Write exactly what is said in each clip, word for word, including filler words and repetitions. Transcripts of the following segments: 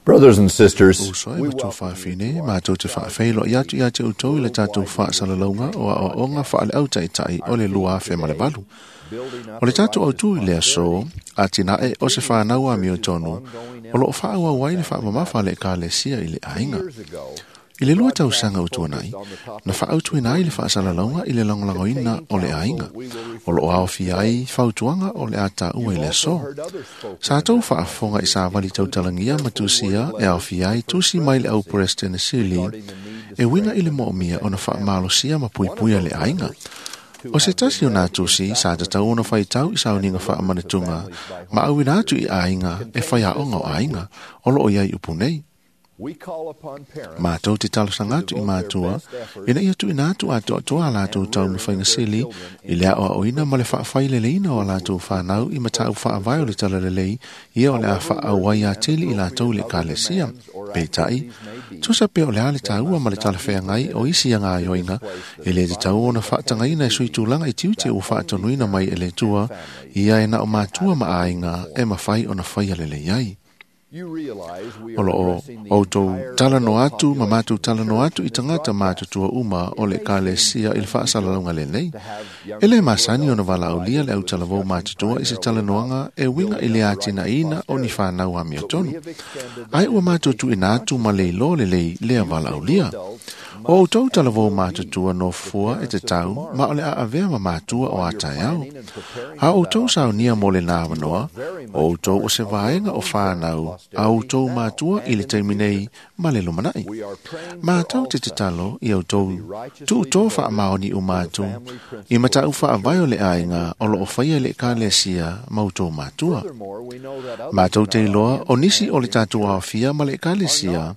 Brothers and sisters, Uso e matou faafine, matou te faafeiloai atu ia te outou i le tatou faasalalauga o aoaoga faale-autaitai o le lua afe ma le valu. O le tatou autū i le aso, atinae o se whanau amiotonu, o loo faaauau ai le faamamafa a le Ekalesia i le aiga. I le lua tausaga o tuanai, na faaautuina ai le faasalalauga i le lagolagoina o le aiga. O loo aofia ai fautuaga o le a taua i le aso. Sa tou faafofoga i savali tautalagia ma tusia e aofia ai tusi mai le au Peresetene e uiga i le moomia ona faamalosia ma puipuia le aiga. O se tasi o nā tusi sa tatau ona faitau i sauniga faamanatuga ma auina atu i aiga e faiaoga o aiga o loo i ai upu nei. Mātou te talosaga atu i matua, ina ia tuuina atu atoatoa a latou taumafaiga sili i le aoaoina ma le faafaileleina o a latou whanau i mataupu faavae o le talalelei ia o le a faaauai atili i latou i le Ekalesia. Peitai, tusa pe o le a le taua ma le talafeagai o isi agaioiga e le tatau ona faatagaina e sui tulaga i tiute ua faatonuina mai e le Atua, ia e na o matua ma aiga e mafai ona faia lelei ai. O loo outou talanoa atu ma matou talanoa atu i tagata matutua uma o le Ekalesia i le faasalalauga lenei. E le masani ona valaaulia le autalavou matutua i se talanoaga e uiga i le atinaeina o ni whanau amiotonu. Ai ua matou tuuina atu ma le iloa lelei lea valaaulia. O outou talavou matutua no fua e te tau ma o le a avea ma matua o a taeao. A outou saunia mo le nā avanoa, o outou o se vaega o whanau a outou matua i le taimi nei ma le lumanai. Mātou te tatalo i outou tuuto faamaoni uma atu i mataupu faavae o le aiga o loo faia i le Ekalesia ma outou matua. Mātou te iloa o nisi o le tatou aofia ma le Ekalesia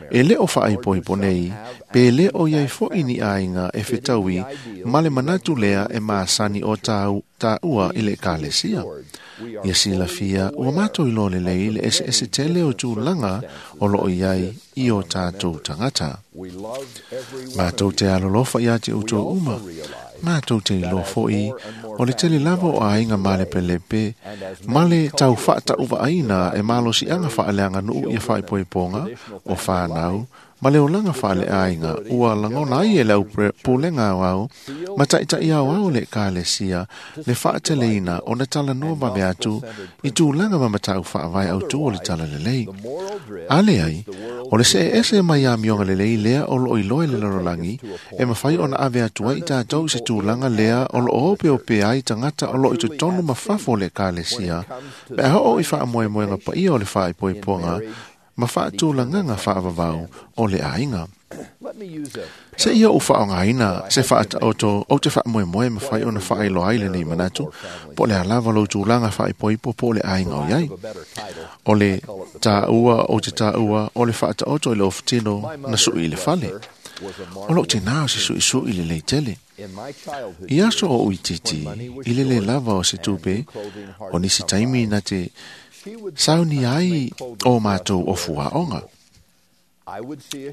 e le o faaipoipo nei pe le o iai foi ni aiga e fetaui ma le manatu lea e masani o tau taua i le Ekalesia. Ia silafia ua matou iloa lelei le eseese tele o tulaga o loo iai i o tatou tagata. Matou te alolofa ia te outou uma. Matou te iloa foi o le tele lava o aiga malepelepe ma le tau faatauvaaina e malosiaga faaleaganuu ia faaipoipoga o whanau ma le olaga faaleaiga ua lagona ai e le au pulega aoao ma taitai aoao o le Ekalesia le faateleina ona talanoa vave atu i tulaga ma mataupu faavae autū o le talalelei. A leai, o le seese mai amioga lelei lea o loo iloa i le lalolagi e mafai ona ave atu ai i tatou i se tulaga lea o loo opeope ai tagata o loo i totonu ma fafo o le Ekalesia pe a oo i faamoemoega paia o le faaipoipoga ma faatulagaga faavavau o le aiga. Se ia ou faaaogaina se faataoto ou te faamoemoe mafai ona faailoa ai lenei manatu, po o le a lava lou tulaga faaipoipo po o le aiga o iai. O le taua o te taua o le faataoto i le ofutino na sui i le fale. O loo tinā o se suisui lelei tele. I aso o uitiiti, i le le lava o se tupe, o nisi taimi na te sauni ai o mātou ofu aoga.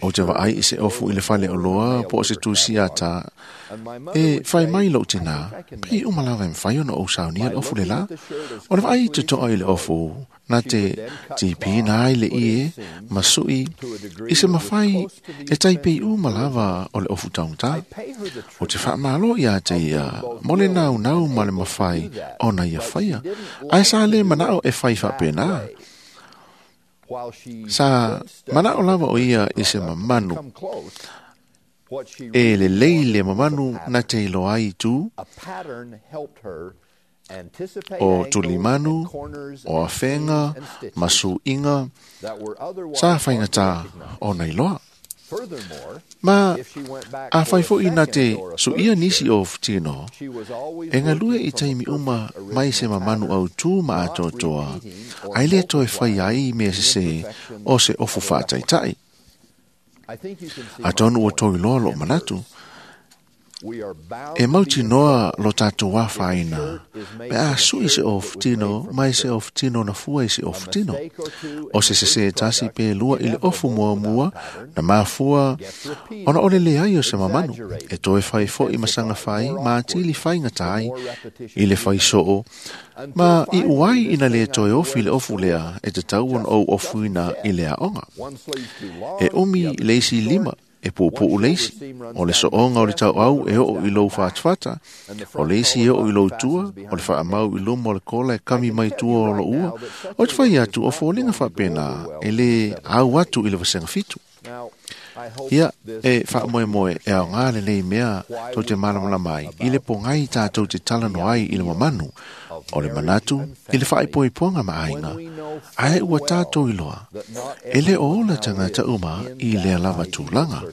O te vaai i se ofu i le fale o loa po o se tusi ata e whai mai lou tinā, pei uma lava e mawhai ona o saunia le ofu le la. O le vaai te toa i le ofu, na te tipi nā i le ie, ma sui, i se mawhai e tai pei uma lava o le ofu taungata. O te whaamalo ia te ia, mo le nau nau ma le mawhai o na ia whaia. Ai sa le manao e whai whapena. Sa manao lava o ia i se mamanu. E le lei le mamanu na te iloa ai tu o tulimanu, o afenga, masuiga, sa whaingata o na iloa. Ma a whai foi na te suia nisi o futino, e ngalue i taimi uma mai se mamanu au tū ma atoatoa, ai le toe whai ai mea se se o se ofu whaataitai. Atonu ua toi loa lo manatu, e mautinoa lo tātou wāwhaina, Pe a sui se ofutino, mai se ofutino na fua i se ofutino. O se se se tasi pe lua i le ofu mua mua, na mafua, ona ole le ai o se mamanu. E toe fai fo i masanga fai, ma atili fai ngatai, i le fai soo, ma i uai ina le toe ofi le ofu lea, e te tau on ou ofuina i le aonga. E umi leisi lima, e puupuu leisi, o le soonga o le tau au e oo i lou whaatwhata, o leisi e oo i lou tua, o le whaamau i luma o le kola e kami mai tua o lo ua, o te whai atu o fōlinga whapena e le au atu i le wasenga fitu. Ia, e whaamoe moe e au ngā le nei mea tau te malamala mai, i le pongai tātou te talano ai i le mamanu, o le manatu i le whaipoipoanga maainga, ae ua tātou i loa, e le o ola tangata uma i lea lava tūlanga.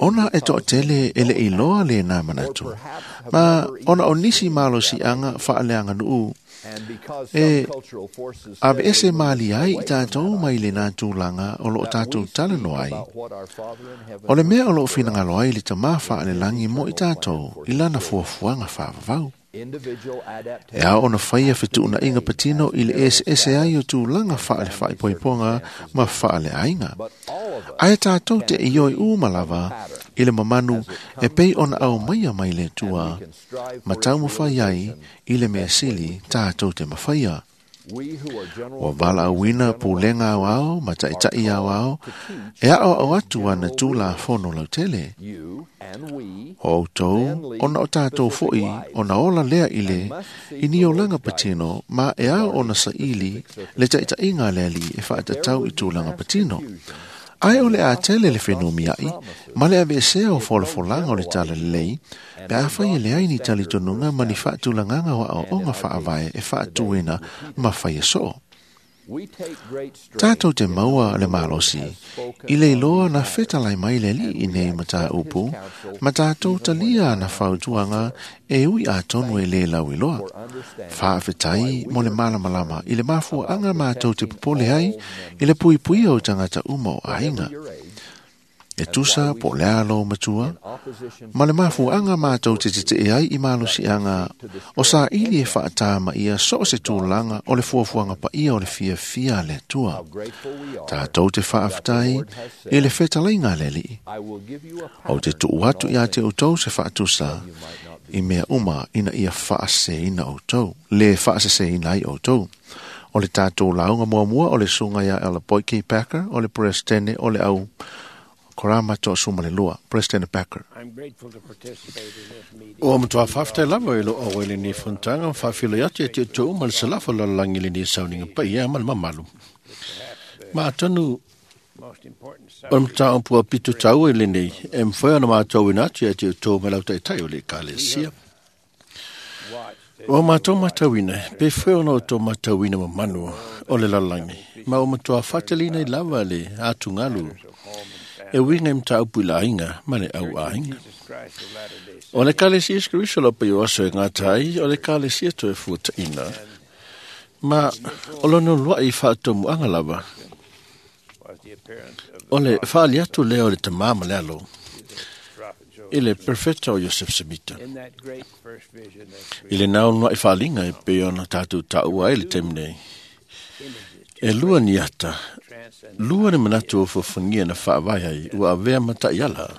Ona e to'atele e le iloa le nā manatu, ma ona o nisi malo sianga whaaleanga nuu, e ave ese maali ai i tātou mai le nā tūlanga o loo tātou talano ai. O le mea o loo whinangalo ai le tamā whaale langi mo i tātou i lana fuafuanga whaavavau. E ao ona whaia whituuna inga patino i le ese ese ai o tūlanga whaale whaipoiponga ma whaale ainga. Ae tātou te ioi umalava i le mamanu e pei ona au maia mai le tua, ma taumawhai ai i le mea sili tātou te mawhaia. Ua wala awina pūlenga au ao, ma ta'itai au ao, e ao au atu ana tūla fono lautele. O outou, ona o tātou foi, ona ola lea i le, i ni olanga patino, ma e ao ona saili, le taʻitaʻiga le alii e faatatau i tulaga patino. Ae o le a tele le whenumi ai, ma le aveesea o folafolanga o le tala lelei, pe a whai e le ai ni talitonunga ma ni whaatulanganga wa o onga whaavae e whaatuina ma whai e soo. Tātou te maua le malosi, i le iloa na whetalai mai le li i nei mata upu, ma tātou talia na whautuanga e ui a tonu e le lau iloa. Whaawhetai mo le malamalama i le mafua anga mātou te popole ai i le pui pui o tangata uma o ainga. E tusa po le alo matua, ma le mafuanga mātou te te te ai i malosi anga o sa ili e whaatama ia so se tūlanga o le fuafuanga pa ia o le fia fia le tua. Tātou te whaaftai i le whetalainga le li. O te tuu atu ia te utou se whaatusa i mea uma ina ia whaase ina outou, le whaase ina ai outou. O le tātou launga muamua o le sunga ia ele Boyke Packer, o le presidente o le au Korama to Sumalelua, President Packer. I'm grateful to participate in this meeting. O matua whaftai lava i lo o ele ni fontanga whawhilo atu e te tō uma le salafa la langi le ni sauninga pa ia ma le mamalu. Ma atonu o le mataupua pitu tau e lenei e mwhai ana mātou ina atu e te tō me lau taitai o le kalesia. O mātou matauina, pe whai ona o tō matauina mamanu o le lalangi. Ma o matua whatalina i lava le atu ngalu. E winga mta upu la inga, ma le au a inga. O le kalesia skriso lo pe oso e ngā tai, o le kalesia to e fuata ina. Ma o lono lua i whaatomu anga lava. O le whaali atu lea o le tamama le alo. I le perfecta o Joseph Smith. I le nao nua i whaalinga e pe ona tātou taua e le temnei. E lua ni ata, lua ni manatu o fofungia na whaavai ai, ua avea mata iala.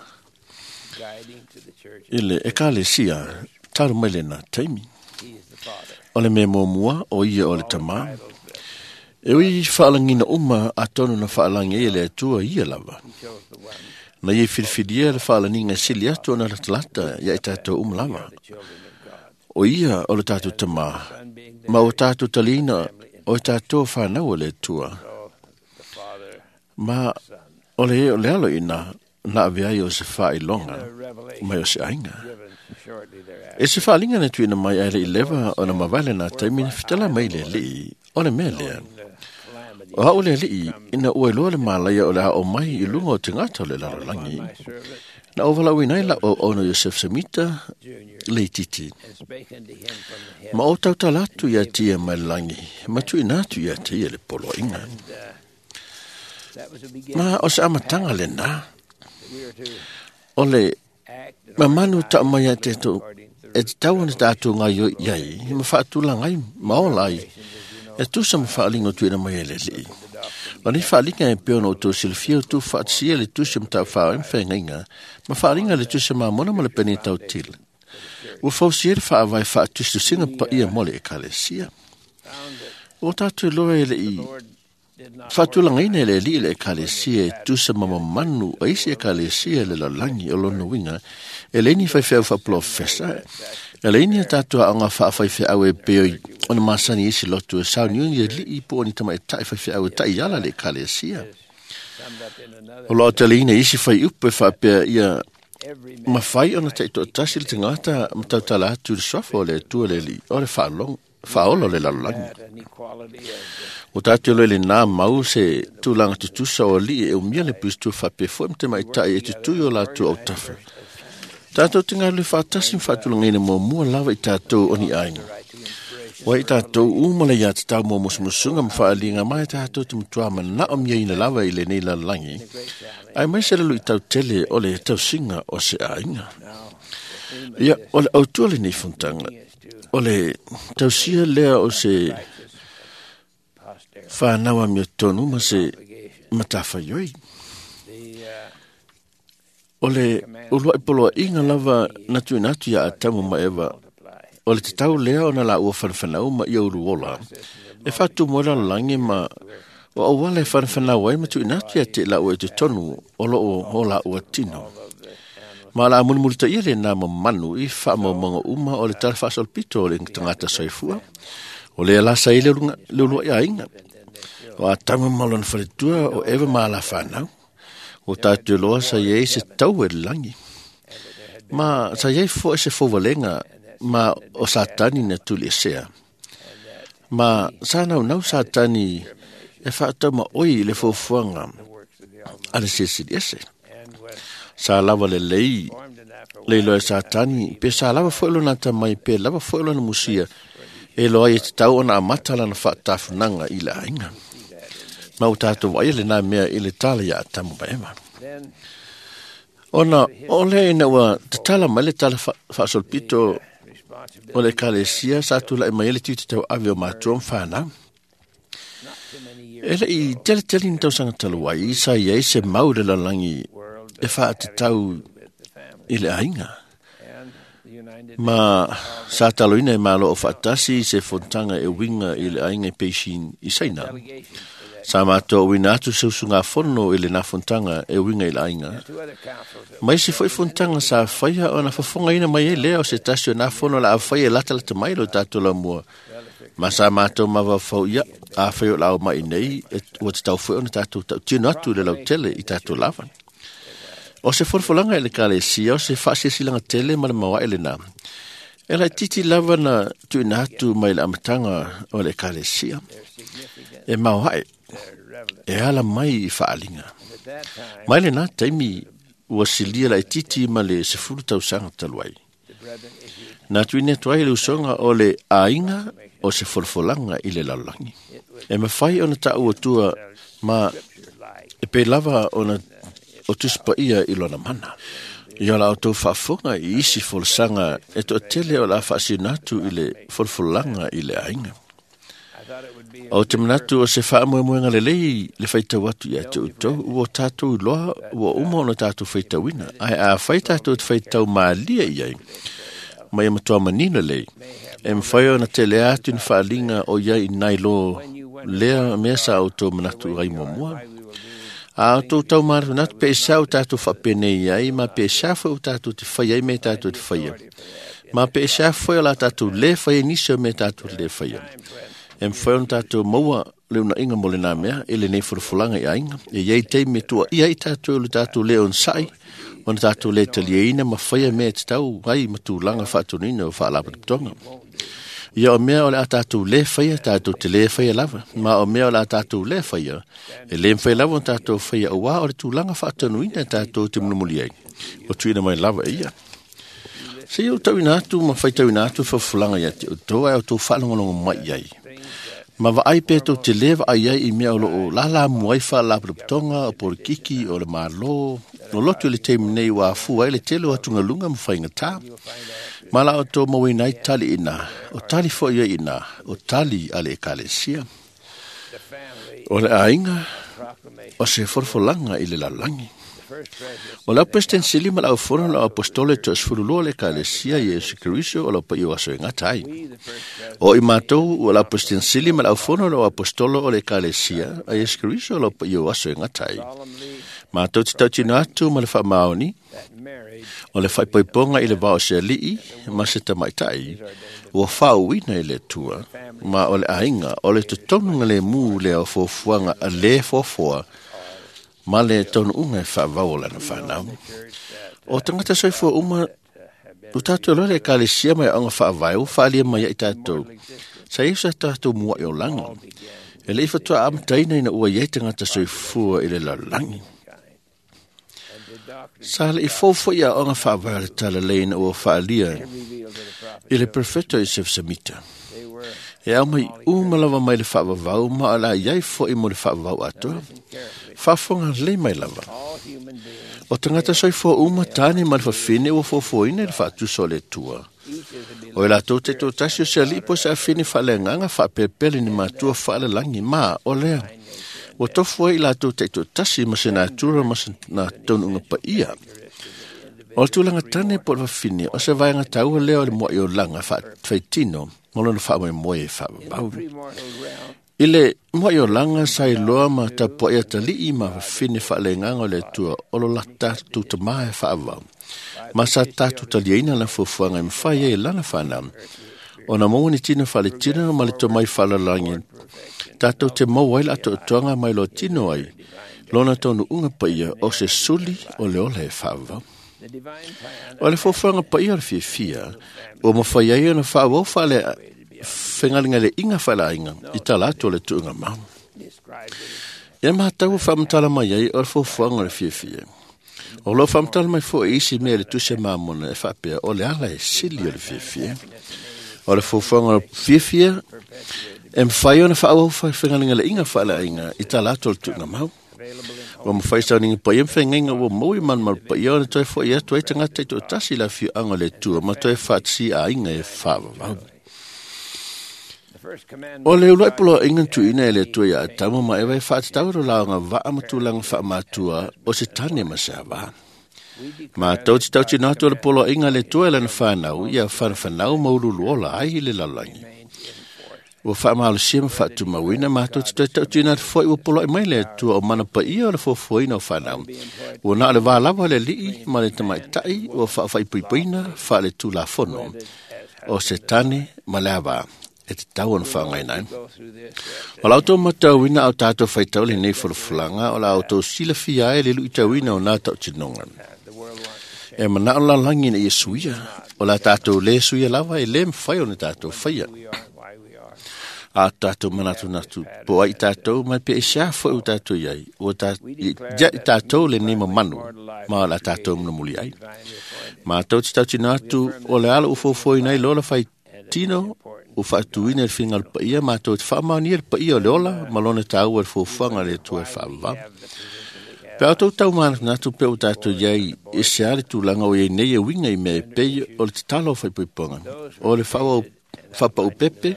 I le ekalesia, taru mai le nā taimi. O le mea mua o ia o le tamā. E ui whaalangina uma a tonu na whaalangi e le atua ia lava. Na ie whiriwhiria le whaalaninga sili atu o na latalata ia i tātou uma lava. O ia o le tātou tamā, ma o tātou talina o tātou whanau o le atua. Ma o le o le alo ina na avea i o se whailonga mai o se ainga. E se whaalinga na tuina mai aile i lewa o na mawale na taimi na whitala mai le lii o le mea lea. O hao le lii ina ua iloa le malaia o le hao mai i lunga o te ngata o le laralangi. Na o walau inai la o ono Joseph Semita le titi. Ma o tautala atu ia tia mai langi, ma tuina atu ia tia le poloinga. Ma o se amatanga le nā. O le mamanu ta mai a te tō e te tau ona tātou ngai oi iai, ma whaatula ngai maola ai, e tusa ma whaalinga tuina mai e le lii. O nei whaalinga e peo no tō silfia o tū whaatsia le tusa ma tau whao em whaingainga, ma whaalinga le tusa ma mona ma le pene tau tila. Ua fausia le whaawai whaatustusinga pa ia mole e kalesia. O tātou loa e le i whaatulangaina e le li le ekalesia e tusa mamamanu a isi ekalesia le lalangi o lona winga e leini whaiwheu whaplofesa e leini a tātou aonga whaawhaiwheau e peoi ona masani isi lotu e sauniuni e lii po o ni tama e tai whaiwheau e tai ala le ekalesia. O loa taleina isi whai upe whaapea ia mawhai ona te ito tasi le tangata matautala atu le swafa o le atua le li o le whaalong whaolo le lalolagi. O tātou loe le nā mau se tūlanga tutusa o li e umia le pistu whapefo e mte maitai e tutui o lātou au tafa. Tātou te ngā le whātasi mwhātulangaina mua mua lava i tātou o ni āinga. Wa i tātou umala ia te tau mō musumusunga mwhaalinga mai tātou te mutua mana o mia ina lava i le nei lalalangi. Ai mai se lalu i tau tele o le tausinga o se āinga. Ia, o le autua le nei fontanga. O le tausia lea o se whānawa mea tonu ma se matawhaioi. O le ulua i poloa inga lava natu inatu ia atamu ma ewa. O le te tau lea o na la ua whanawhanau ma ia uruola. E whātu moera langi ma o awala e whanawhanau ai ma tu inatu ia te la ua e te tonu o lo o la ua tino. Ma la mulimulita ia le nā mamanu i whaamaumanga uma o le tala whaasolpito o le tangata soifua. O le alasa i le ulua ia inga. O a tama malona whaletua o ewa maa la whanau. O tātou loa sa iei se tau e langi. Ma sa iei fo e se fōwalenga ma o satani na tuli e sea. Ma sa nau nau satani e whaatau ma oi le fōfuanga a le sesili ese. Sa lava le lei, le loe satani, pe sa lava fo elo nata mai, pe lava fo elo na musia, e loa i te tau ona amata lana whaatafunanga i la ainga. Ma o tātou waia le nā mea i le tala ia atamu maema. Ona, o le ina ua tatala mai le tala whaasolpito o le kalesia sa tula e mai le tui te tau ave o mātua mwhānau. E le i tele tele ni tausanga taluai, sa iai se mau le lalangi e whaatatau i le ainga. Ma sa taloina e malo o whaatasi se fontanga e winga i le ainga e peixin i saina. Sa mātou wina atu se usunga fono i le nā fontanga e winga i le ainga. Mai se foi fontanga sa whaia o na whafonga ina mai e lea o se tasi o nā fono la a whaia e lata lata mai lo tātou la mua. Ma sa mātou mawawhau ia, a whai o lau mai nei, e ua te tau whai o na tātou tau tino atu le lau tele i tātou lava. O se folafolanga e le kalesia, o se whaasiasilanga tele ma le mawae le nā. E lai titi lava na tuina atu mai le amatanga o le kalesia. E mawae, e ala mai i whaalinga. Mai le nā taimi ua silia lai titi ma le sefulu tausanga taluai. Nā tuine atu ai le usonga o le āinga o se folafolanga i le lalolagi. E mawhai ona tāu atua ma e pe lava ona o tuspa ia i lona mana. Ia la o tau whaafonga i isi folosanga e to tele o la whaasinatu i le folafolanga i le ainga. O te manatu o se whaamoemoenga le lei le whaitau atu ia te utou, ua tātou loa, ua uma ona tātou whaitauina. Ai a whaitātou te whaitau maalia i ai, mai e matua manino lei. E mwhai ona te lea atu ni whaalinga o ia i nai lo lea mea sa o tō manatu rai mua. A tō tau māratunatu pe e o tātou whapenei ai, ma pe e o tātou te whai ai me tātou te whai. Ma pe e o la tātou le whai nisi o me tātou le whai. E mwhai ona tātou maua le una inga mo le nā mea, e le nei folafolanga i ainga. E iei te me tua ia i tātou le tātou le on sai, ona tātou le taliaina ma whaia mea te tau ai matulanga whaatonina o whaalapatotonga. Ia o mea o le a tātou le whaia, tātou te le whaia lava. Ma o mea o le a tātou le whaia, e le mwhai lava o tātou whaia o wā o le tūlanga whaatanuina tātou te munumuli ai. O tuina mai lava e ia. Se iau tauina atu ma whai tauina atu whafulanga ia te o tō ai o tō whaalongolongo mai ai. Ma vaai pe tō te lewa ai ai i mea o loo lala muai whaalapatotonga, o porikiki, o le mālo. O lotu le teimi nei wā fua ai le tele o atunga lunga ma whainga tā. Ma la o tō mawina i tali ina, o tali fo ia ina, o tali a le ekalesia. O le aiga, o se folafolanga i le lalolagi. O lau President Sili ma lau fono lau apostole to sefululua le ekalesia Iesu Keriso o lau paia o aso e gata ai. O i matou o lau President Sili ma lau fono lau apostolo o le ekalesia a Iesu Keriso o lau paia o aso e gata ai. Matou te tautino atu ma le faamaoni o le faaipoipoga i le vao o se alii ma se tamaitai ua faauuina i le Atua, ma o le aiga o le totonuga lemu lea o fuafuaga a le foafoa ma le taunuuga e faavau o lana fanau. O tagata soifua uma o tatou loa le ekalesia ma aoga faavae ua faaalia mai ai tatou. Sa ia sa tatou mua'i olaga. E le i fatoa amataina ina ua iai tagata soifua i le lalolagi. Sa le i fou foi aoga faavae o le talalei ina ua faaalia i le perfeto i Sefsamita. E au mai uma lava mai le faavavau ma o le a iai foi mo le faavavau atoa. Faafofoga lelei mai lava. O tagata soifua uma tane ma le fafine ua fuafuaina i le faatusa o le Atua. O i latou taitoatasi o se alii po o se afine faaleagaga faapelepele ni matua faalalagi ma o lea. Ua tofu ai i latou taitoatasi ma se natura ma se taunuuga paia. O le tulaga tane po o le fafine o se vaega taua lea o le mua'i olaga faafaitino ma lona faamoemoe e faavavau. I le mua'i olaga sa iloa ma tapua'i atalii ma fafine faaleagaga o le Atua o lo la tatou tamā e faavavau. Ma sa tatou taliaina lana fuafuaga e mafai ai e lana fanau. Ona maua ni tino faaletino ma le tomai faalalagi tatou te maua ai le atoatoaga mai loa tino ai lona taunuuga paia o se suli o le ola e faavavau. O le fuafuaga paia o le fiafia ua mafai ai ona faavau faale fegalegale'iga faaleaiga i tala atu o le tuuga mau. Ia matau ua faamatala mai ai o le fuafuaga o le fiafia. O loo faamatala mai fo'i isi mea i le tusi a Mamona e faapea o le ala e sili o le fiafia. O le fuafuaga o le fiafia e mafai ona faaauau fegalegale'iga faaleaiga i tala atu o le tuuga mau. Ua mafai sauniga paia ma feagaiga ua maua i malumalu paia ona toe fo'i atu ai tagata taitoatasi i le afioaga o le Atua ma toe faatasi aiga e faavavau. O le uluai poloaiga na tuuina e le Atua iā Atamu ma Eva e faatatau i lo laoga vaa ma tulaga faamatua o se tane ma se avā. Matou te tautino atu o le poloaiga a le Atua e lana fanau ia fanafanau ma ululuola ai i le lalolagi. Ua faamalosia ma faatumauina matou te toe tautino atu foi ua poloai mai le Atua o mana paia o le fuafuaina o fanau. Ua na o le vā lava o le alii ma le tamaitai ua faafaipoipoina faaletulafono o se tane ma le avā e tatau ona faaaogaina ai. O la outou matauina au tatou faitau lenei folafolaga o la outou silafia ai le luitauina o nā tautinoga. E manao lalagi ina ia suia, o la tatou lē suia lava e lē mafai ona tatou faia. A tatou manatunatu po ai tatou mai pe i sea foi o tatou iai, ua ta, ia i tatou lenei mamanu, ma o la tatou munamuli ai. Matou te tautino atu o le ala ua fuafuaina ai loa la faitino ua faatuina i le fingalo paia matou te faamaonia le paia o le ola ma lona taua i le fuafuaga a le Atua e faavavau. Pe a outou tau manatunatu pe ua tatou iai e se a le tulaga o iai nei e uiga i mea e pei o le tatalo o faaipoipoga, o le faaauau faapaupepe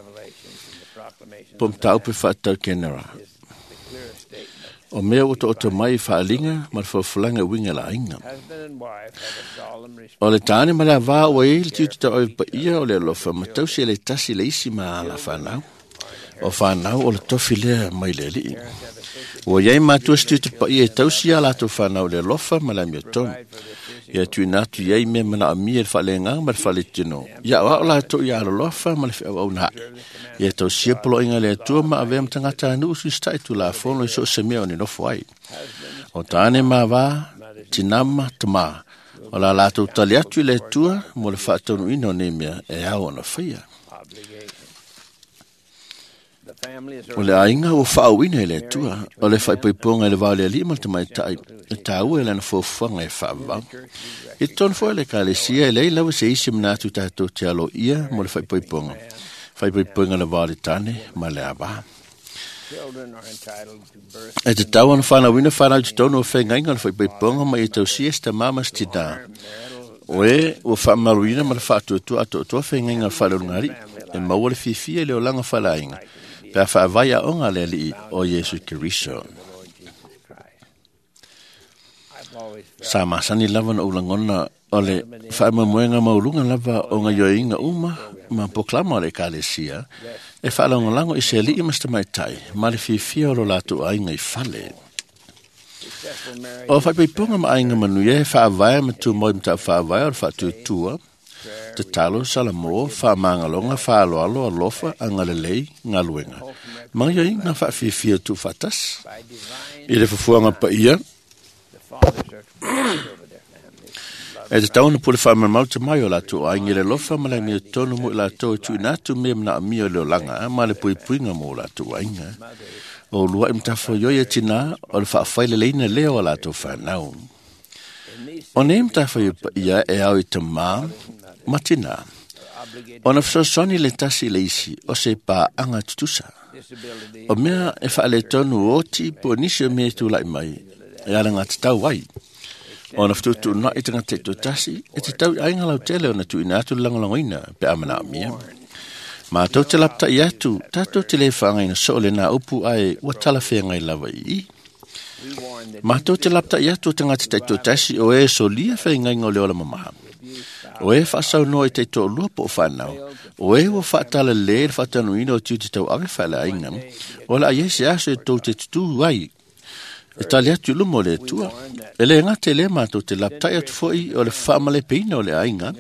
po o mataupu e faatatau kenera. O mea ua taoto mai i faaliga ma le folafolaga e uiga i le aiga. O le tane ma le avā ua iai le tiute tauave paia o le alofa ma tausi e le tasi le isi ma ala fanau. O fanau o le tofi lea mai le alii. Ua iai matua se tiute paia e tausi a latou fanau i le alofa ma le amiotonu. Ia tuuina atu iai mea manaomia i le faaleagaga ma le faaletino. Ia aoao latou ia alolofa ma le feauauna ae. Ia tausia poloaiga a le Atua ma avea ma tagata anuu susita'i tulafono i so o se mea o ni nofo ai. O tane ma avā, tinā ma tamā, o la latou tali atu i le Atua mo le faataunuuina o nei mea e ao ona faia. O le aiga ua faauuina e le Atua, o le faaipoipoga i le vao o le alii ma le tamaitai, e taua i lana fuafuaga e faavavau. I totonu foi o le ekalesia e leai lava se isi manatu tatou te aloaia mo le faaipoipoga, faaipoipoga i le vao o le tane ma le avā. E tatau ona fanauina fanau i totonu o feagaiga o le faaipoipoga ma ia tausia se tamā ma se tinā. O e ua faamaluina ma le faatuatua atoatoa faigaina o le faleologali'i e maua le fiafia i le olaga faleaiga pe a faavae aoga a le Alii o Iesu Keriso. Sa masani lava na ou lagona o le faamoemoega maualuga lava o gaioiga uma ma pokalama o le Ekalesia e faalagolago i se alii ma se tamaitai ma le fiafia o lo latou aiga i fale. O faipaipoga ma aiga manuia e faavae ma tumau i mataupu faavae o le faatuatua, tatalo, salamo, faamagaloga, faaaloalo, alofa, agalelei, galuega, ma gaioiga faafiafia tuufaatasi. I le fuafuaga paia, e tatau ona pule faamaumau te mai o latou aiga i le alofa ma le amiotonu mo i latou e tuuina atu mea manaomia o le olaga ma le puipuiga mo latou aiga. O lua'i matafaioi e tinā o le faafaileleina lea o latou fanau. O nei matafaioi paia e ao i tamā ma tinā, ona fesoasoani le tasi i le isi o se paaga tutusa. O mea e faaletonu oti po o nisi o mea e tula'i mai e alagatatau ai. Ona fetuutuunai tagata taitoatasi e tatau i aiga lautele ona tuuina atu le lagolagoina pe a manaomia. Matou te lapata'i atu, tatou te lē faagaina soo lenā upu ae ua talafeagai lava i i. Matou te lapata'i atu o tagata taitoatasi o e solia faigaiga o le ola mamaha, o e faasaunoa i taitoalua po o fanau, o e ua faatalale le faatanuina o tiute tauave faaleaiga, o le a iai se aso e tou te tutū ai e tali atu i luma o le Atua. E lē gata i lea matou te lapata'i atu fo'i o le faamalepeina o le aiga,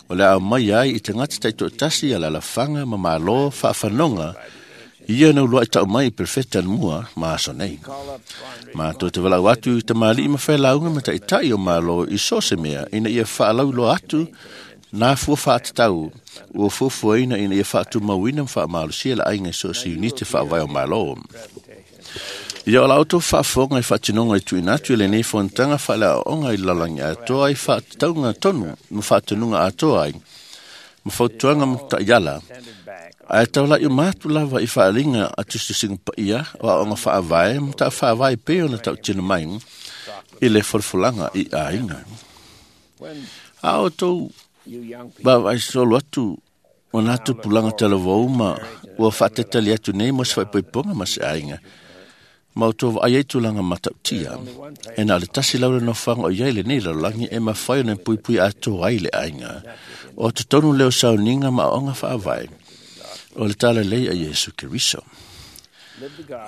o le a aumai ai i tagata taitoatasi a le alafaga ma malo faafanoga ia na ulua'i ta'u mai i perofeta anamua ma aso nei. Matou te valaau atu i tamalii ma failauga ma ta'ita'i o malo i so o se mea ina ia faalauiloa atu nā fua faatatau ua fuafuaina ina ia faatumauina ma faamalosia le aiga i so o se iunite faavae o malo. Ia o la outou faafofoga i faatinoga i tuuina atu i lenei fonotaga faaleaoaoga i le lalolagi atoa ai faatatauga tonu ma faatonuga atoa ai ma fautuaga ma ta'iala, ae taula'i uma atu lava i faaaliga a tusitusiga paia o aoga faavae ma ta'afaavae pei ona ta'utino mai i le folafolaga i aiga. A outou vaavaai solo atu o nā tupulaga talavou ma ua faatetali atu nei mo se faaipoipoga ma se aiga, ma outou vaai ai tulaga matautia, e na o le tasi lau le nofoaga o iai lenei lalolagi e mafai ona puipui atoa ai le aiga. O totonu leo sauniga ma aoga faavae o le talalei a Iesu Keriso.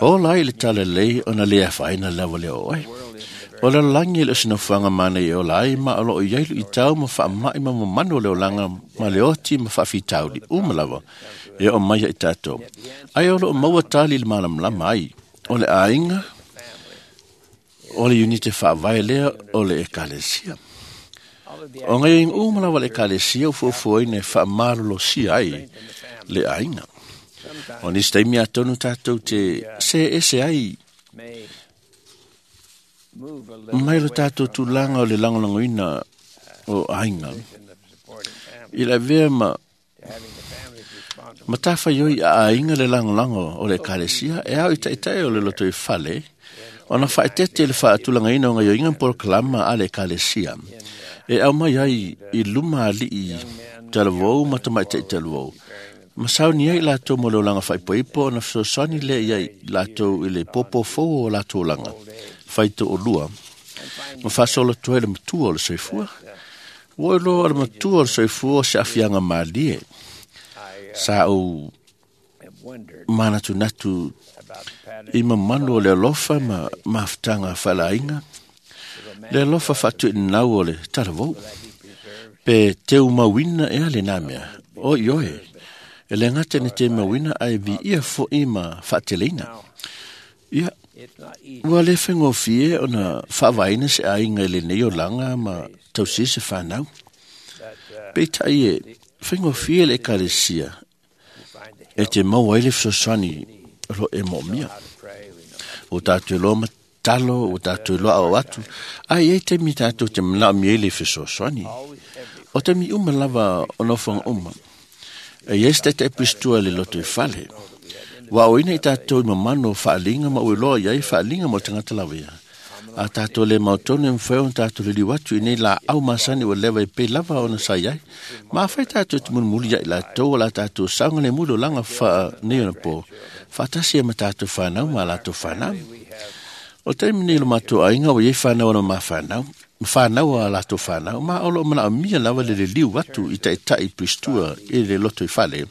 Ola ai le talalei ona le afaina lava lea o oe. O le lalolagi e le o se nofoaga manai e ola ai ma o loo iai luitau ma faama'i ma mamanu o le olaga ma le oti ma faafitauli uma lava e oo mai ia i tatou. Ai o loo maua tali i le malamalama ai o le aiga o le iunite faavae lea o le Ekalesia. O gaioiga uma lava le Ekalesia ua fuafuaina e faamalolosia ai le aiga. O nisi taimi atonu tatou te se ese ai mai lo tatou tulaga o le lagolagoina o aiga i le avea ma matafaioi a aiga le lagolago o le Ekalesia e ao i ta'ita'i o le loto i fale ona faaetete le faatulagaina o gaioiga ma polokalama a le Ekalesia e aumai ai i luma alii talavou ma tamaita'i talavou ma sauni ai latou mo le olaga faaipoipo ona fesoasoani lea iai latou i le popofou o latou olaga faito'olua ma faasolo atu ai le matua o le soifua. Ua iloa o le matua o le soifua o se aafiaga malie. Sa ou manatunatu i mamanu o le alofa ma mafutaga faaleaiga, le alofa faatuinau o le talavou, pe teumauina ea lenā mea, o ioe, e le gata ina temauina ae viia fo'i ma faateleina. Ia, ua le faigofie ona faavaeina se aiga i lenei olaga ma tausia se fanau. Peitai e faigofie le Ekalesia e te maua ai le fesoasoani o lo e moomia. Ua tatou iloa matalo, ua tatou iloa ao atu, ae i ai taimi tatou te manaomia ai le fesoasoani. O taimi uma lava o nofoaga uma, e iai se ta'ita'i puisitua i le loto i fale. Ua aoina i tatou i mamanu o faaliga ma ua iloa iai faaliga mo le tagata lava ia. A tātou le mautonu e mwhai ona tātou le liu atu i nei la au masani ua lewa e pe lava ona sa iai. Ma awhai tātou te munumuli ia i la tau la tātou saunga le mulu langa wha nei ona po. Whaatasi e ma tātou whanau ma lātou whanau. O taimi nei lo mātou ainga o iei whanau ona ma whanau. Whanau a lātou whanau. Ma olo mana o mia lawa le le liu atu i taitai pristua i le loto i whale.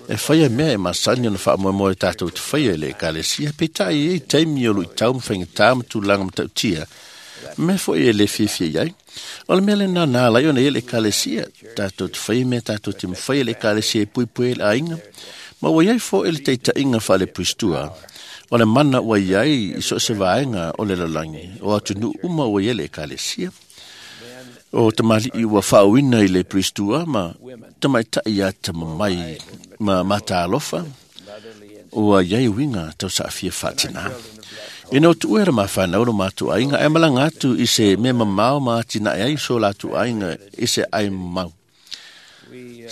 E whaia mea e masani ona whaamoemoe tātou te whaia le ekalesia, pe tai e taimi o lui tau mwhainga tā matulanga matautia. Me fo e le fiafia iai. O le mea le nā nā lai ona e le ekalesia, tātou te whaia mea tātou te mwhaia le ekalesia e pui pui le ainga. Ma ua iai fo e le teitainga wha le pristua. O le mana ua iai i so se vaenga o le lalangi. O atu nu uma ua iai le ekalesia. O tamali i ua whaawina i le pristua ma tamaitai ia tamamai ma mataalofa ua iai winga tau saafia whaatina. Ina o tuuera ma whanau lo mātou ainga e malanga atu i se me mamao ma atina e ai so lātou ainga i se ai mau.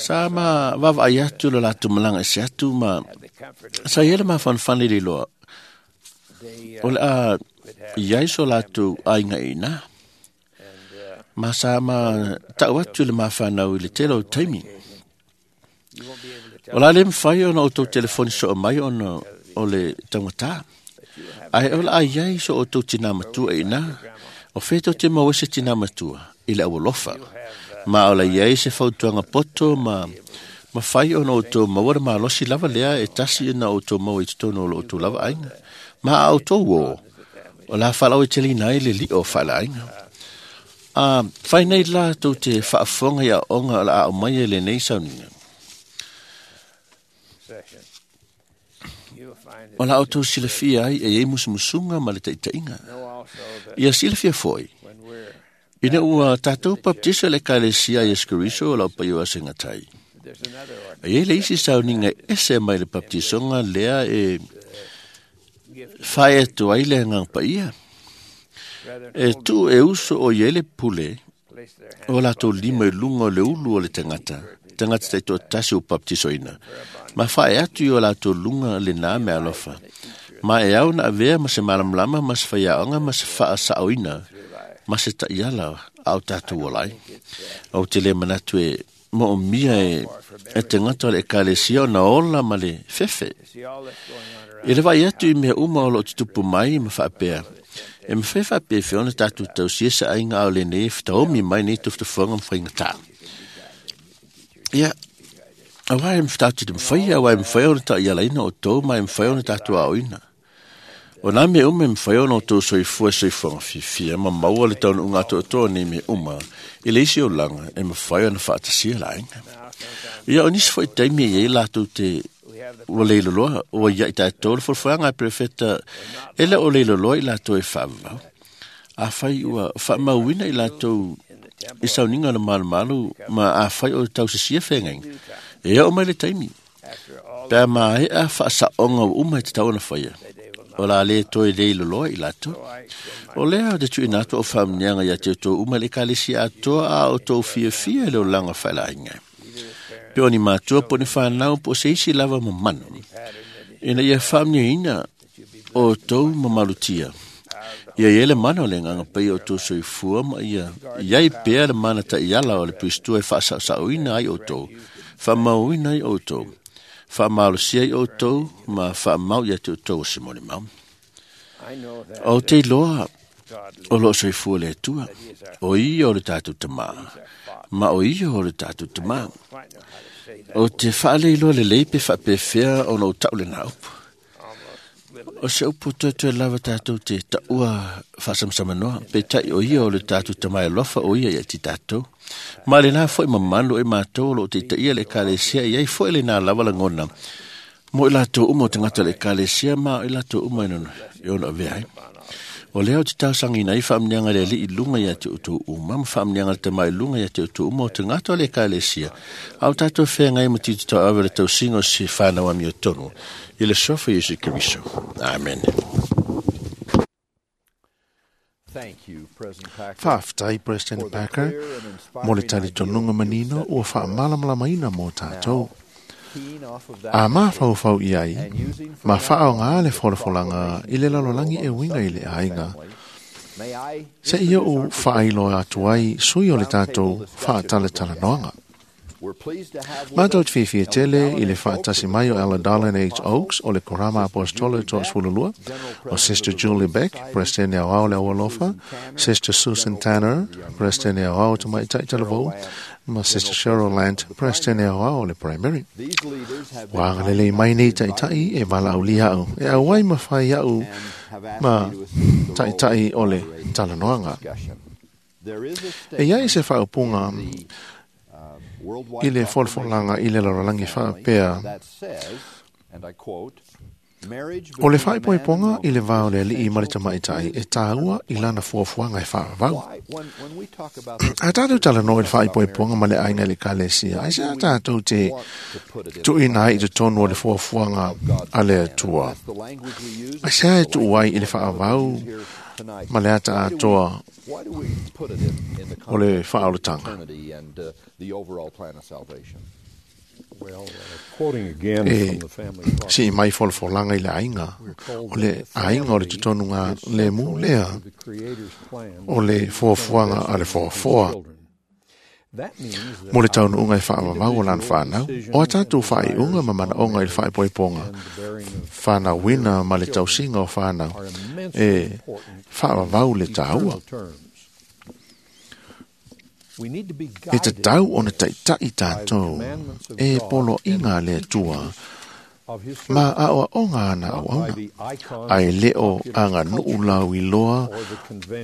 Sa ma wawa ai atu lo lātou malanga i se atu ma sa iele ma whanwhane le loa. O le a iai so lātou ainga ina. Ma sa ma tau atu le ma whanau i le tele o taimi. O la le mwhai ona o tau telefoni so o mai ona o le tangata. Ai o la ai ai so o tau tina matua ina. O wheto te mawese tina matua i le awalofa. Ma o la iai se fautuanga poto ma ma whai ona o tau mawara malosi lava lea e tasi ina o tau mawa i tatono o lo o tau lava ainga. Ma au tau o. O la whalau e tele ina i le li o whala ainga. A whai nei la tau te whaafonga ia onga o la au mai e le nei sauninga. O la au tau silafia ai e ei musumusunga ma le taitainga. Ia silafia foi. Ina ua tātou baptisa le kalesia Yesu Keriso o lau paio asenga tai. E ei le isi sauninga ese mai le baptisonga lea e whae atu ai le ngang paia. E tu e uso o iele pule o lātou lima i lunga o le ulu o le tangata. Tangata tai toa tasi o baptisoina. Ma whae atu i o lātou lunga le nā me alofa. Ma e au na avea ma se malamlama ma se whaiaonga ma se whaasaoina ma se taiala au tātou olai. Au te le manatu e mo o mia e, e te ngata o le ekalesia o na ola ma le fefe. I le vai atu i mea uma o lo tutupu mai ma whaapea. E mwhai whaapea whiona tātou tau sia sa ainga au le nei whataomi mai nei tuftufonga mwhainga tā. Ia, awa e mwhtatu te mwhai, awa e mwhai ona tā ialaina o tō, ma e mwhai ona tātou aoina. O nā me uma e mwhai ona o tō soifua soifuanga whiwhia, ma maua le taunu unga tō tō nei me uma, i le isi o langa e mwhai ona whaatasia la ainga. Ia, o nisi fwoi taimi e iei lātou te ua leilo loa, ua iai tātou le whalwhanga e prefeta, ele o leilo loa i lātou e whaavau. A whai ua whaamauina i lātou i sauninga na malumalu ma a whai o tau se sia whengainga. E o mai le taimi. Pea ma e a whaasaonga o uma i te tau ona whaia. O la le toi leilo loa i lātou. O lea o te tuina atu o whaamnianga ia te tō uma le kalesi atoa a o tō fia fia le o langa whaila inga. Pe o ni mātua po ni whanau po se isi lava mamanu. Ina ia whaamnia ina o tō mamalutia. Ia ia le mana o le nganga pai o tō soifua ma ia iai pea le mana ta iala o le pristua e whaasauina ai o tō, whaamauina ai o tō, whaamalosia ai o tō, ma whaamau ia te o tō o se moni mau. O te loa o lo soifua le atua, o ia o le tātou tamā, ma o ia o le tātou tamā. O te whaaleiloa le leipe whaapewhea o no tau le nā upu. O se upu toe toe lava tātou te taua whaasamsamanoa, pe tai o ia o le tātou tamai alofa o ia ia ti tātou. Ma le nā foi mamanu e mātou lo te taia le ekalesia, iai foi le nā lava langona. Mo i lātou uma o te ngata le ekalesia, ma i lātou uma e e ono avea ai. O lea o te tausangi nei whaamnianga le li i lunga ia te utu uma, ma whaamnianga le tamai lunga ia te utu uma o te ngata le ekalesia. Au tātou whengai ma tito tau awe le tausinga o se whanau ami o tonu. I le sofa Yesu Keriso. Amen. Thank you, President Packer. Whaaftai, President for the Packer, clear and inspiring mo le talitonuga manino ua faamalamalamaina mo tātou. Keen off of that A message mafaufau i ai, and using from ma now whaonga on le the folafolaga i le lalolagi e uiga i le aiga. family, Se i o'u whaailoa atu ai sui o le tātou whaatalatalanoanga. Mātou te whiwhia tele i le whaatasi mai o Ella Darlene H. Oaks o le Korama Apostolo to Sfululua, o Sister Julie Beck, Presidente au ao le Awalofa, Sister Susan Tanner, Presidente au ao te Maitai Talavou, ma Sister Cheryl Land, Presidente au ao le Primary. Wanga lele mai nei taitai e wala au lia au, e au ai mawhai au ma taitai o le talanoanga. E iai se whaopunga i le folfolanga i le laralangi whaapea. O le whaipoiponga i le vao le alii ma le tamaitai e tāua i lana fuafuaga e whaavau. A tātou talanoa i le whaipoiponga ma le ainga i le kalesia, ai se a tātou te tuina ai i te tonu o le fuafuaga a le atua. Ai se a e tuuai i le whaavau ma le ata atoa o le whaolotanga. E si mai folfolanga i le ainga, o le ainga o le tutonunga le mu lea, o le fuafuaga a le fuafoa. Mo le taunuunga e whaamamau o lan whanau, o a tātou whaiunga ma manaonga i le whaipoiponga, whanauina ma le tausinga o whanau, e whaamamau le tāua. E te tau o na taitai tātou, e polo inga le atua, ma aoa onga ana au auna, ai leo anga nuu lau i loa,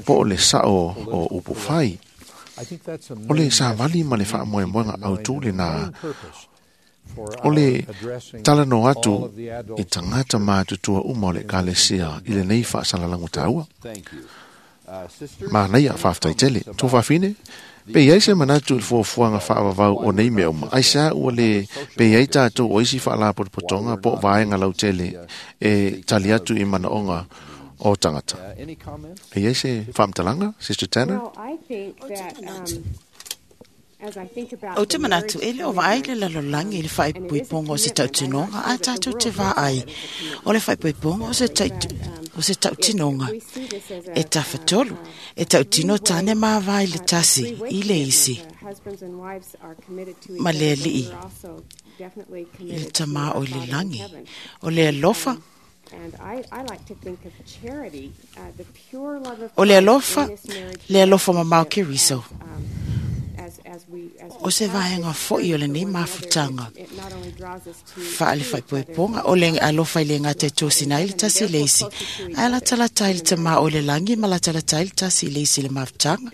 po o le sao o upu whai. O le sāvali ma le whaamoemoenga au tūle nā, o le talano atu i tangata mātutua uma o le kalesia i le nei whaasalalangu tāua. Mā nei a whaftai tele, tō whawhine, pe iai se manatu i fuafuaga whaavavau o nei mea uma. Ai sa ua le pe iai tātou o isi whaalapotopotonga po vaenga lautele e tali atu i manaonga o tangata. E iai se whaamtalanga, Sister Tanner? O te manatu e leo vaai le lalolagi i le faaipoipoga o se tautinoga a tatou te vaai. O le faaipoipoga o se o se tautinoga e tafatolu, e tautino tane mavae le tasi i le isi. Ma le alii i le tamā o i le lagi, o le alofa. O le alofa, le alofa mamao ke riso. O se vaenga fo'i o lenei mafutaga faale faaipoipoga o le alofa i le gata e tosina ai le tasi le isi ae latalata ai le tamā o le lagi ma latalata ai le tasi i le isi le mafutaga.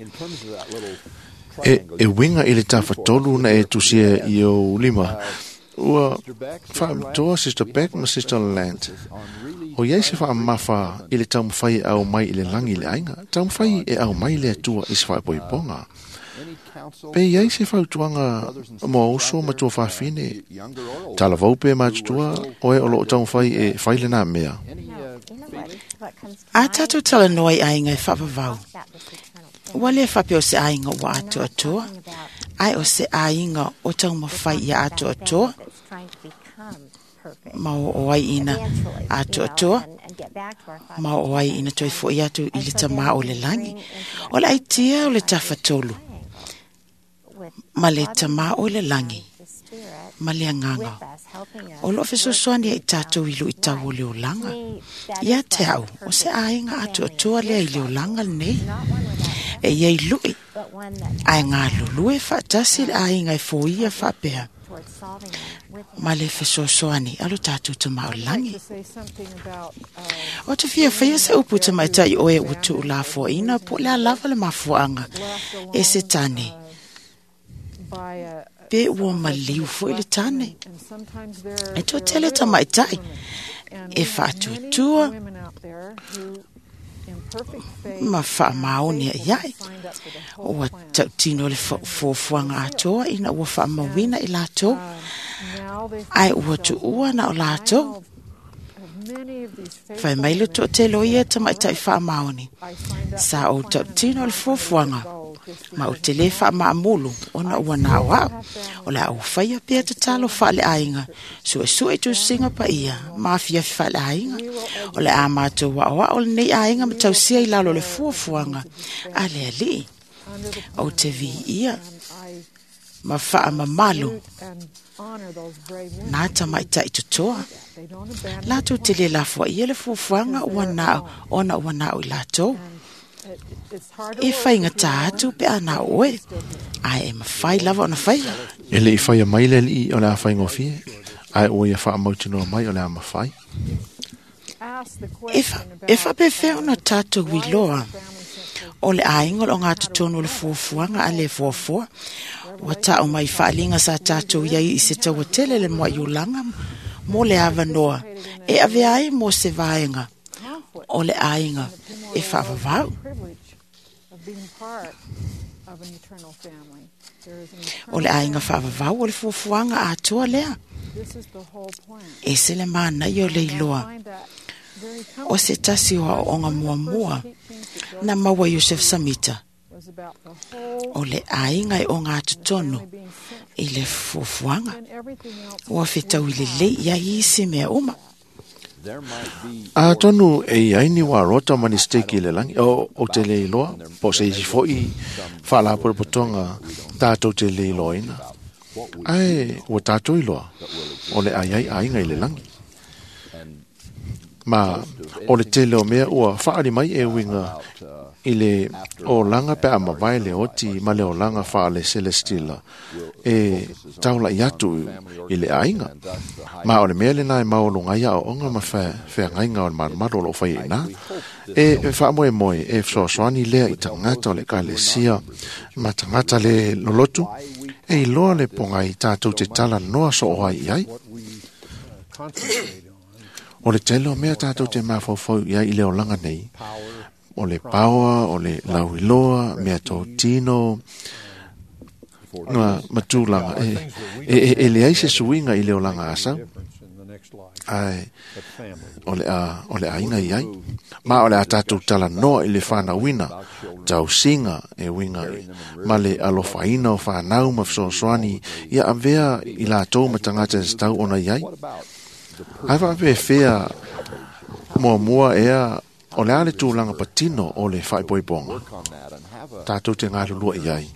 E, e winga i le tafatolu na e tusia i o lima. Ua whaamtoa Sister Beck ma Sister Land. O iai se whaamafa i le taumawhai e au mai i le langi i le ainga, taumawhai e au mai le atua i se whaepoiponga. Pe iai se whautuanga mo uso ma tua whawhine, talavau pe mātutua o e o loo taumawhai e whaile nā mea. A tātou talanoa i ainga e whaavavau. Ua le whape o se ainga ua atu atua, ai o se ainga o taumawhai ia atu atua, ma o ai ina atu atua, ma o ai ina toi fo i atu i le tamā o le langi. O le aitia o le tafatolu, ma le tamā o le langi, ma le anganga. O loo fesoasoani ai tātou i lo i tau o le olanga. Ia te au, o se ainga atu atua lea i le olanga lenei. E iai lui, ai ngā lulu e whaatasi le ainga e fōia whaapea. Ma le fesoasoani alo tātou te maolangi. O te fia whaia se upu te maitai oe ua tuu la fuaina po le alava le mafuanga e se tane. Pe ua maliu fo i le tane. E tō tele ta maitai e whaatuatua ma whaamaone a iai. Ua tautino le fuafuaga atoa ina ua whaamauina i lātou. Ai ua tuua na o lātou. Whai mai le tō te loia ta maitai whaamaone. Sa o tautino le fuafuaga. Ma o te le faamaamulu ona ua na o au. O le a ou faia pea tatalo faaleaiga, suesue i tusiga paia ma afiafi faaleaiga. O le a matou aoao lenei aiga ma tausia i lalo o le fuafuaga a le Alii. Ou te viia ma faamamalu nā tamaitai totoa. Latou te le lafoaia le fuafuaga ua nao ona ua nao i latou. E faigata atu pe a na o oe, ae e mafai lava ona faia. E le i faia mai le Alii o le a faigofie, ae ua ia faamautinoa mai o le a mafai. E, fa, e faapefea ona tatou iloa o le aiga o le ogatotonu o le fuafuaga a le fuafua. Ua tau mai faaliga sa tatou iai i se taua tele le moaiulaga mo le avanoa e avea ai mo se vaega o le aiga e faavavau. O le aiga faavavau o le fuafuaga atoa lea. E se le manaia o le iloa o se tasi o aoaoga muamua na maua Iosef Samita o le aiga e ogatotonu i le fuafuaga. Ua fetaui lelei iai isi mea uma. Atonu e iai ni warota ma ni steki i le langi, o, o te le iloa, po se isi foi faalapotopotoga tatou te le iloaina. Ae ua tatou iloa o le a iai aiga i le langi. Ma o le tele o mea ua faali mai e uiga i le olaga pe a mavae le oti ma le olaga faale celestila e taulai atu i le aiga. Ma o le mea lena e maualuga ai aoaoga ma feagaiga o le malumalu o loo faia i ina. E faamoemoe e fesoasoani lea i tagata o le ekalesia ma tagata le lolotu e iloa le pogai tatou te talanoa soo ai i ai. O le tele o mea tatou te mafaufau i ai i le olaga nei, o le paoa, o le lauiloa, mea totino, ma, ma tulaga. E, e, e, e leai se suiga i le olaga asau, ae o le a, o le aiga i ai. Ma o le a tatou talanoa i le whanauina, tausiga e uiga ma le alofaina o whanau ma fesoasoani ia avea i latou ma tagata e tatau ona i ai. Ae faapefea muamua ea o le a le tulaga patino o le faaipoipoga tatou te galulua i ai.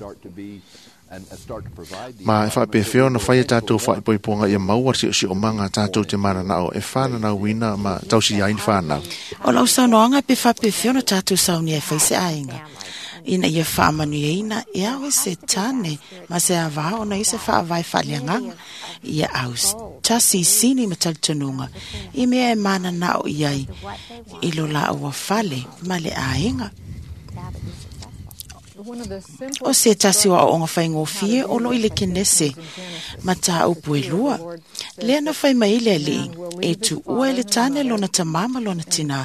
Ma e faapefea ona faia tatou faaipoipoga ia maua le siosiomaga tatou te mananao e whananauina ma tausi ai ni whanau. O lau saunoaga pe faapefea ona tatou saunia e fai se aiga ina ia faamanuiaina e ao e se tane ma se avā ona i se faavae faaleagaga ia au tasi i sini ma talitonuga i mea e mananao i ai i lo laua fale ma le aiga. O se tasi o aoaoga faigofie o lo i le Kenese ma tāupu e lua. Lea na fai mai le Alii e tuua e le tane lona tamā ma lona tinā,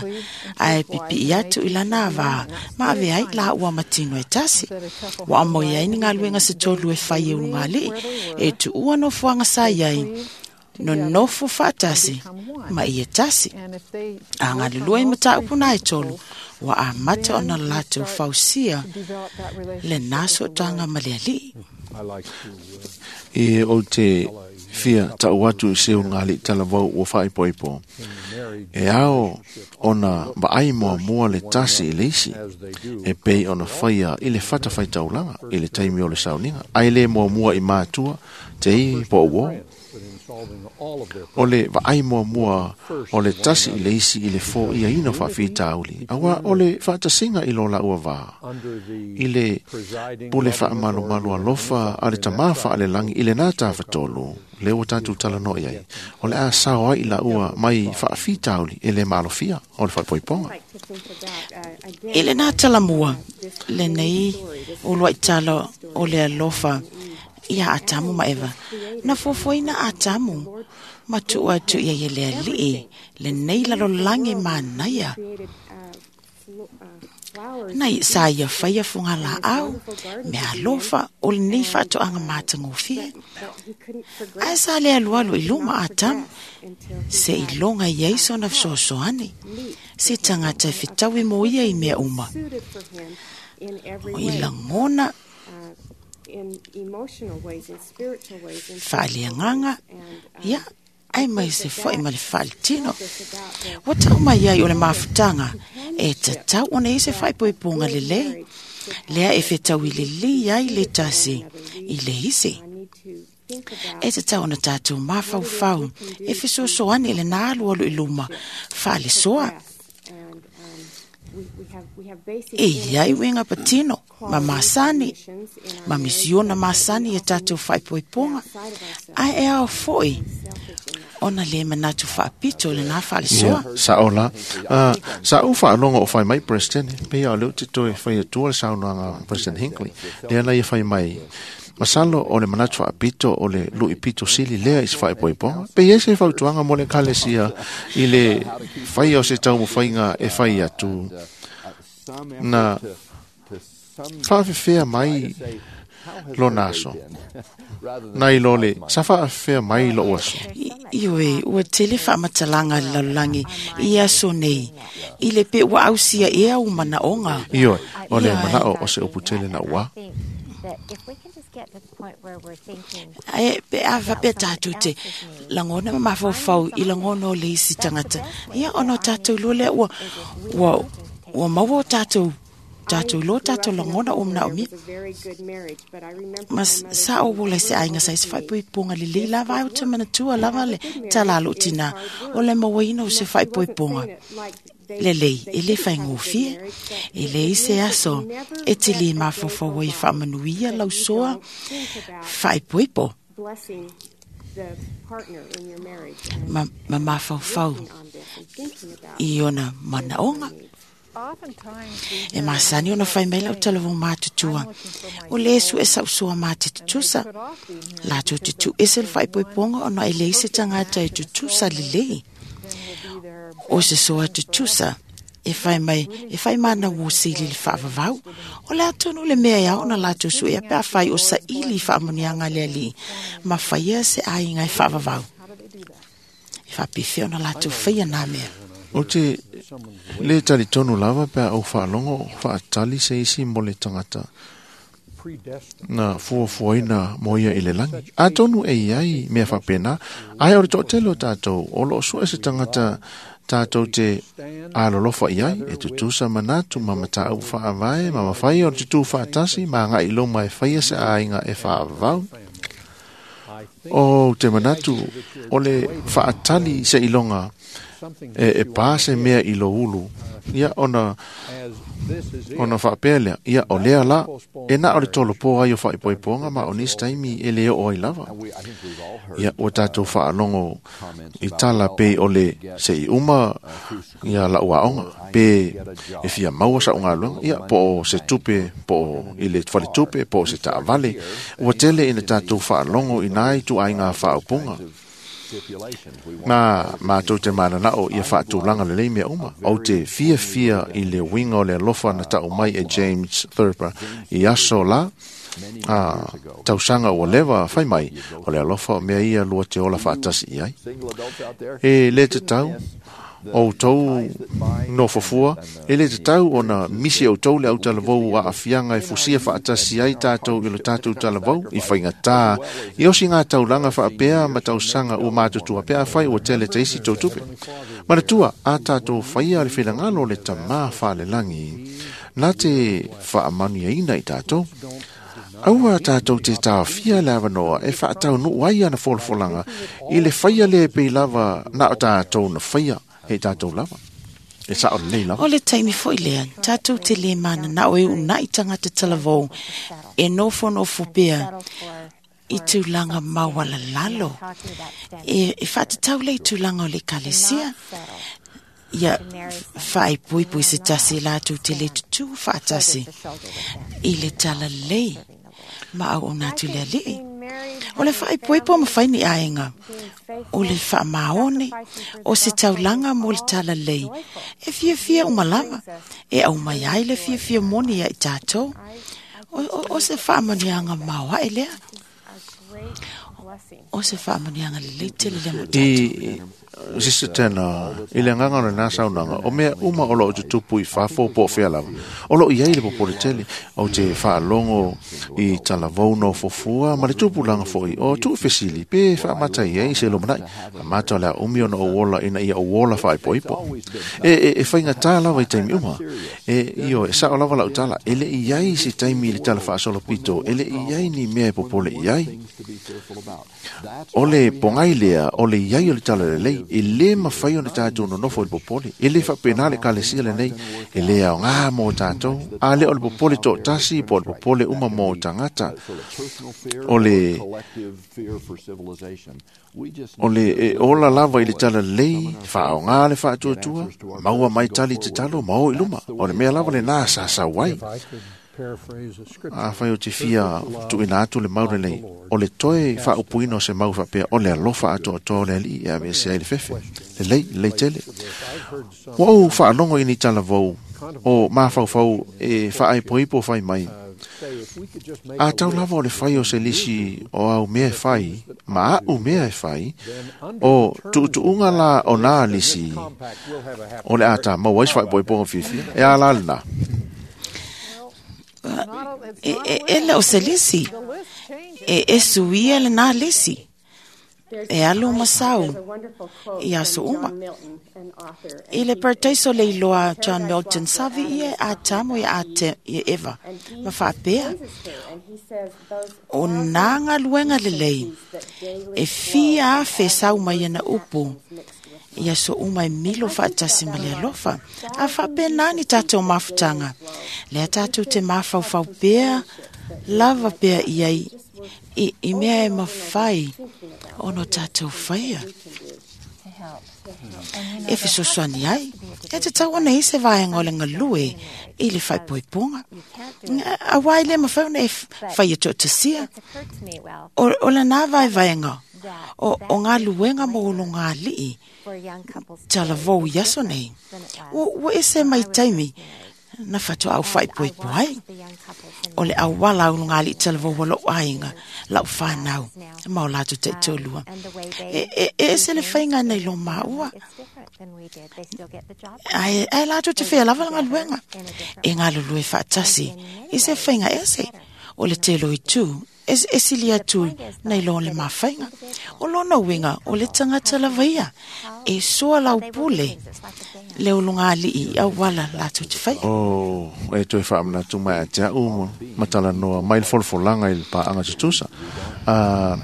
ae pipii atu i lana avā ma ave ai laua ma tino e tasi. Ua aumoi ai ni galuega se tolu e fai e ulugalii e tuua nofoaga sa i ai nonofo faatasi ma ia tasi. A galulua i mataupu na e tolu, ua amata ona latou fausia lena sootaga ma le Alii. E o te fia tau atu i se ulugalii talavou ua faaipoipo. E ao ona vaai muamua le tasi i le isi, e pei ona faia i le fatafaitaulaga i le taimi o le sauniga, ae le muamua i matua te i po o uo. O le vaai muamua o le tasi i le isi i le foiaina o faafitauli, auā o le faatasiga i lo laua vā, i le pule faamalumalu alofa a le tamā faalelagi i lenā tafatolu, lea ua tatou talanoa i ai, o le a sao ai i laua mai faafitauli e le maalofia o le faaipoipoga. I lenā talamua, lenei uluai tala o le alofa ia Atamu ma Eva. Na fuafuaina Atamu ma tuu atu ia i le Alii lenei lalolagi manaia. Na sa ia faia fugalaau, mea alofa o lenei faatoaga matagofie. Ae sa le alualu i luma Atamu, se iloga i ai sona fesoasoani, se tagata e fetaui mo ia i mea uma. O i lagona faaleagaga ia ai mai se fo'i ma le faaletino. Ua tau mai ai o le mafutaga e tatau ona i se faaipoipoga lelei lea e fetaui lelei ai le tasi i le isi. E tatau ona tatou mafaufau e fesoasoani i lena alualu i luma faalesoa. E iai uiga patino ma masani ma misiona masani e tatou faaipoipoga, ae e ao fo'i ona le manatu faapito lena faalesoa. Ia, sa'o la. Uh, sa ou faalogo o fai mai President, pei o lea ou te toe fai atua le saunoaga President Hinckley, lea na ia fai mai, masalo o le manatu faapito o le lu'i pito sili lea i se faaipoipoga. Pe i ai se fautuaga mo le ekalesia i le faia o se taumafaiga e fai atu na faafefea mai lona aso nai lo le sa faafefea mai lo'u aso. Ioe, ua tele faamatalaga le lalolagi i aso nei i le pe ua ausia ea u manaoga. Ioe, o le mana'o o se upu tele na ua. Ae pe a faapea tatou te lagona ma mafaufau i lagona o le isi tagata, ia ona o tatou lua lea ua ua ua maua o tatou tatou lo tatou lagona ua manaomia. Ma sa o ola i se aiga sa i se faaipoipoga lelei lava ai o te manatua lava le tala a lou tinā o le mauaina o se faaipoipoga lelei e lē faigofie. E leai se aso e te lē mafaufau ai faamanuia lausoa faaipoipo ma, ma mafaufau i ona manaoga. E masani ona fai mai lau talavou matutua o le su e sausoa ma te tutusa latou te tuuese le faaipoipoga ona e leai se tagata e tutusa lelei. O se soa tutusa e fai mai e fai mana ua sili le faavavau o le atonu le mea e ao ona latou suea pe afai o saili i faamanuiaga a le alii ma faia se aiga e faavavau. E faapefea ona latou faia nā mea. Ou te le talitonu lava pe a ou faalogo faatali se isi mo le tagata na fuafuaina mo ia i le lagi. Atonu e iai mea faapena, ae o le toatele o tatou o loo sue se tagata tatou te alolofa i ai, e tutusa manatu ma mataupu faavae ma mafai o le tutū faatasi ma aga'i luma e faia se aiga e faavavau. O te manatu o le faatali se iloga e, e pā se mea i lo ulu, ia ona ona faapea lea, ia o lea la e na o le tolopo ai o faaipoipoga ma o nisi taimi e le oo ai lava. Ia ua tatou faalogo i tala pei o le se'i uma ia la'u aoga pe e fia maua sa'u galuega, ia po o se tupe po o i le faletupe po o se taavale. Ua tele ina tatou faalogo i nai tuaiga faaupuga ma matou te manana'o ia faatulaga lelei mea uma. Ou te fiafia i le uiga o le alofa na ta'u mai e James Thurber i aso la a tausaga ua leva fai mai o le alofa o mea ia lua te ola faatasi i ai. E lē tatau outou nofofua, e lē tatau ona misi outou le autalavou aafiaga e fusia faatasi ai tatou i lo tatou talavou i faigatā i osiga taulaga faapea ma tausaga ua matutua pe afai ua tele teisi tou tupe. Manatua a tatou faia le finagalo o le tamā faalelagi na te faamanuiaina i tatou. Aua tatou te taofia le avanoa e faataunuu ai ana folafolaga i le faia lē pei lava na o tatou na faia e tatou lava. E sa'o lelei lava. O le taimi fo'i lea, tatou te lē manana'o e u'una'i tagata talavou e nofonofo pea i tulaga maualalalo. E, e faatatau lea i tulaga o le ekalesia. Ia faaipoipo i se tasi latou te lē tutū faatasi i le talalelei ma auauna atu i le alii. O le faaipoipo mafai ni aiga o le faamaone o se taulaga mo le talalelei e fiafia uma lava e aumai ai le fiafia moni ia i tatou. O, o, o se faamanuiaga maoaʻe lea. O se whaamanianga le leite le lemo tātou. I Sister Tena, i le nganga o le nā saunaga, o mea uma o loo tutupu i fafo po o fea lava. O loo iai le popole tele, o te whaalongo i talavou no fofua, ma le tupulaga foi, o tuufesili, pe faamatai ai se lumanai. Mata o le a umi ona ou ola ina ia ou ola faaipoipo. E, e, e faigata lava i taimi uma. E, io, e sao lava lau tala, e le i ai se taimi i le tala faasolopito, e le i ai ni mea e popole i ai. O le pogai lea, o le iai o le tala lelei, e le mafai ona tātou nonofo i le popole. E le faapena le ekalesia lenei, e le aogā mo tātou. A le o le popole toatasi po o le popole uma mo tagata. O le o le e ola lava i le tala lelei, faaaogā le faatuatua, maua mai tali tatalo ma o i luma. O le mea lava lenā sa sau ai. A whai o te fia tuina atu le mau lenei, o le toe whaaupuina o se mau whapea, o le alofa atoa atoa o le alii e ave se ai le fefe. Le lei, le lei tele. Ua ou whaalongo i ni talavou, o mafaufau e whaaipoipo whai mai. A tau lava o le whai o se lisi o au mea e whai, ma au mea e whai, o tuutuunga la o nā lisi, o le ata mau ai whaaipoipo o fiafia, e a la lena. E, e, e le o se lisi, e, e suia le nā lisi, e alu masau i aso uma. I le parataiso le iloa John Milton, savi ia a tamo ia a te, ia Eva, ma whaapea, o nā ngaluenga lelei, e fia afe sau mai ana upu, ia so uma e milo whaatasi ma le alofa. A whaapea nani tātou mafutanga. Lea tātou te mafaufau pea, lava pea iai, i, i mea e mawhai, ono tātou whaia. E fesoasoani ai, e te tau ona i se vaenga o le ngalue i le whaipoiponga. A wai le mawhai ona e whai e toatasia. O, o la nā vai vaenga, o, o ngā luenga mo olo ngā lii, talavou i aso nei. Ua, ua ese mai taimi, na whatua au whaipoipo ai. O le awala o ngā lii talavou wa lou ainga, lau whanau, ma o lātou te tolua. E, e, e ese le whainga nei lo maua. Ai, ai lātou te whea lava ngā luenga. E ngā lulue whaatasi, i se whainga ese. O le telo i tū, es, esili atu nei lo le mawhainga. O lona uinga, o le tangata lava ia. E soa lau pule, le olonga alii au wala lātou te whaia. O, e toe whaamanatu mai a te au matala noa mai le folafolanga i le paanga tutusa. Uh,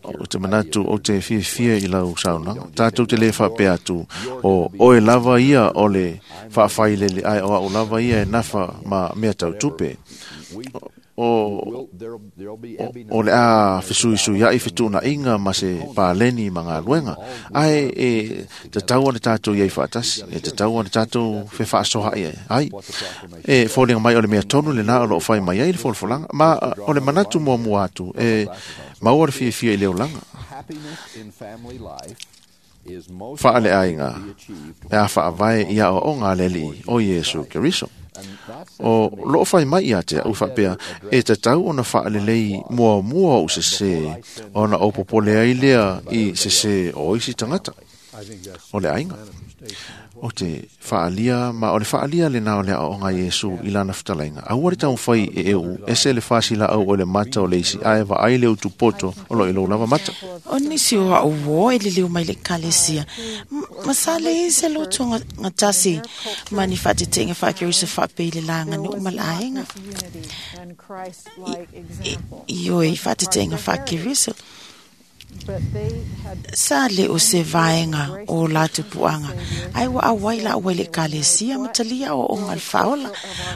o te manatu o te fiafia i lau saunaga. Tātou te le whaapea atu o oe lava ia o le whaawhailele ai o au lava ia e nafa ma mea tau tupe. O, o, o le a fesuisui ai fetuna inga ma se pāleni ma ngā luenga. Ai e te tau ana tātou iai whaatasi, e te tau ana tātou fe whaasoha ia. Ai, e fōlinga mai o le mea tonu le nā o loo whai mai ai le folafolanga, ma o le manatu mua mua atu, e maua le fiafia i le olanga. Whaale ainga, e a whaavae ia o o ngā leli o Iesu Keriso. O loo whai mai ia te au whapea, e te tau ona whaalelei mua mua o se se, ona o popole ai lea i se se o isi tangata, o le ainga. O te whaalia, ma o le whaalia le nā o le aonga Iesu i lana whutalainga. Aua le tau whai e eu, ese le whasila au o le mata o le isi, ae wa ai le utupoto o lo ilo lava mata. O nisi o au o e liliu mai le kalesia. Masale i se loto ngatasi mani whaatetenga whaakerisa whaape i le langa no umala aenga. I o e whaatetenga whaakerisa. Sa le o se vaenga o lātou puanga. Ai wa awai la awai le kalesia matalia o o ngal whaola.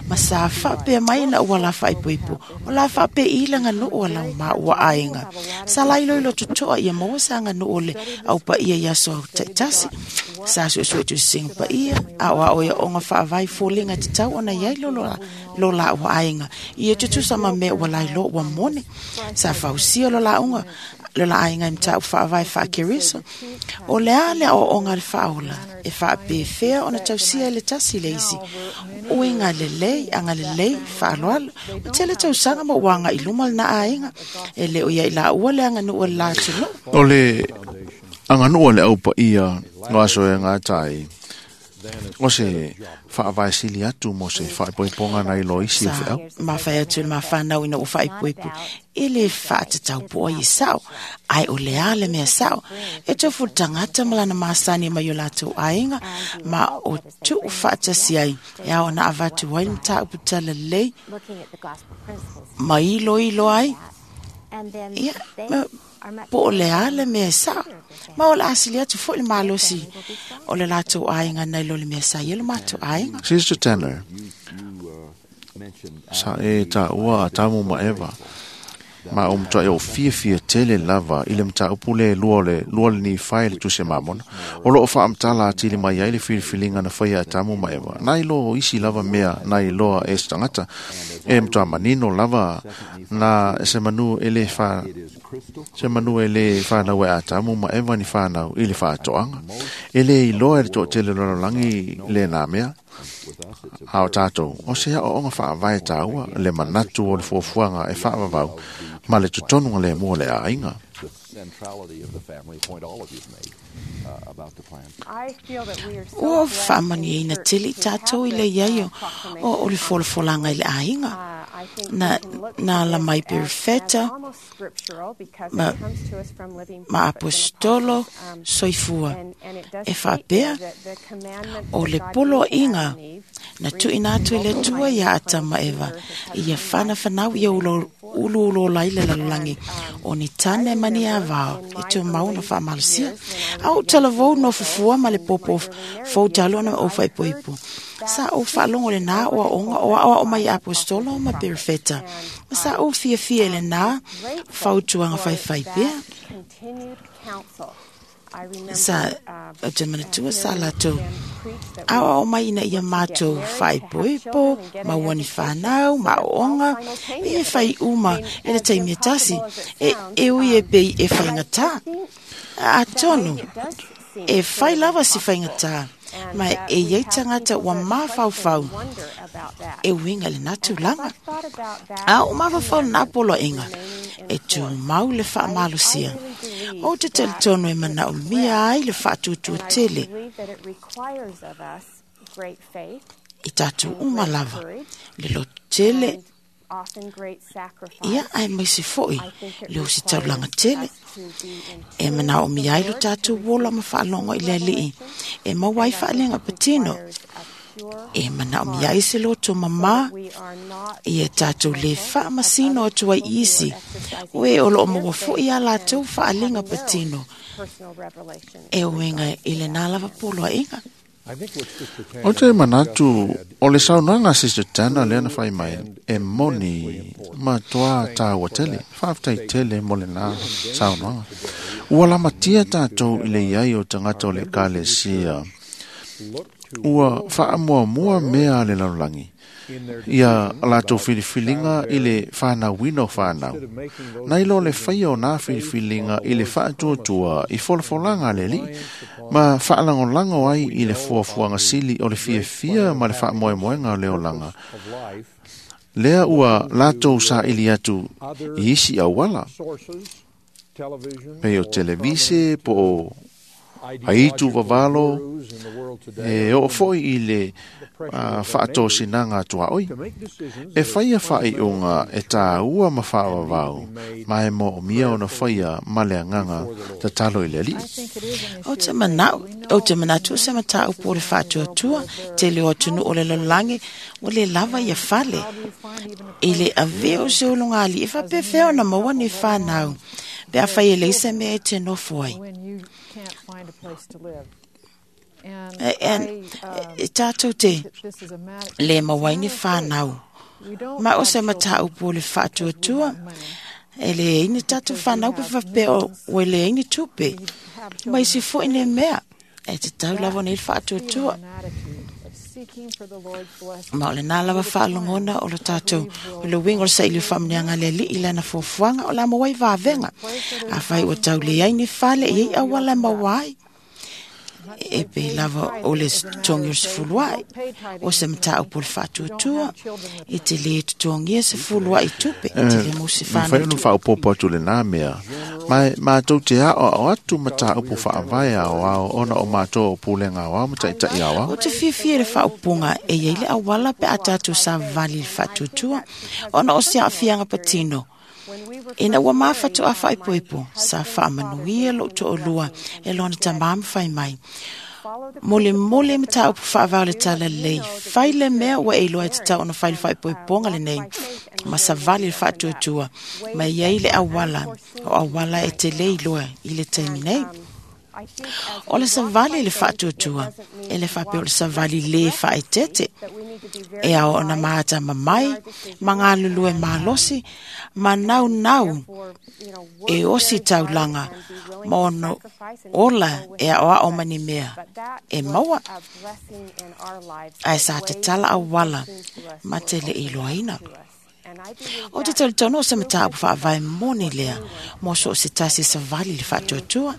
Ma sa whaapea mai na ua la whaipoipo. O la whaapea ilanga no o la ma ua ainga. Sa lai loilo tutoa ia maua sa nga no ole au pa ia ia so taitasi. Sa sue sue tu sing pa ia. A o ao ia onga whaawai fōlenga te tau ona iai lolo lo la ua ainga. Ia tutusa ma mea ua lai lo ua mone. Sa whausia lo la unga. Le la aiga i mataupu faavae faakereso. O le a le aoaoga a le faaola e faapefea ona tausia e le tasi le isi. Uiga lelei, agalelei, faaaloalo. Ua tele tausaga ma ua agai i luma lena aiga. E le o ia i laua le aganuu a le la atunuu. O le aganuu a le aupaia o aso e gatai, o se faavae atu mo se faaipoipoga nai lo isi o Sa feau. mafai atu le mafanau ina ua faaipoipo e le faatatau po ai e sao, ai o le a le mea sao. E tofu le tagata ma lana masani mai o latou aiga ma o tuu faatasi ai e ao ona avatu ai le mataupu talalelei ma iloilo ai. Ia, ma po o le a le mea e sao. Ma o le asili atu foi le malosi o le latou aiga nai lo le mea sa ia le matou aiga. Sister Tanner, sa e taua Atamu ma Eva, ma o mtua e o fia fia tele lava i le mataupu le lua le lua le ni fai le tuse mamona. O loo whaamtala atili mai ai le filifilinga na whaia Atamu ma Eva. Nai lo isi lava mea nai loa e stangata. E mtua manino lava na se manu e le wha se manu e le whanau e Atamu ma Eva ni whanau i le whaatoanga. E le iloa e le toatele lololangi le nā mea. A o tātou, o se o onga whaavae tāua, le manatu o le fuafuaga e whaavavau, ma le tutonunga le mua le aiga. The centrality of the family, point all of you've made uh, about the plan. Ua faamaniaina tele i tātou i le iai o, o, o le folafolanga i le aiga. Na, na la mai perifeta, ma, ma apostolo soifua. E faapea, o le poloaiga na tuuina atu e le Atua ia Atama Eva, ia whanawhanau ia ulo, ulu ulo lai le lalolagi o ni tane ma ni avao e tumau na faamalosia. A o talavou no fufua ma le popo fou talo na o faaipoipo. Sa ou faalogo lenā o aoga o aoao mai apostolo ma perifeta. Ma sa ou fiafia i lenā fautuaga faifai pea. Sa o te manatua sa latou aoao mai ina ia matou faaipoipo, ma ua ni whanau, ma aoaoga, e fai uma e le taimi e tasi, e, e ui e pei e faigata. Atonu, e fai lava si faigata, ma e iai tagata ua mafaufau e uiga i lenā tulaga. A o mafaufau lenā poloaiga, e tumau le faamalosia. O te talitonu e manaomia ai le faatuatua tele i tātou uma lava, le loto tele, ia ae maise foi le ositaulaga tele. E manaomia ai lo tātou ola ma faalogo i le Alii, e maua ai faaalega patino. E manaomia ai se loto mamā, ia tātou le faamasino atu ai i isi, o e o loo maua foi a latou faaalega patino. E uiga i lenā lava poloaiga. O te manatu, o le saunoaga a Sister Tanner lea na fai mai, e moni ma toa tāua tele, whaaftai tele mo le nā saunoaga. Ua lamatia tātou i le iai o tagata o le ekalesia. Ua faamuamua mea a le lalolagi. Ia latou filifilinga i le whanauina o whanau. Nai lo le whaia o nā filifilinga i le whaatuatua i folafolaga a le Alii, ma whaalangolago ai i le fuafuaga sili o le fiafia ma le faamoemoega o le olaga. Lea ua latou saili atu i isi auala, pei o televise po o aitu vavalo, e oo foi i le uh, faatosinaga tuaoi. E whaia whaaiunga e tāua ma whaavavau, ma e moomia ona whaia ma le agaga tatalo i le Alii. O te manau, o te manatu se mataupu o le faatuatua, tele o atunuu o le lalolagi, ua le lava ia fale. I le avea o se ulugalii, e faapefea ona maua ni whanau, pe a fai e leai se mea e te nofo ai. E, e, e tātou te le maua ai ni whanau. Ma o se mataupu o le faatuatua, e le ai ni tātou whanau pe faapea o ua leai ni tupe. Ma isi foi le mea, e te tau lava nei le faatuatua. Ma o le nā lava whaalongona o lo tātou o le wingo le saili whaamnianga le li i lana fuafuaga o la mawai vāvenga. A whai o tau le ai ni fale i ei awala mawai. E pe lava o le tongi o se fuluai o se mataupu o le faatuatua e te le totogia se fuluai tupe e te le mo se Mawhai whanau ono whaopopo atu le nā mea. Mai mātou te ao ao atu mataupu whaavae ao ao ona o mātou o pūlenga ao ao mataitai ao ao. O te fiafia le whaopunga e iei le awala pe a tātou sa vali le faatuatua ona o se aafianga patino. Ina ua mawhatu a whaipoipo, sa whaamanuia lo to olua e lona tamam whai mai. Mole mole mataupu whaavao le tala lei, whai le mea ua e iloa e te tau ona whai le whaipoiponga le nei, ma sa vali le whaatuatua, ma iei le awala, o awala e te le iloa i le taimi nei. O le savali le whaatuatua, e le whape o le savali le whaetete. E ao ona maata mamai, ma ngā lulue malosi, ma nau nau e osi taulanga, ma ono ola e ao ao mani mea, e maua. Ai sa te tala awala, ma te le iloaina. O te tautono o se mataupu whaavae moni lea, mo so se tasi savali le whaatuatua.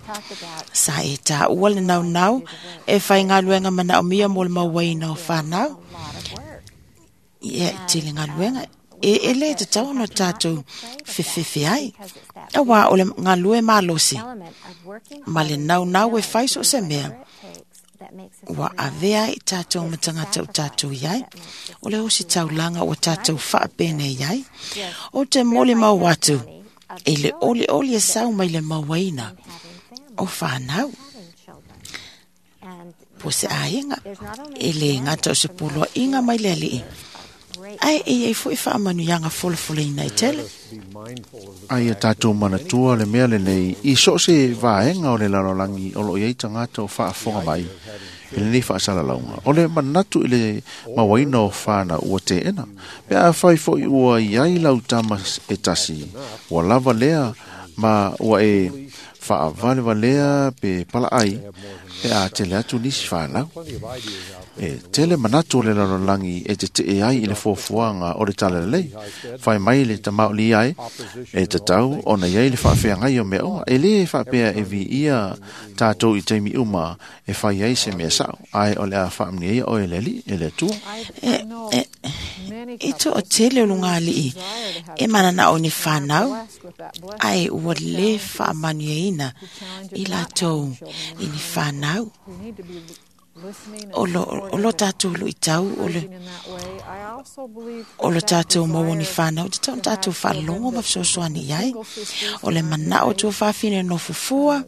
Sa e tā ua le nau nau, e whai ngā luenga mana o mia mo le mauaina o whanau. Ia te le ngā luenga, e ele te tau ono tātou whiwhiwhi ai. A wā o le ngā lue malosi, ma le nau nau e whai so se mea. Ua avea i tātou matangata o tātou iai, o le osi taulanga o tātou whaapene iai, o te mole mau atu, e le ole ole e sau mai le mauaina, o whanau. Po se aenga, e le ngata o se puloa inga mai le alii. Ai e ei fo i whaamanu ianga folofolo ina i tele. Ai a tātou manatua le mea le nei, i so se vaenga o le lalolangi o lo iei tangata o whaafonga mai, i le nei whaasala launga. O le manatu i le mawaina o whana ua te ena. Pe a whai fo i ua iai lau tama e tasi, ua lava lea ma ua e whaavale valea pe pala ai, pe a tele atu nisi whanau. E tele manatu o le lalolangi e te te e ai i le fuafuaga o le talalelei. Whai mai le tamaoli ai, e tatau ona iai le whaafeagai o mea oa. E le whaapea e vi ia tātou i teimi uma e whai ai se mea sao. Ai o le a whaamni ei o e le li, e le atua. E, e, e to o tele o lunga alii, e mana na o ni whanau, ai ua le whaamanu i lātou i ni whanau. O lo, o lo tātou lo i tau, o le, o lo tātou maua ni whanau, te tau tātou whalongo ma whasosoani iai, o le manao tō whawhine no fufua,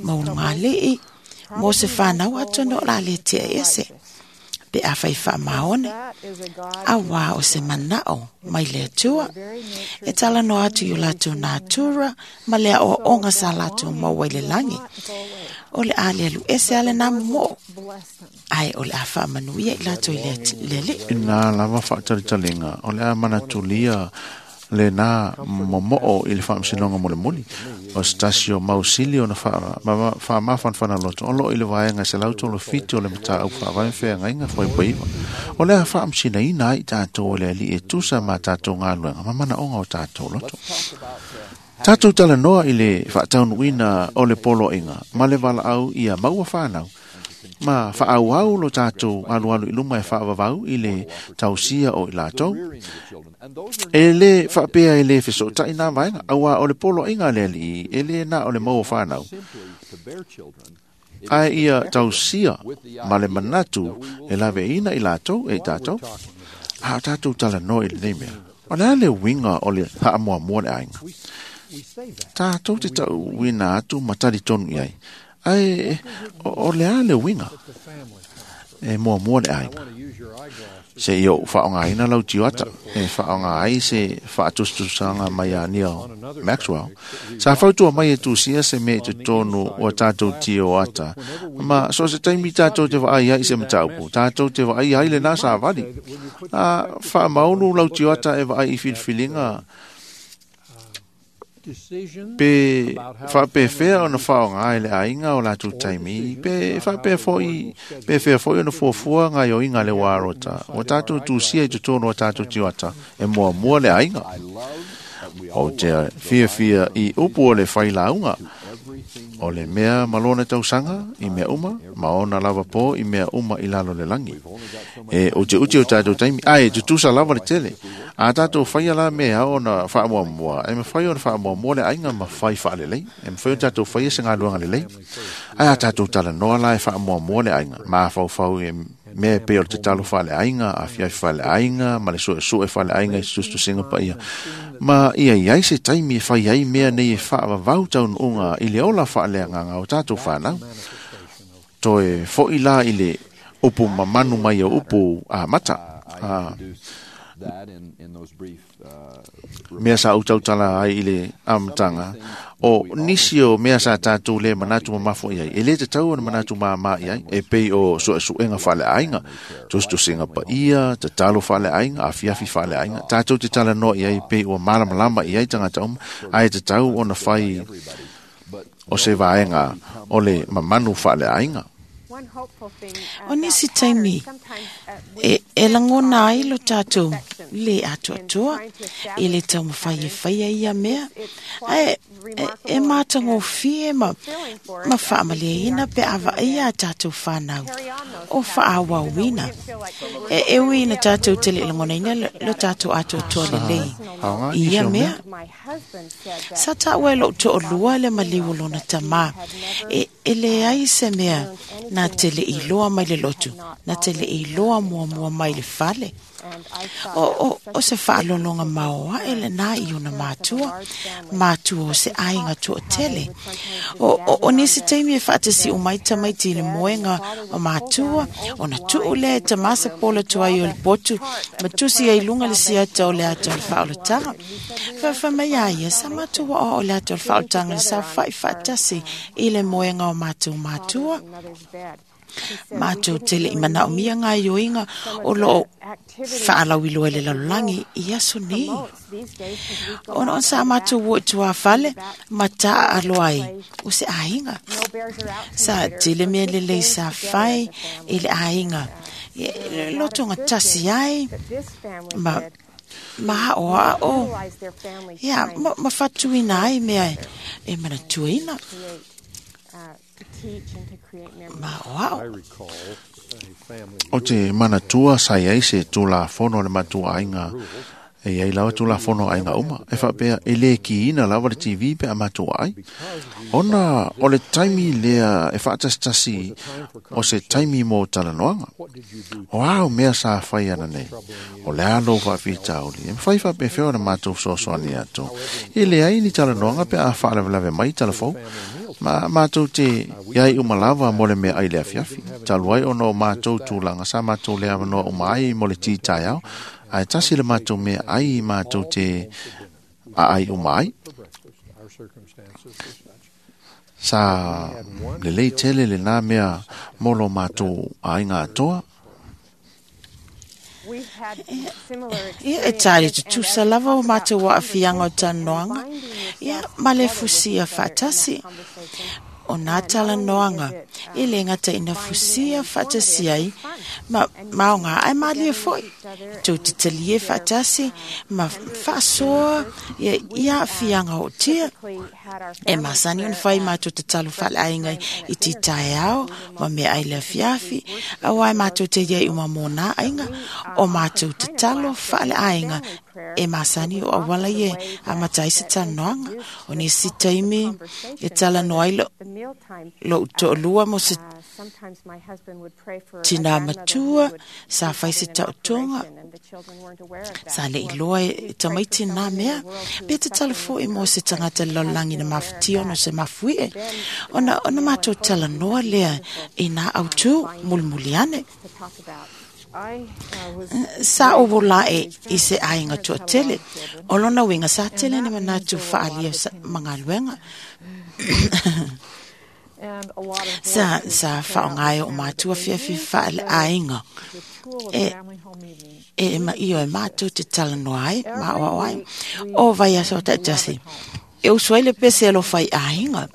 maunga alii, mo se whanau atono o la le tea ese. Pe a whai wha maone, a wā o se manao mai le atua, e tala no atu i o lātou nātura, ma lea o onga sa lātou maua i le langi. O le a le alu ese ale nā mo, ai o le a wha manuia i lātou i le, le le. Ina lava whaatalitaliga, o le a manatulia le nā momoo i le whaamsinonga mo le moli. O se tasi o mausili o na whaamawhanwhana loto. O lo i le vaenga se lauto lo fiti o le mataau whaavae wheangainga whaipoiwa. O le a whaamsina ina ai tātou o le ali e tusa ma tātou ngā luenga, ma mana onga o tātou loto. Tātou tala noa i le whaataunuina o le polo inga, ma le wala au ia maua whanau. Ma whaauau lo tātou alualu i luma e whaavavau i le tausia o i lātou. E le whaapea e le whiso tai nā vaenga, aua o le polo inga le ali, e le nā o le maua whanau. Ai ia tausia ma le manatu e lawe ina i lātou e tātou. A tātou tala noa i le nei mea. O le ale winga o le haamoa mua le ainga. Tātou te tau wina atu matari tonu iai. Ai, o, o le ale winga e mua mua le ainga. Se i o whaonga ina lau tiwata, e whaonga ai se whaatutusanga mai a Neil Maxwell. Sa whautua mai e tūsia se me te tonu o tātou tio ata. Ma so se taimi tātou te waai ai se mataupu, tātou te waai ai le nā sa wali. A whaamaunu lau tioata e waai i whiliwhilinga Pe faapefea ona faaaoga e le aiga o latou taimi, pe faapea foi pe fea foi ona fuafua gaoioiga a le uarota ua tatou tusia i totonu o tatou tioata e muamua le aiga. Ou te fiafia i upu o le failauga, o le mea ma lona tausaga i mea uma, ma ona lava po i mea uma i lalo le lagi. E utiuti o tatou taimi, ae tutusa lava le tele. A tatou faia la mea ona faamuamua, e mafai ona faamuamua le aiga ma fai faalelei. E mafai ona tatou faia se galuega lelei. Ae a tatou talanoa la e faamuamua le aiga, mafaufau e mea e pei o le tatalo faaleaiga, afiafi faaleaiga, ma le suesue faaleaiga i se tusitusiga paia. Ma ia iai se taimi e fai ai mea nei e faavavau taunuuga i le ola faaleagaga o tatou fanau. Toe foi la i le upu mamanu mai o upu amata. Ah, mea sa ou tautala ai i le amataga, o nisi o mea sa tatou le manatu mamafo i ai, e le tatau ona manatu māmā i ai, e pei o suesuega faaleaiga, tusitusiga paia, tatalo faaleaiga, afiafi faaleaiga, tatou te talanoa i ai pei ua malamalama i ai tagata uma, ae tatau ona fai o se vaega o le mamanu faaleaiga. O nisi taimi e, e lagona ai lo tatou le atoatoa i le taumafai e faia ia mea, ae e, e matagofie ma, ma faamalieina pe a vaaia a tatou fanau o faaauauina. E, e ui ina tatou te le i lagonaina lo, lo tatou atoatoa lelei Aoga i nisi ia o mea. mea. Sa taua e lou toalua le maliu o lona tamā, e, e leai se mea na te le iloa mai le lotu, na te le iloa muamua mai le fale. O, o, o se faalologa maoae lenā i ona matua, matua o se aiga toatele. O, o, o nisi taimi e faatasi'u mai tamaiti i le moega o matua, ona tuu lea e tamā se pola tuai o le potu, ma tusi ai luga le siata o le ata o le faaolataga. Faafamai a ia, sa matou aoao o le ata o le faaolataga le saofa'i faatasi i le moega o matou matua. Matou te le i manaomia gaoioiga o loo faalauiloa i le lalolagi i aso nei. Ona ona sa matou o i tuafale ma taaalo ai o se aiga. Sa tele mea lelei sa fai i le aiga. E, lotoga tasi ai ma ma aoao ia ma, ma fatuina ai mea e, e manatuaina ma aoao. O te manatua sa iai se tulafono a le matua aiga, e iai lava tulafono a aiga uma, e faapea e le kiina lava le T V pe a matua ai. Ona o le taimi lea e faatasitasi o se taimi mo talanoaga. O ao mea sa fai ana nei, o le a lou faafitauli, e mafai faapefea ona matou fesoasoani atu. E leai ni talanoaga pe a faalavelave mai talafou, ma matou te iai uma lava mo le mea ai le afiafi. Talu ai ona o matou tulaga sa matou le avanoa uma ai mo le ti taeao, ae tasi le matou mea ai matou te aai uma ai. Sa lelei tele lenā mea mo lo matou aiga atoa. Ia e tali tutusa lava o matou aafiaga o talanoaga, ia ma le fusia faatasi. O nā talanoaga e le gata ina fusia faatasi ai, ma maoga ae malie foi. Tou te talie faatasi ma faasoa ia, ia aafiaga o tia. E masani ona fai matou tatalo faaleaiga i ti taeao ma mea ai le afiafi, auā e matou te iai uma mo nā aiga, o matou tatalo faaleaiga e masani o auala ia amata ai se talanoaga. O nisi taimi e talanoa ai lo, lou toalua mo se tinā matua, sa fai se taotoga, sa le iloa e tamaiti nā mea, pe tatalo foi mo se tagata le lalolagi na mafatia ona o se mafuie. Ona, ona matou talanoa lea i nā autū mulimuli ane. Sa ou volae i se aiga toatele, o lona uiga sa tele ni manatu faaalia ma galuega. Sa, sa faaaoga e o matua fiafia faaleaiga e, e maio e matou te talanoa ai, ma aoao ai. O vaiaso taitasi, E usu ai le pese alofa i aiga.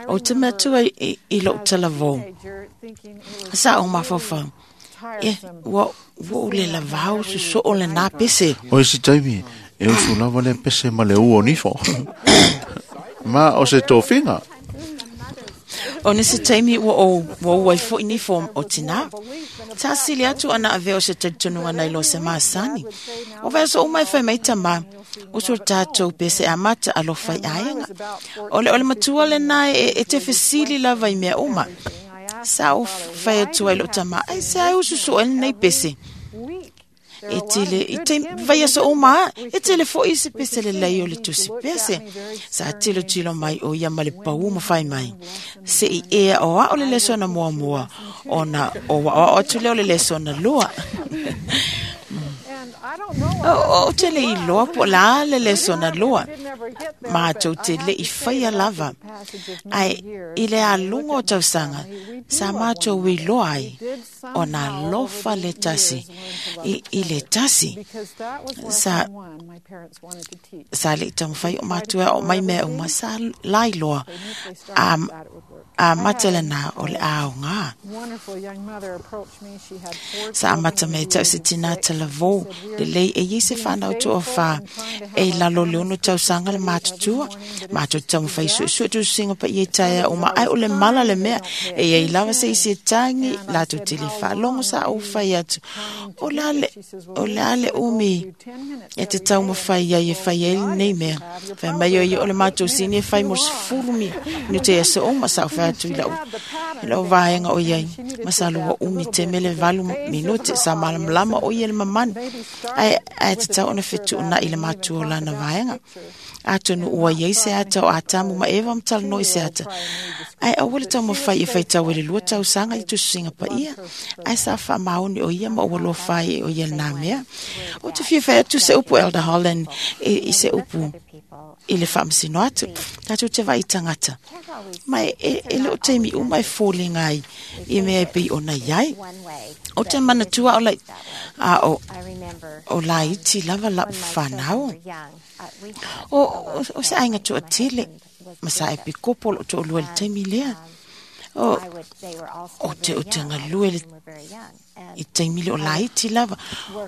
O te matua i, i lou talavou. Sa o mafaufau. E, ua, ua ule lavau suso o le nā pese. O isi taimi, e usu lava le pese ma le ua o nifo. Ma o se tofinga. O nisi taimi ua o ua ua i foi nifo o tina. Sa sili atu ana ave o se talitonuga nai lo se masani. O vai so uma e fai mai tama. Usu tātou pese amata alofa i aiga. O le, o le matua le nā e, e te fesili lava i mea uma. Sa o fai atu ai lo tama. Ai se ai usu so ele nei pese. E tele, i te vai aso uma, e tele fo i se pese le lei o le tusi pese. Sa tilo tilo mai o ia ma le pau ma fai mai. Se i ea o a o le leso na mua mua, o na o wa o atu leo le leso na lua. O, o te le i loa po la le leso na lua. Mātou te le i whaia lava. Ai, i le alunga o tausanga, sa mātou i loa ai, o nā lofa le tasi, i, i le tasi. Sa, sa le tamawhai o mātua o mai mea uma, sa lai loa. A, a matele nā o le ao ngā. Sa amata me tau se tina talavou, le lei e i se whanau toa wha, e lalo le ono tausanga le mātutua, mātou tamawhai su su tu singa pa i e taia o ma ai o le mala le mea, e i lava se i se tangi, lātou te le whalongo sa o whai atu. O la le, o la le umi, e te taumawhai ai e whai ai nei mea. Whai mai o i o le mātou sini e whai mo sefulu mi, nu te asa o ma sa o whai atu i lau, i lau vaenga o iai. Masalo wa umi te mele valu minute sa malamalama o ia le mamani. Ai, ai te tau ona whitu ona i le mātua o lana vaenga. Atonu ua iai se ata o atamu ma eva mtala noi se ata. Ai aua le taumawhai e whaitau e le lua tausaga i tususinga pa ia. Ai sa wha maoni o ia ma ua loa whai o ia nā mea. O te fia whai atu se upu Elder Holland e, i se upu i le whaamasino atu. Tātou te vai tangata. Mai e, e leo teimi uma e fōlinga ai i mea e pei ona iai. O te manatua o lai, a o, o laiti lava lau whanau. O, o, o se ainga tua tele, ma sa e pikopo lo toa lua le taimi lea. O, o te o te ngalue le i taimi le o laiti lava.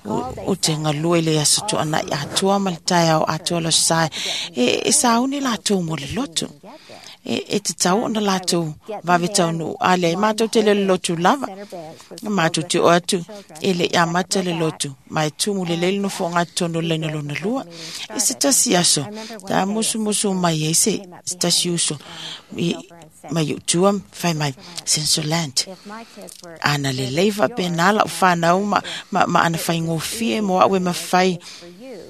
O, o te ngalue le aso toa na i atua ma le taia o atua lo sae. E, e sauni lātou mo le loto. E, e te tau ona lātou vave tau nu ale mātou te le lotu lava. Mātou te o atu e le ia mata le lotu. Mai tumu le leile no fonga tono leina lona lua. E se tasi aso. Tā musu musu mai e se tasi uso. I, mai utua whai mai sensoland. Ana le leiva pe nā lau whanau ma, ma, ma ana whai ngōfie mo awe ma whai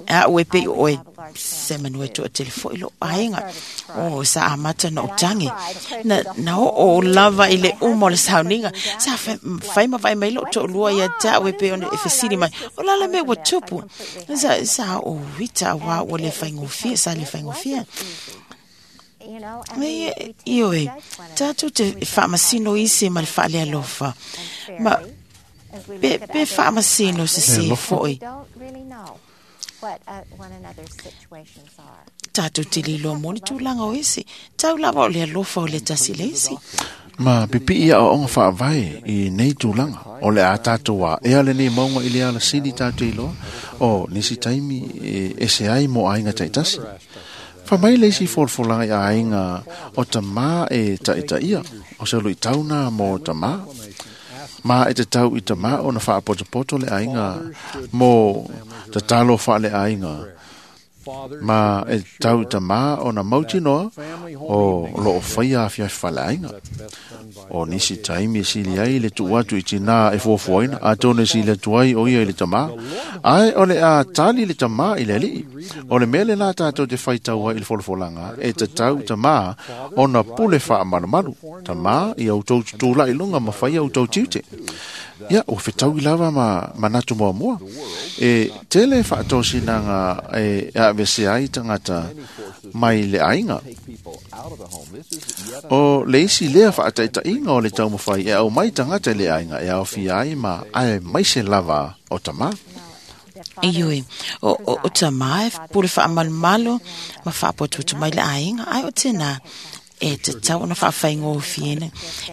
a ue pe oe se manue toa telefo i lo aiga. O sa amata na o tangi. Na, na o o lava i le umo le sauninga. Sa whai ma whai mai lo toa lua ia ta ue pe ona e fesili mai. O lala me ua tupu. Sa, sa o wita wa o le whai ngōfie, sa le whai ngōfie. Me ioe, tātou te whaamasino isi ma le whaalea lofa. Ma pe, pe whaamasino se se foi. Tātou te lilo moni tūlanga o isi. Tau lava o le alofa o le tasi le isi. Ma pipi ia o onga whaavai i nei tūlanga. O le a tātou a ea le nei maunga i le ala sini tātou i loa. O nisi taimi e, e se ai mo ainga taitasi. Whamai le isi folafolanga i ainga o tamā e taita ia. O se olo i tauna mo tamā. Ma e te tau i tamā o na whaapotopoto le ainga mo tatalo wha le ainga. Ma e tau i tamā o na mautinoa o lo o whaia awhia wha le ainga. O nisi taimi e sili ai le tu atu i tina e fuafuaina, a tone sili atu ai o ia i le tamā. Ai o le a tali le tamā i le alii. O le mea le nā tātou te whaitaua i le folafolanga, e te tau tamā o na pule wha malumalu. Tamā i au tau tūla i lunga ma whai au tau tiute. Ia, o whitau i lava ma manatu mua mua. E tele whaatōsinanga e a vese ai tangata mai le ainga. O le isi lea whaataitainga o le taumawhai e au mai tangata le ainga e au fia ai ma ai mai se lava o tamā. Ioe, o, o, o tamā e pule whaamalumalu ma whaapotutu mai le aiga, ai o tēnā e te tau ona whaawhaingōfiena.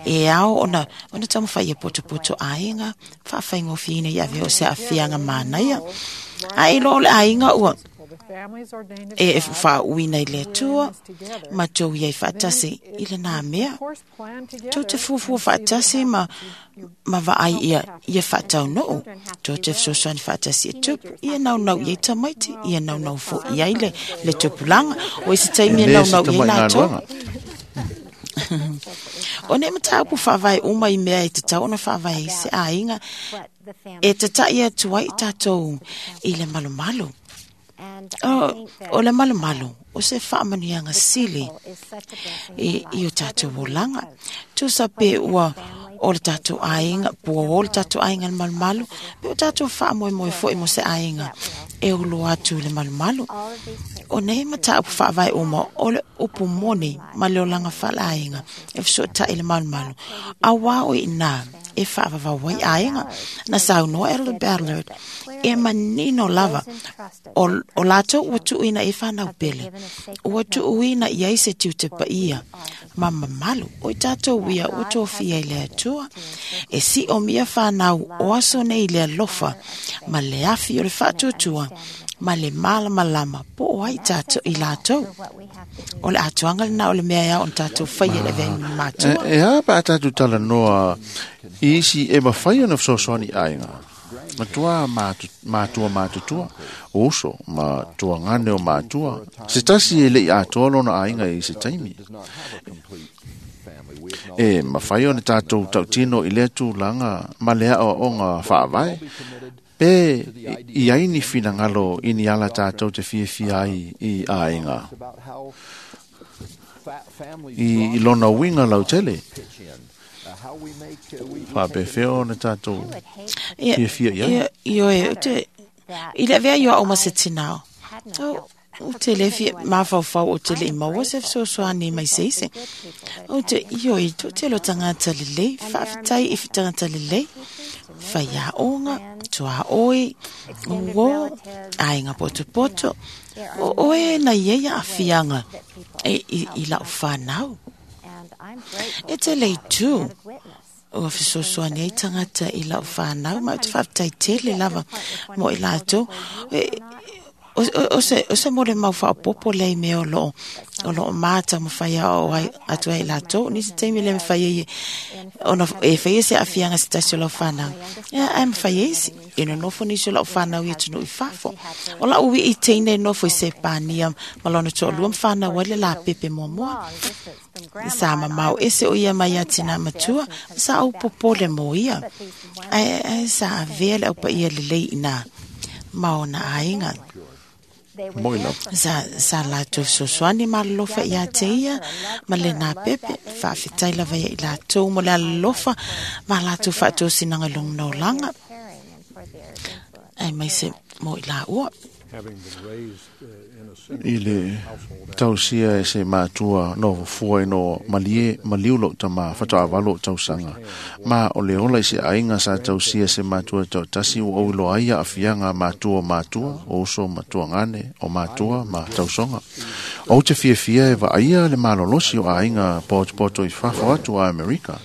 E ao ona, ona taumawhai e potopoto aiga, whaawhaingōfiena i ave o se awhianga mānaia. Ai lo o le aiga ua, e whaauina i le atua, ma tau iai whaatasi i le nā mea. Tau te fuafua whaatasi ma, ma vaai ia, ia whaatau noo. Tau te fesoasoani whaatasi e tupu, ia nau nau iai tamaiti, ia nau nau fo iai le, le tupulanga. O i se taimi E e le nau se nau iai tamai lātou. galuega. O ne mataupu whaavae uma i mea e te tau ona whaavae i se aiga, e te tai atu ai tātou i le malumalu. O, o le malumalu, o se whaamanianga sili i, i o tātou olanga. Tusa pe ua o le tātou aiga, pua o le tātou aiga le malumalu, pe o tātou whaamoemoe foi mo se aiga e ulo atu le malumalu. O nei mataupu whaavae uma o le upu moni ma le olanga whala aiga e fesoatai le malumalu. A wā o i nā e whaavavau ai aiga na saunoa e le Ballard e manino lava o, o lātou ua tuuina e whanau pele. Ua tuuina i ai se tiute paia ma mamalu o i tātou ia ua tōfia i le atua. E si o mia whanau o aso nei le alofa ma le afi o le whaatuatua ma le malamalama po o ai tātou i lātou. O le atuanga le nā o le mea ia o tātou whai e le vei mātua. E, e a pa tātou tala noa i isi e mawhai ona fesoasoani aiga. Matua mātu, mātua mātutua, o uso, ma tua ngane o mātua. Se tasi e lei atoa lona aiga i se taimi. E mawhai ona tātou tautino i lea tūlanga ma lea o onga whaavae. Pe i aini whinangalo i ni ala tātou te fiafia ai i aiga. I, i lona winga lau tele. Whaapewheo na tātou Ia, fiafia i ai. ia, ioe, o te, i le avea ioa o ma se tinao. O, o te le fia, mawhauwhau o te le i maua se fesoasoani mai se ise. O te ioe, to te lo tangata lelei, whaafetai i tangata lelei, whai aonga, tua oi, o, aiga potopoto, o oe na ia ia awhianga e, i, i lau whanau. E te lei tū, o fesoasoani ai tangata i lau whanau, ma o te whaafetai tele lava mo i lātou. E, o, o, o se, o se more mau whaopopo lei me o loo, o loo māta mo whai ao ai, atu ai lātou. Ni se taimi le me whai e, ona, e whai e se awhianga se tasi o lau whanau. Ia, ai me whai e isi. E no nofo nisi o lau whanau i tunu i whafo. O lau ui i teine nofo i se pānia ma lona to'olua ma whanau ai le la pepe mua mua. Sa mamau ese o ia mai a tina matua, sa au popole mo ia. Ai, ai sa avea le au pa ia lelei ina maona aiga. Moi lau. Sa, sa lātou fesoasoani ma alofa ia te ia, ma le nā pepe, whaafetai lava ia i lātou mo le alofa, ma lātou whaatosinaga i lona olaga. Ai mai se mo i la ua. I le tausia e se mātua no fua i no malie maliu lo tama whatoa lo tausanga. Ma o le ola i se aiga sa tausia se mātua tau tasi o au lo aia awhianga mātua mātua, o uso matua ngane, o mātua ma tausonga. O te fiafia e vaaia le malolosi o aiga potopoto i whafo atu a Amerika.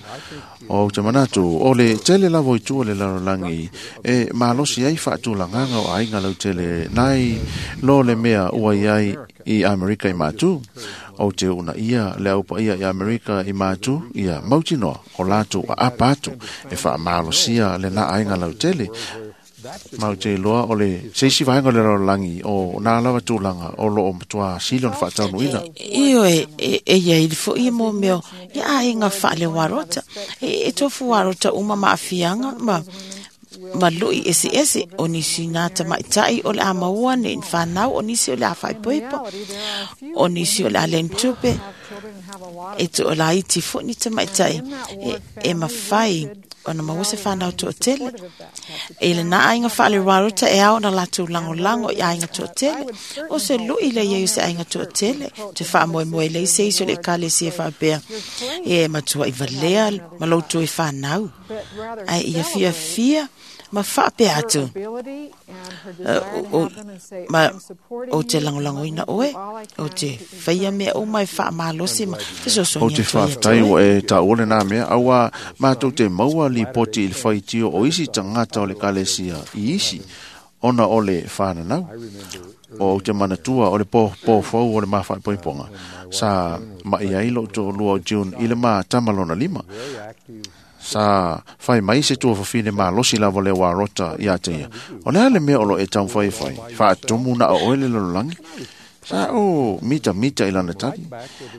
O te manatu, o le tele lavo i tua le lalolangi, e malosi ai whaatulanganga o aiga lau tele nai lo le mea ua iai i Amerika i mātu. O te una ia le aupa ia i Amerika i mātu, ia mautinoa o lātou a apa atu e whaamalosia le nā aiga lau tele. Mau te loa o le seisi vaenga o le lalolangi o nā lava tūlanga o loo matua sili ona whaataunuina. Io e, e, e ia i fo i mo meo, ia aiga whaale warota. E, e tofu warota uma ma awhianga, ma, ma lui ese ese, o nisi nā tamaitai o le a maua ne in whanau, o nisi o le a whaipoipo, o nisi o le a lentupe, e to o la iti fo ni tamaitai, e, e mawhai, ona maua se whanau to'o tele. E le nā aiga whaale warota e ao na lātou langolango i aiga to'o tele. O se lui le iei o se aiga to'o tele. Te whaamoemoe lei se iso le ekalesia whaapea. E matua i valea ma lautou i whanau. Ai ia fia fia Ma whaapea atu. Ma o te langolangoina oe, o te whaia mea o mai whaamalosi ma O te whaaftai o e ta ole nā mea, aua mātou te maua li poti i le whaitio o isi tangata o le kalesia i isi, ona o le whananau. O te manatua o le po pōfau o le mawhaipoiponga. Sa mai ai lo tō lua o June i le mā tamalona lima. Sa whai mai se tua whawhine mā losi lava le wā rota i a te ia. O le ale mea o lo e tau whai whai. Whaatumu na o oele lololangi. Sa o mita mita i lana tali.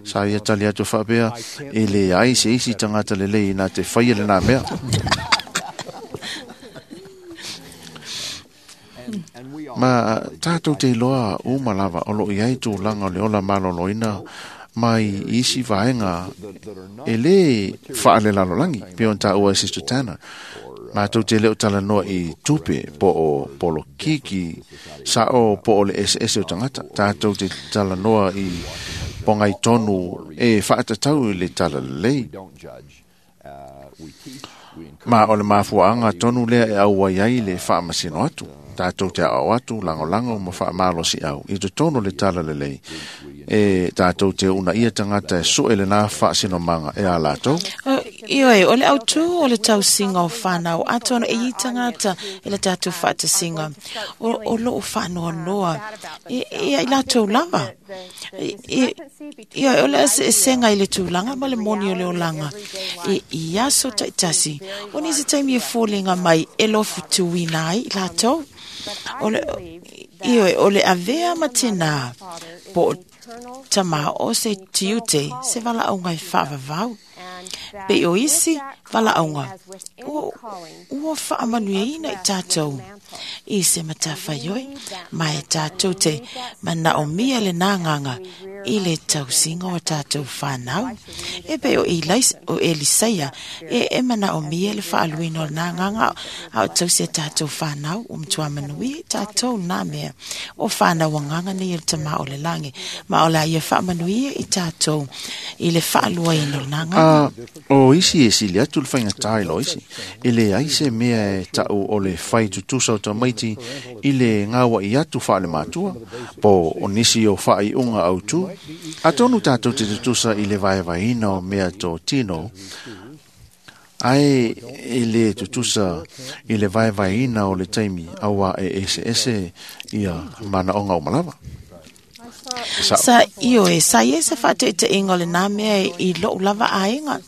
Sa ia tali atu whaapea e le ai se isi tangata le lei nā te whai ele nā mea. Ma tātou te iloa uma lava o lo iai tūlanga o le ola maloloina mai isi vaenga e le whaale lalolangi pe on tā ua e Sister Tanner. Mātou te leo talanoa i tupe po o polo kiki sa o po o le S S o tangata. Tātou te talanoa i pongai tonu e whaatatau i le talalei. Ma o le mafuaanga tonu lea e au ai le whaamasino atu. Tātou te au atu, langolango, ma whaamalosi au. I te tono le talalelei. E tātou te una ia tangata e soe le nā whaasino manga e a lātou. Ioe, o le au tū o le tausinga o whanau. Atono e i tangata e le tātou whaatasinga. O, o loo whanoa noa. E, e ai lātou lava. E, e, ioe, o le ase e senga i le tūlanga ma le moni o le olanga. E i aso taitasi. O nisi taimi e fōlenga mai e lofu tuina ai lātou. O le, ioe, o le avea ma tēnā po tama o se tiute se wala au ngai whaavavau. Pe o isi wala au ngā. Ua whaamanuia i tātou. I se matawhaioi, mai tātou te mana o mia le nānganga i le tausinga o tātou whanau. E pe o, Elais, o Elisaia, e, e mana o mia le whaaluina o nānganga a o tausia tātou whanau, o mtua manui tātou nā mea. O whanau anganga nei o tama o le langi. Ma o la ia whaamanuia i tātou i le whaaluaina o nānganga. Uh, o isi e sili atu le whainga tāilo isi. E le ai se mea e tau o le whai tutusa o tamaiti i le ngawa i atu whaale mātua, po o nisi o whaai unga au tū. A tonu tātou te tutusa i le vaevaina o mea tō tino, ai e le tutusa i le vaevaina o le taimi aua e ese ese ia mana onga o malawa. Sa, sa ioe, sa ie se whaate inga le nā mea i lou lava aenga.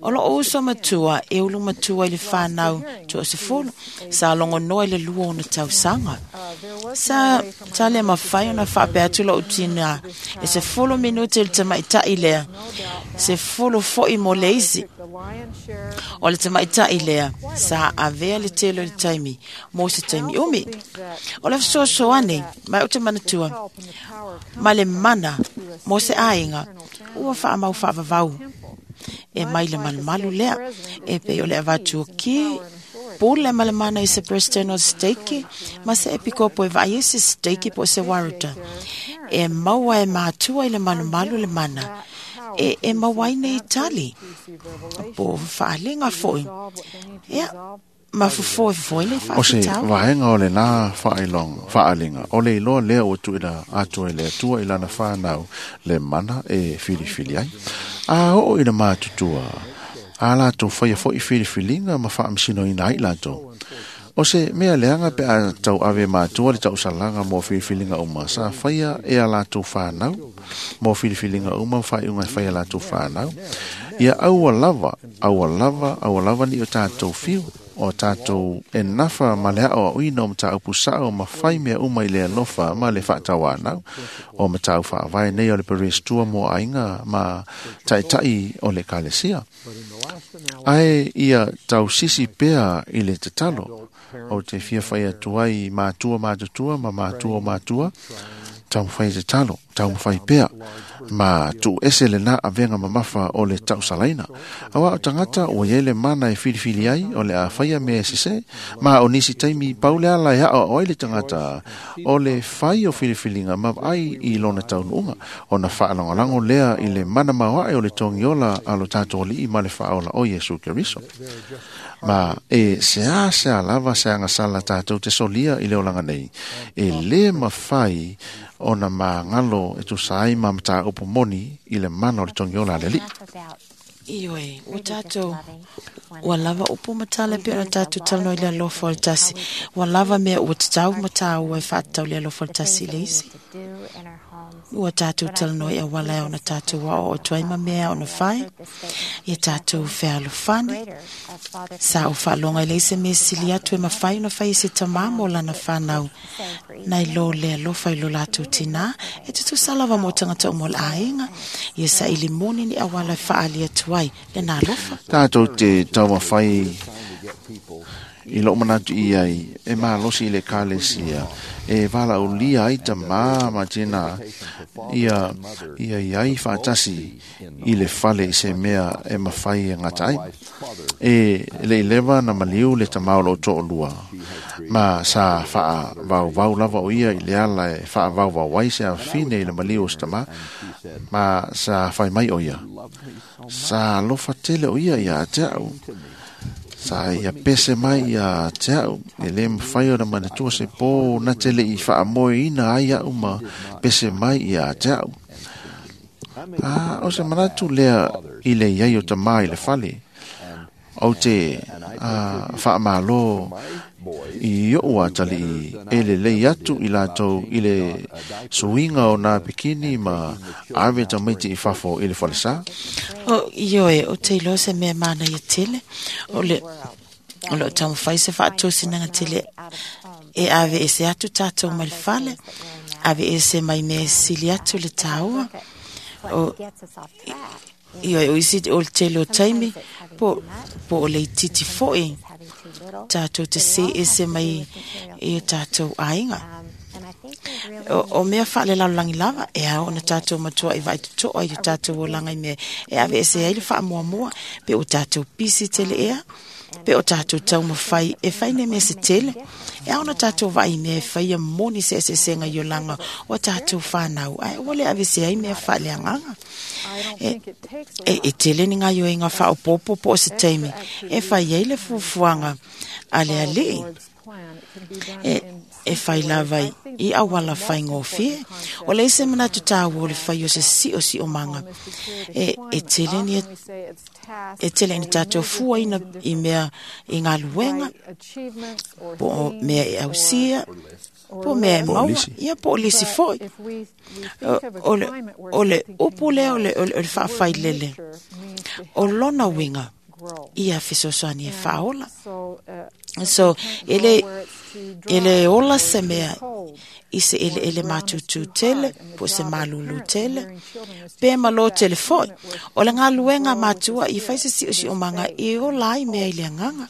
O lo uso matua, e ulu matua i le whanau tua se folo. Sa longo noa i le lua ona tausanga. Sa tale mawhai ona whaapea atu lo utina. E se folo minute le tamaitai lea. Se folo foi mo le isi. O le tamaitai lea. Sa avea le telo le taimi. Mo se taimi umi. O le whasoasoane, mai o te manatua. Ma le mana, mo se ainga. Ua whaamau whaavavau. E mai le malumalu lea. E pe o le avatu ki pule ma le mana i se president o steiki ma se epikopo e vai e se steiki po se waruta. E maua e mātua i le malumalu le mana. E, e maua i nei tali. Po whaalenga foi. Ea, ma fufo e foi le O se whaafitau. vaenga o le nā whailong, whaalinga. O le iloa lea o tuila atua i le atua i lana whanau le mana e whiriwhiri ai. A o i le mātutua, a lātou whaia foi whiriwhiringa ma whaamisino ina ai lātou. O se mea leanga pe a tau ave mātua le tau salanga mō whiriwhiringa uma. Sa whaia e a lātou whanau, mō whiriwhiringa uma, whaiunga whaia lātou whanau. Ia aua lava, aua lava, aua lava ni o tātou whiu. O tātou e nafa ma le ao uina o mataupu sao ma whai mea uma i le alofa ma le whaatawanau o matau whaawai nei o le perestua mo ainga ma taitai o le kalesia. Ae ia tau sisi pea i le tatalo o te fia whai atu ai mātua mātutua ma mātua mātua tau whai tatalo. taumafai pea ma tuu ese lenā avega mamafa o le tausalaina. Auā o tagata ua iai le mana e filifili ai o le a faia mea e sesē, ma o nisi taimi pau le ala e aʻoaʻo ai le tagata o le fai o filifiliga ma vaai i lona taunuuga ona faalagolago lea i le mana maoaʻe o le togiola a lo tatou alii ma le faaola o Iesu Keriso. Ma e seā seā lava se agasala tatou te solia i le olaga nei, e lē mafai ona magalo e tusa ai ma mataupu moni i le mana o le togiola a le alii. Ioe, ua tatou ua lava upu ma tala e pei ona tatou talanoa i le alofa o le tasi. Ua lava mea ua tatau ma tāua e faatatau le alofa o le tasi i le isi. Ua tatou talanoa i auala e ona tatou aoao atu ai ma mea ona fai. Ia tatou fealofani. Sa ou faaloga i le isi mea sili atu e mafai ona fai e se tamā mo lana whanau. Nai lo le alofa i lo latou tinā, e tutusa lava mo tagata uma o le aiga. Ia saili moni ni auala e faaali atu ai le nā alofa. Tatou te taumafai i lou manatu i ai e malosi i le ekalesia e valaaulia ai tamā ma tinā ia ia iai faatasi i le fale i se mea e mafai e gata ai. E leʻi leva na maliu le tamā o loo toʻalua ma sa faavauvau lava o ia i le ala e faavauvau ai se afafine i le maliu o se tamā, ma sa fai mai o ia sa alofa tele o ia iā te aʻu. Sa ia pese mai iā te aʻu, e lē mafai ona manatua se pō na te leʻi faamoeina ai aʻu ma pese mai iā te aʻu. A o se manatu lea i le iai o tamā i le fale, ou te faamālō i oʻu atalii e lelei atu i latou i le suiga o nā pikini ma ave tamaiti i fafo i le falesā. O ioe, o te iloa se mea manaia tele, o le o loo taumafai se faatosinaga tele e ave ese atu tatou mai le fale, ave ese mai mea e sili atu le tāua. O ioe, o isi o le tele o taimi, po, po o le itiiti foʻi tatou te se ese mai i o tatou aiga. O, o mea faalelalolagi lava, e ao ona tatou matua i vaaitotoa i o tatou olaga i mea e ave ese ai le faamuamua, pe o tatou pisi tele ea, pe o tatou taumafai e fai nei mea se tele. E ao ona tatou vaai i mea e faia moni se eseesega i olaga o tatou whanau, ae ua le ave ese ai mea faaleagaga. E, e, e tele ni gaioiga faaopoopo po o se taimi e fai ai le fuafuaga a le alii. E, e fai lava i auala faigofie. O le isi manatu tāua o le fai o se siosiomanga. E, e tele ni e tele ni tatou fuaina i mea i galuega, po o mea e ausia, po o mea e maua, ia po o lisi foʻi. O, o le, o le upu lea o le, o le, o le faafailele, o lona uiga ia fesoasoani e faaola. So, e le, e le ola se mea i se eleele matutū tele, po o se malūlū tele, pe malo tele foʻi. O le galuega matua i fai se siosiomaga e ola ai mea i le agaga.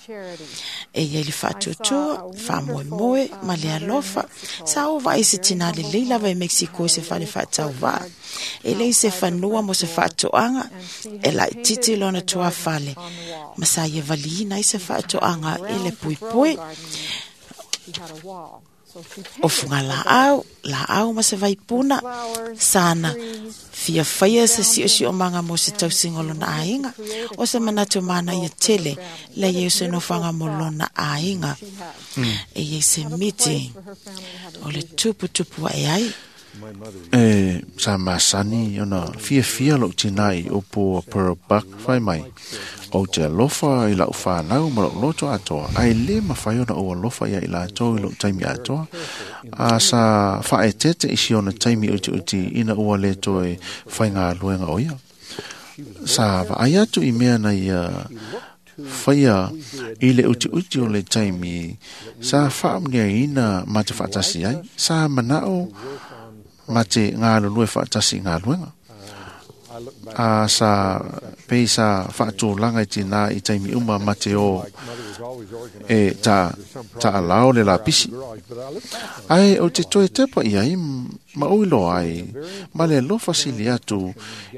E iai le faatuatua, faamoemoe ma le alofa. Sa ou vaai se tinā lelei lava i Mexico i se fale faatauvaa. E leai se fanua mo se faatoaga, e laitiiti lona tuafale, ma sa ia valiina ai se faatoaga i le puipui. O fuga laau, laau ma se vaipuna, sana fia faia se siosiomaga mo se tausiga o lona aiga. O se manatu mana ia tele, le iai o se nofoaga mo lona aiga. E iai se miti o le tuputupu aʻe ai. E sa masani ona fiafia lou tinā i upu a Pearl Buck fai mai, Ou te alofa i lau whanau ma lou loto atoa, ae lē mafai ona ou alofa ia i latou i lou taimi atoa. A sa faaeteete i si ona taimi utiuti ina ua lē toe faigaluega o ia. Sa vaai atu i mea na ia faia i le utiuti o le taimi sa faamuniaina ma te faatasi ai, sa manao ma te galulue faatasi i galuega. A sa pei sa faatulaga i tinā i taimi uma ma te o e ta taalao le lapisi. Ae o te toe tepa i ai Ma o iloa ai, ma le alofa sili atu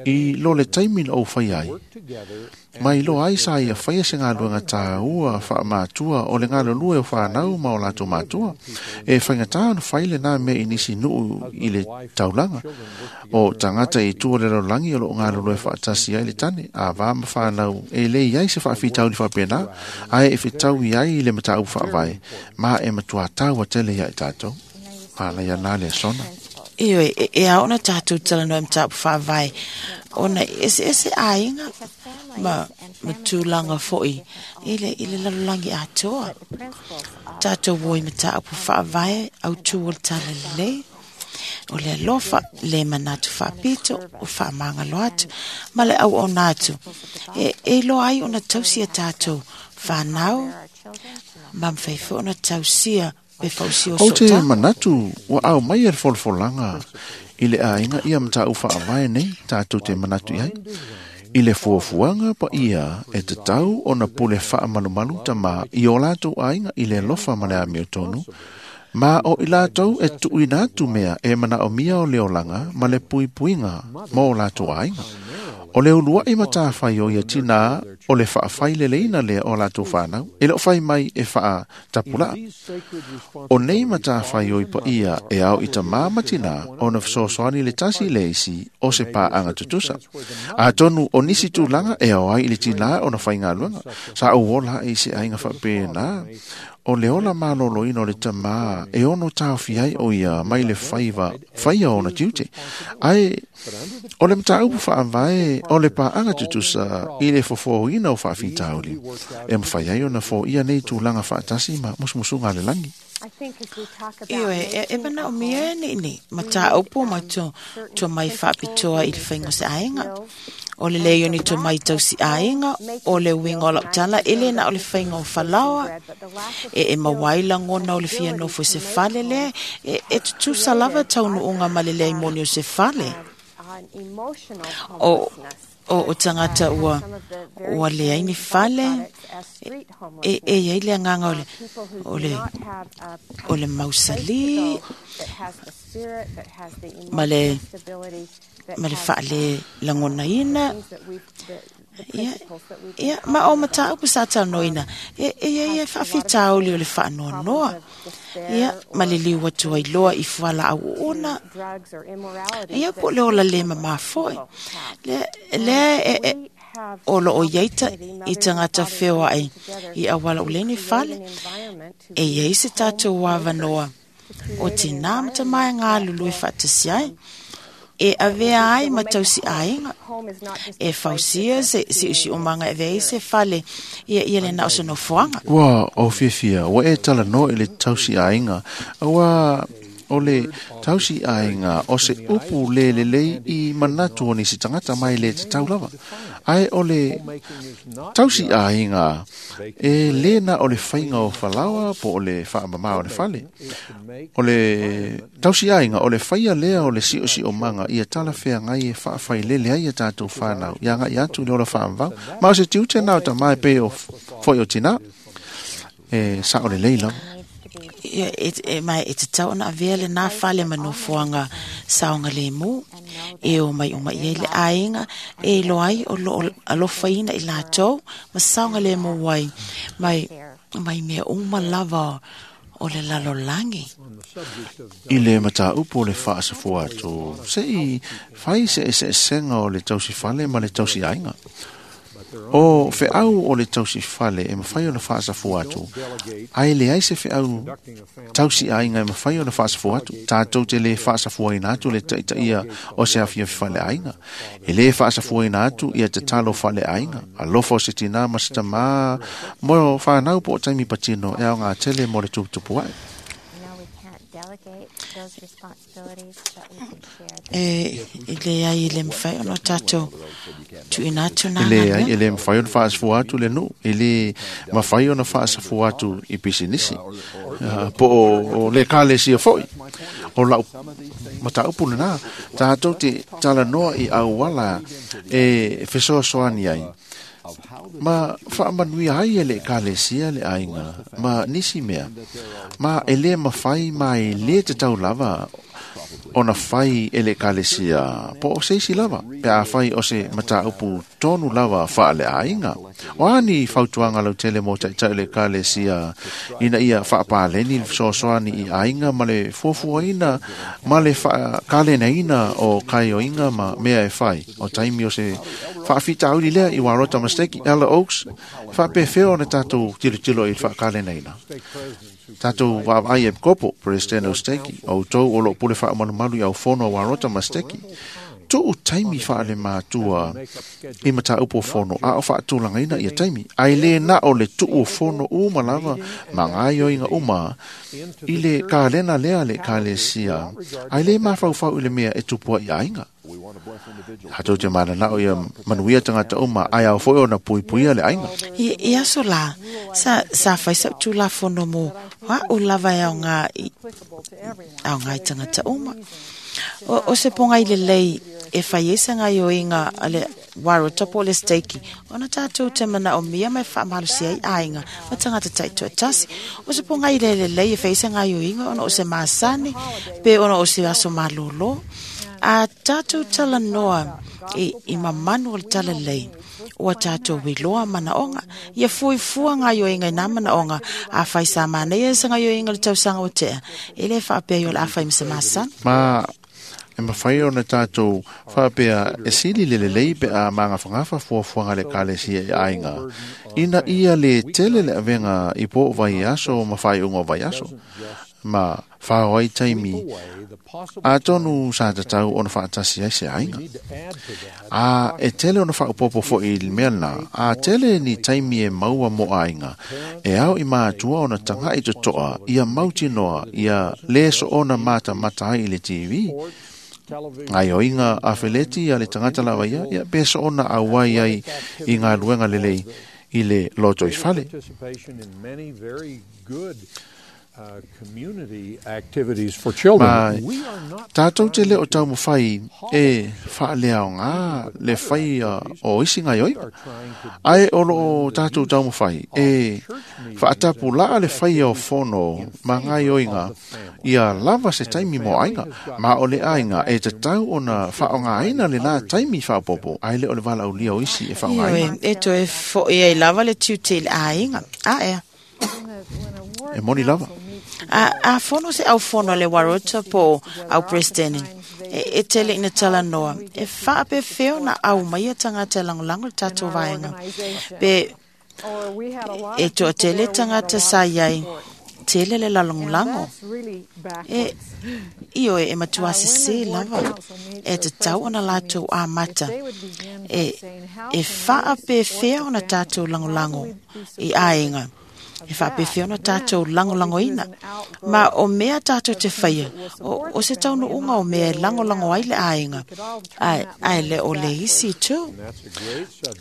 i lo le taimi na ou fai ai. Ma iloa ai sa ia faia se galuega tāua faamatua o le galulue o fanau ma o latou matua. E faigata ona fai lenā mea i nisi nuu i le taulaga. O tagata i tua o le lalolagi o loo galulue faatasi ai le tane, ava ma fanau e le i ai se faafitauli faapena, ae e fetaui ai i le mataupu faavae, ma e matuā taua tele ia i tatou. Manaia nā le sona. Ioe, e, e ao ona tātou talanoa i mataupu faavae, ona eseese aiga ma, ma tulaga foi i le, i le lalolagi atoa. Tātou o i mataupu faavae autū o le talalelei, o le alofa, le manatu faapito, o faamagalo atu, ma le auauna atu. E, e iloa ai ona tausi a tātou whanau, ma mawhai foi ona tausia pe fausia o Ou te sootaga. manatu ua au mai e le folafolaga i le aiga ia mataupu faavae nei tātou te manatu i ai. I le fuafuaga paia e tatau ona pule faamalumalu tamā i o latou aiga i le alofa ma le amiotonu, ma o i latou e tuuina atu mea e manaomia o le olaga ma le puipuiga mo o latou aiga. O le uluai matafai o ia tinā o le faafaileleina lea o latou fanau, e leo fai mai e faatapulaa. O nei matafai o i paia e ao i tamā ma tinā ona fesoasoani le tasi le isi o se paaga tutusa. Atonu o nisi tulaga e ao ai i le tinā ona faigaluega. Sa ou ola ai i se aiga faapena, o le ola maloloina o le tamā e ono taofi ai o ia mai le faiva faia ona tiute. Ae o le mataupu faavae o le paaga tutusa i le fofoina o faafitauli e mafai ai ona foia nei tulaga faatasi ma musumusuga a le lagi. Ioe, e, e manaomia e nei nei, mataupu ma to, to mai faapitoa i le faiga o se aiga. O le lei o ni to mai tausi aiga, o le uiga o lau tala, e le na o le faiga o falaoa, e e mawai lagona o le fia nofo i se fale lea, e, e tutusa lava taunuuga ma le leai moni o se fale. O, o, o tagata ua, ua leai ni fale, e, e iai le agaga o le, o le, o le mausali, ma le, ma le faale lagonaina. Ia, ia, ma o mataupu sa talanoaina, e, e iai e faafitauli o le faanoanoa. Ia, ma le liu atu ai loa i fualaau uuna. Ia, po o le ola le mamā foi. Le, lea e, e, o loo iai ta, i tagata feoai i auala o le ni fale. E iai se tātou avanoa o tinā ma tamā e galulue faatasi ai. E avea ai ma tausi aiga. E fausia se siosiomaga e avea ai se fale ia ia le na o se nofoaga. Ua o fiafia, ua e talanoa i le tausi aiga, ua o le tausi aiga o se upu le lelei i manatu o nisi tagata mai le tatau lava. Ae o le tausi aiga e le na o le faiga o falaoa po o le faamamā o le fale. O le tausi aiga o le faia lea o le siosiomaga ia talafeagai e faafailele ai ia tatou fanau ia agai atu i le ola faavavau. Ma o se tiute na o tamā e pei o foi o tinā, e sao lelei lava. Ia, e, e, mai e tatau ona avea lenā fale ma nofoaga saogalemu, e o mai uma i ai le aiga, e iloa ai o loo alofaina i latou ma saogalemu ai mai, mai mea uma lava o le lalolagi. I le mataupu o le faasafua atu, se i fai se eseesega o le tausi fale ma le tausi aiga. O feau o le tausi fale e mafai ona faasafua atu, ae leai se feau tausi aiga e mafai ona faasafua atu. Tātou te le faasafuaina atu le taitaia o se afiafi fale aiga. E le faasafuaina atu ia tatalo fale aiga. Alofa o se tinā ma se tamā mo whanau po o taimi patino e ao ngā tele mo le tuputupu ai. E, e leai e le mawhai ona tātou tuuina atu nā E le ai, galuega. e le mawhai ona faasafua atu le nuu, e le mawhai ona faasafua atu i pisinisi. Uh, po o, o le kalesia foi. O lau mataupu lenā, tātou te talanoa i auala e fesoasoani ai. Ma faamanuia ai e le ekalesia le aiga ma nisi mea. Ma e le mafai ma e le tatau lava ona fai e le ekalesia po o se isi lava pe afai o se mataupu tonu lava faaleaiga. O a ni fautuaga lautele mo taʻitaʻi o le ekalesia ina ia faapaleni le fesoasoani i aiga ma le fuafuaina ma le faakalenaina o kaioiga ma mea e fai o taimi o se faafitauli lea i Warota ma Steki Ella Oaks faapefea ona tatou tilotilo i le faakalenaina. Tatou vaavaai e kopo President o Steki o tou o loo pule faamalumalu i au fono a Warota ma Steki tuu taimi faale matua i mataupu o fono a o faatulagaina ia taimi ai le na o le tuu o fono uma lava ma gaioiga uma i le kalena lea le ekalesia ai le mafaufau i le mea e tupu ai i aiga. Tatou te mananao ia manuia tagata uma ae ao foi ona puipuia le aiga. I, i aso la, sa, sa fai sa tulafono mo a'u lava e aoga i, aoga i tagata uma. O, o se ponga i lelei e fai ai sa gaioiga a le Warota po o le Steki ona tatou te manaomia ma e faamalosi ai aiga ma tagata taitoatasi. O se ponga i le lelei e fai ai sa gaioiga ona o se masani pe ona o se aso malōlō. A tatou talanoa i, i mamanu o le talalei ua tatou iloa manaoga ia fuifua gaioiga i nā manaoga a fai sa manaia sa gaioiga le tausaga ua tea e lē faapea i o le a fai ma se masani. Ma e mafai ona tatou faapea e sili le lelei pe a magafagafa fuafuaga le ekalesia i aiga ina ia le tele le avega i po o vaiaso ma faaiuga o vaiaso ma fao ai taimi atonu sa tatau ona faatasi ai se aiga. A e tele ona faaopoopo foʻi i le mea lena a tele ni taimi e maua mo aiga e ao i matua ona tagaʻi totoa ia mautinoa ia lē soona matamata ai i le T V. Gaioiga afeleti a le tagata lava ia ia pe soona auai ai i galuega lelei i le loto i fale. Ma tatou te le o taumafai e faaleaoga le faia o isi gaioiga ae o loo tatou taumafai e faatapulaa le faia o fono ma gaioiga ia lava se taimi mo aiga ma o le aiga e tatau ona faaaogaina lenā taimi faaopoopo ae le o le valaaulia o isi e faaaogaina. Ioe, e toe foʻi ai lava le tiute i le aiga. A ea. E moni lava. A, a fono se au fono le Warota po au President e, e tele ina talanoa e faapefea ona au mai ia tagata e lagolago le tatou vaega pe e toatele tagata sa iai tele le lalagolago e ioe e matua sesē lava e tatau ona latou amata e, e faapefea ona tatou lagolago i aiga e faapefea ona tatou lagolagoina ma o mea tatou te faia o, o se taunuuga o mea e lagolago ai le aiga ae, ae le o le isi itu.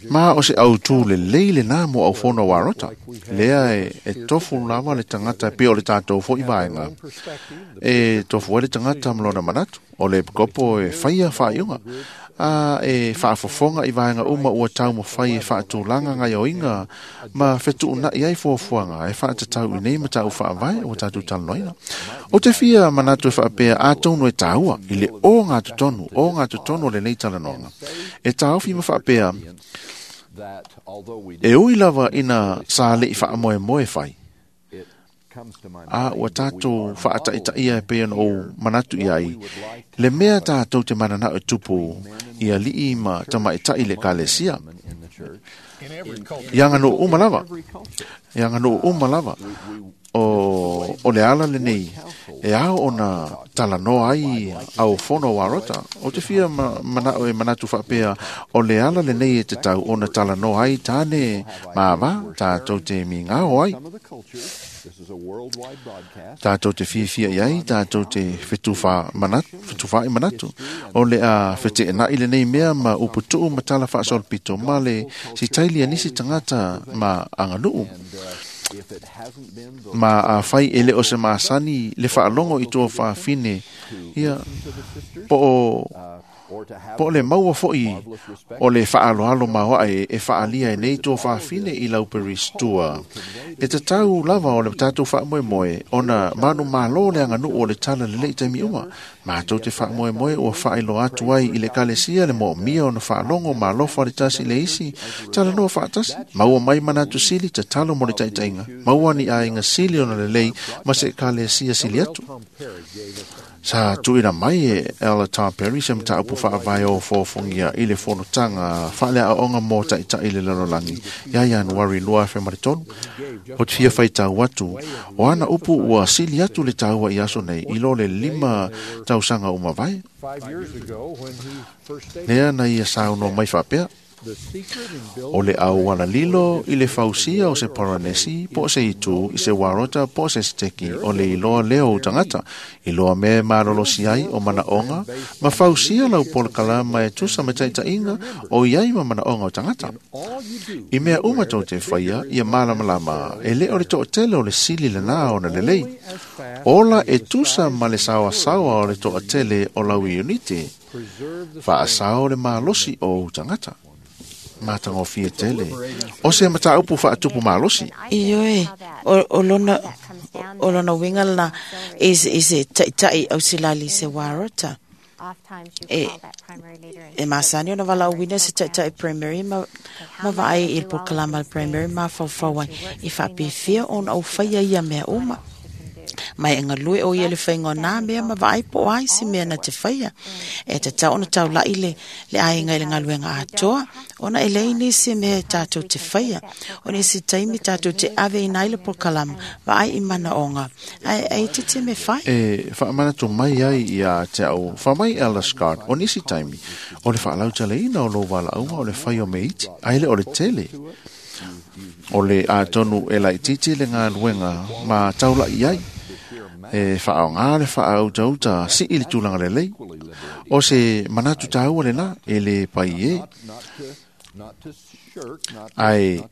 Ma o se autū lelei lenā mo au fono Warota lea e, e tofu lava le tagata pe o le tatou foʻi vaega e tofu ai le tagata ma lona manatu o le kopo e faia faaiuga a e faafofoga i vaega uma ua taumafai e faatulaga gaioiga ma fetuunaʻi ai fuafuaga e faatatau i nei mataupu faavae ua tatou talanoaina. O te fia manatu e faapea atonu e tāua i le ogatotonu ogatotonu o lenei talanoaga e taofi ma faapea e ui lava ina sa leʻi faamoemoe fai a ua tatou faataʻitaʻia e pei ona ou manatu i ai le mea tatou te mananao e tupu i aliʻi ma tamaʻitaʻi le ekalesia ia aganuu uma lava ia aganuu uma lava o, o le ala lenei e ao ona talanoa ai au fono Warota. O te fia ma, manao e manatu faapea o le ala lenei e tatau ona talanoa ai tāne ma ava tatou te migao ai. Tatou te fiafia i ai, tatou te fetufa manatu, fetufaai manatu. O le a feteenai lenei mea ma uputuu ma tala faasolopito ma le sitaili a nisi tagata ma aganuu. Ma a fai e le o se masani le faalogo i tua faafine ia po o Po le maua fo'i o le whaaloalo maoa e, e whaalia e nei tō whaafine i lau peristua. E te tau lava o le tātou whaamoemoe ona manu malo le anga nuu o le tala le lei taimi uma. Mātou te whaamoemoe ua whailo atu ai i le kalesia le mo mia ona whaalongo malofa le tasi le isi tala noa whaatasi. Maua mai manatu sili te talo mo le taitainga. Maua ni ainga sili ona le lei ma se kalesia sili atu. Sa tuina mai e Ella Tom Perry se mataupu whaavae o fōfongia i le fonotanga whaalea aonga mō ta'itai le lalolagi ia Ianuari lua afe ma le tolu. O te fia whaitau atu o ana upu ua sili atu le taua i aso nei i lo le lima tausaga o mavae. Lea na ia saunoa mai faapea. O le auala lilo i le fausia o se Poronesi, po se itu, i se warota, po se steki, o le iloa leo o tangata, iloa me malolosi ai o manaonga, ma fausia lau polokalama e tusa ma taitainga o iai ma manaonga o tangata. I mea uma tau te whaia, ia malamalama, e le o le to'atele o le sili le nā ona lelei. Ola e tusa ma le sawasawa o le to'atele o lau iunite, whaasao le malosi o tangata. Mātanga fia tele. O se mataupu whaatupu malosi. Ioe, o lona, o lona winga la is is e ta'itai au silali se warota. E, e masani ona wala wina se ta'itai primary ma, ma vaai i le pokalama primary ma whauwhauai i whapifia ona au whaia ia mea uma. Mai nga lue o ia le whainga nā mea ma vaai po ai si mea na te whaia. E te tau ona tau lai le, le ainga i le ngaluenga atoa, ona e lei nisi mea e tātou te whaia. O nisi taimi tātou te ave i nai le pokalama, vaai i mana onga. Ai, ai te te me whai. E whaamana mai ai ia te au, whamai Ella Scott, o nisi taimi, o le whaalau tale ina o lo wala aunga o le whai o me iti, ai le o le tele. O le atonu e lai titi le ngā luenga ma taula i ai. E whaonga le whaauta si i le tūlanga le lei. O se manatu tāua le nā e le pai e. Ai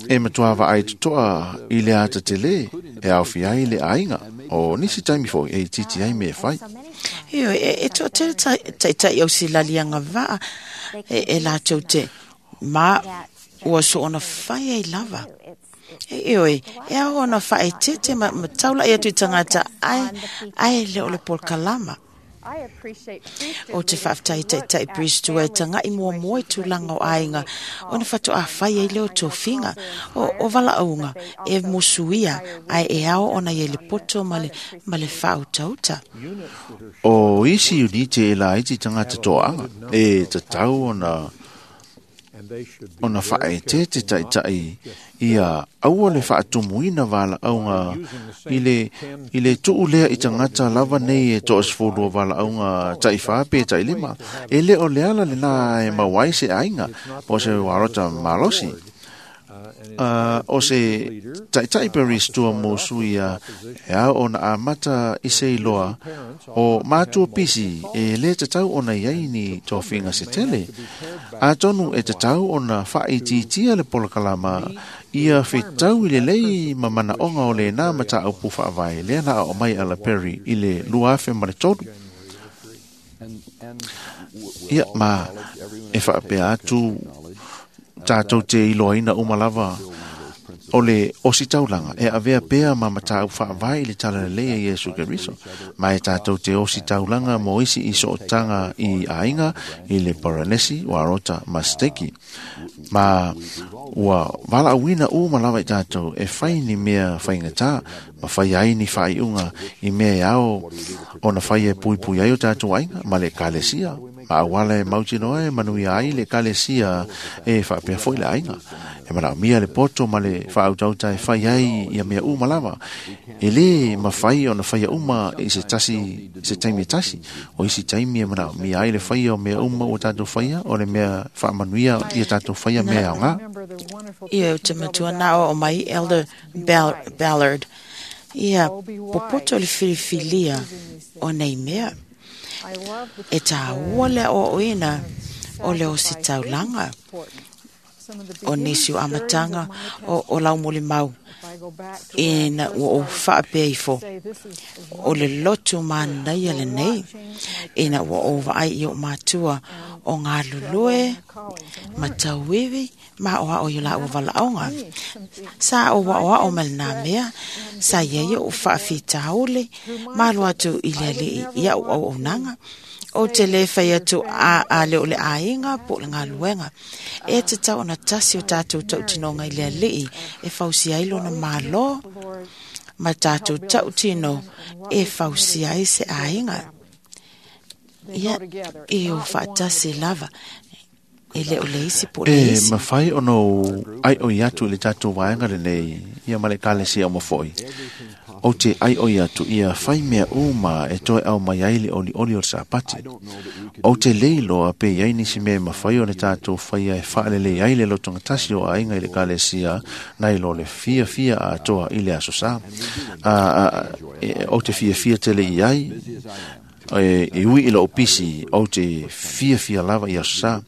e matuava ai tutoa i le ata te le e awhi ai le ainga. O nisi taimi fo e titi ai me e whai. Io, e, e toa tere taitai au si lalianga vaa e, e lātou te ma ua so ona whai ai lava. E oi, e au ona whae tete ma, ma taula i atu i tangata ai, ai le o le polokalama. O te whaaftai taitai priestua e tanga i mua mua i tūlanga o ainga ona whatu a whai ai leo tōwhinga o, o wala aunga e musuia ai e ao ona i le poto ma le, ma le whautauta. O isi unite e la iti tangata toanga e tatau ona ona whaete te taitai ia aua le whaatumuina wala aunga i le, i le tuulea i tangata lava nei e to'asifulua wala aunga taiwha pe tailima e le o le ala le nā e mawai se ainga po se warota malosi. Uh, o se taitai peristua mosu ia e au ona amata i se iloa o mātua pisi e le tatau ona iai ni tōwhinga se tele. A tonu e tatau ona whaititia le polokalama ia whitau i le lei ma manaonga o le nā mataupu whaavae lea na o mai ala Perry i le lua afe ma le tolu. Ia ma e whaapea atu tātou te iloaina umalava o le ositaulanga e avea pea ma matau whaavae i le tala lelei e Iesu Keriso. Ma e tātou te ositaulanga mo isi i sootanga i ainga i le Poronesi, Warota, ma Steki. Ma ua wala awina u malawa i tātou e whai ni mea whaingatā, ma whai ai ni whaiunga i mea e ao ona whai e pui pui ai o tātou ainga, ma le kalesia. Ma awala e mautinoa e manuia ai le kalesia e whaapea foi le ainga. E mana mia le poto ma le whautauta e whai ai ia mea uma lava. E le ma whai ona whai uma i se tasi, se taimi e tasi. O isi taimi e mana mia ai le whai o mea uma o tātou whaia o le mea whaamanuia ia tātou whaia mea au ngā. Ia o te matua nā o mai Elder Ballard. Ia popoto le whiriwhilia o nei mea. E tā ua le o oina o le o si taulanga. O nisi o amatanga o, o lau moli mau ina ua o whaapea ifo o le lotu mānaia le nei Ina ua ou vaai i o matua o ngā lulue, ma tauiwi, ma o ao i la ua valaonga. Sa o wa o ao mai nā mea, sa ia i o whaawhitaole, malo atu i le alii i au au au nanga. O te le whai atu a, a le o le ainga po le ngā luenga. E te tau ona tasi o tātou tautinonga i le alii e fausi ai lona malo, ma tātou tautino e fausi ai se ainga. Ia, e o whaatasi lava. E le o le isi po le E isi. mawhai ono ai o i atu i le tātou waenga le nei, ia ma le kalesia o mawhoi. O te ai o i atu ia whai mea uma e toe au mai ai le oli oli o le sapati. O te leiloa pe iai nisi mea mawhai o le tātou whaia e whaalele ai le lotonga tasi o ainga i le kalesia nai lo le fia fia a toa i le aso sa. A, a, e, o te fia fia tele i ai, e, e ui i lo opisi o te fia fia lava i aso sa.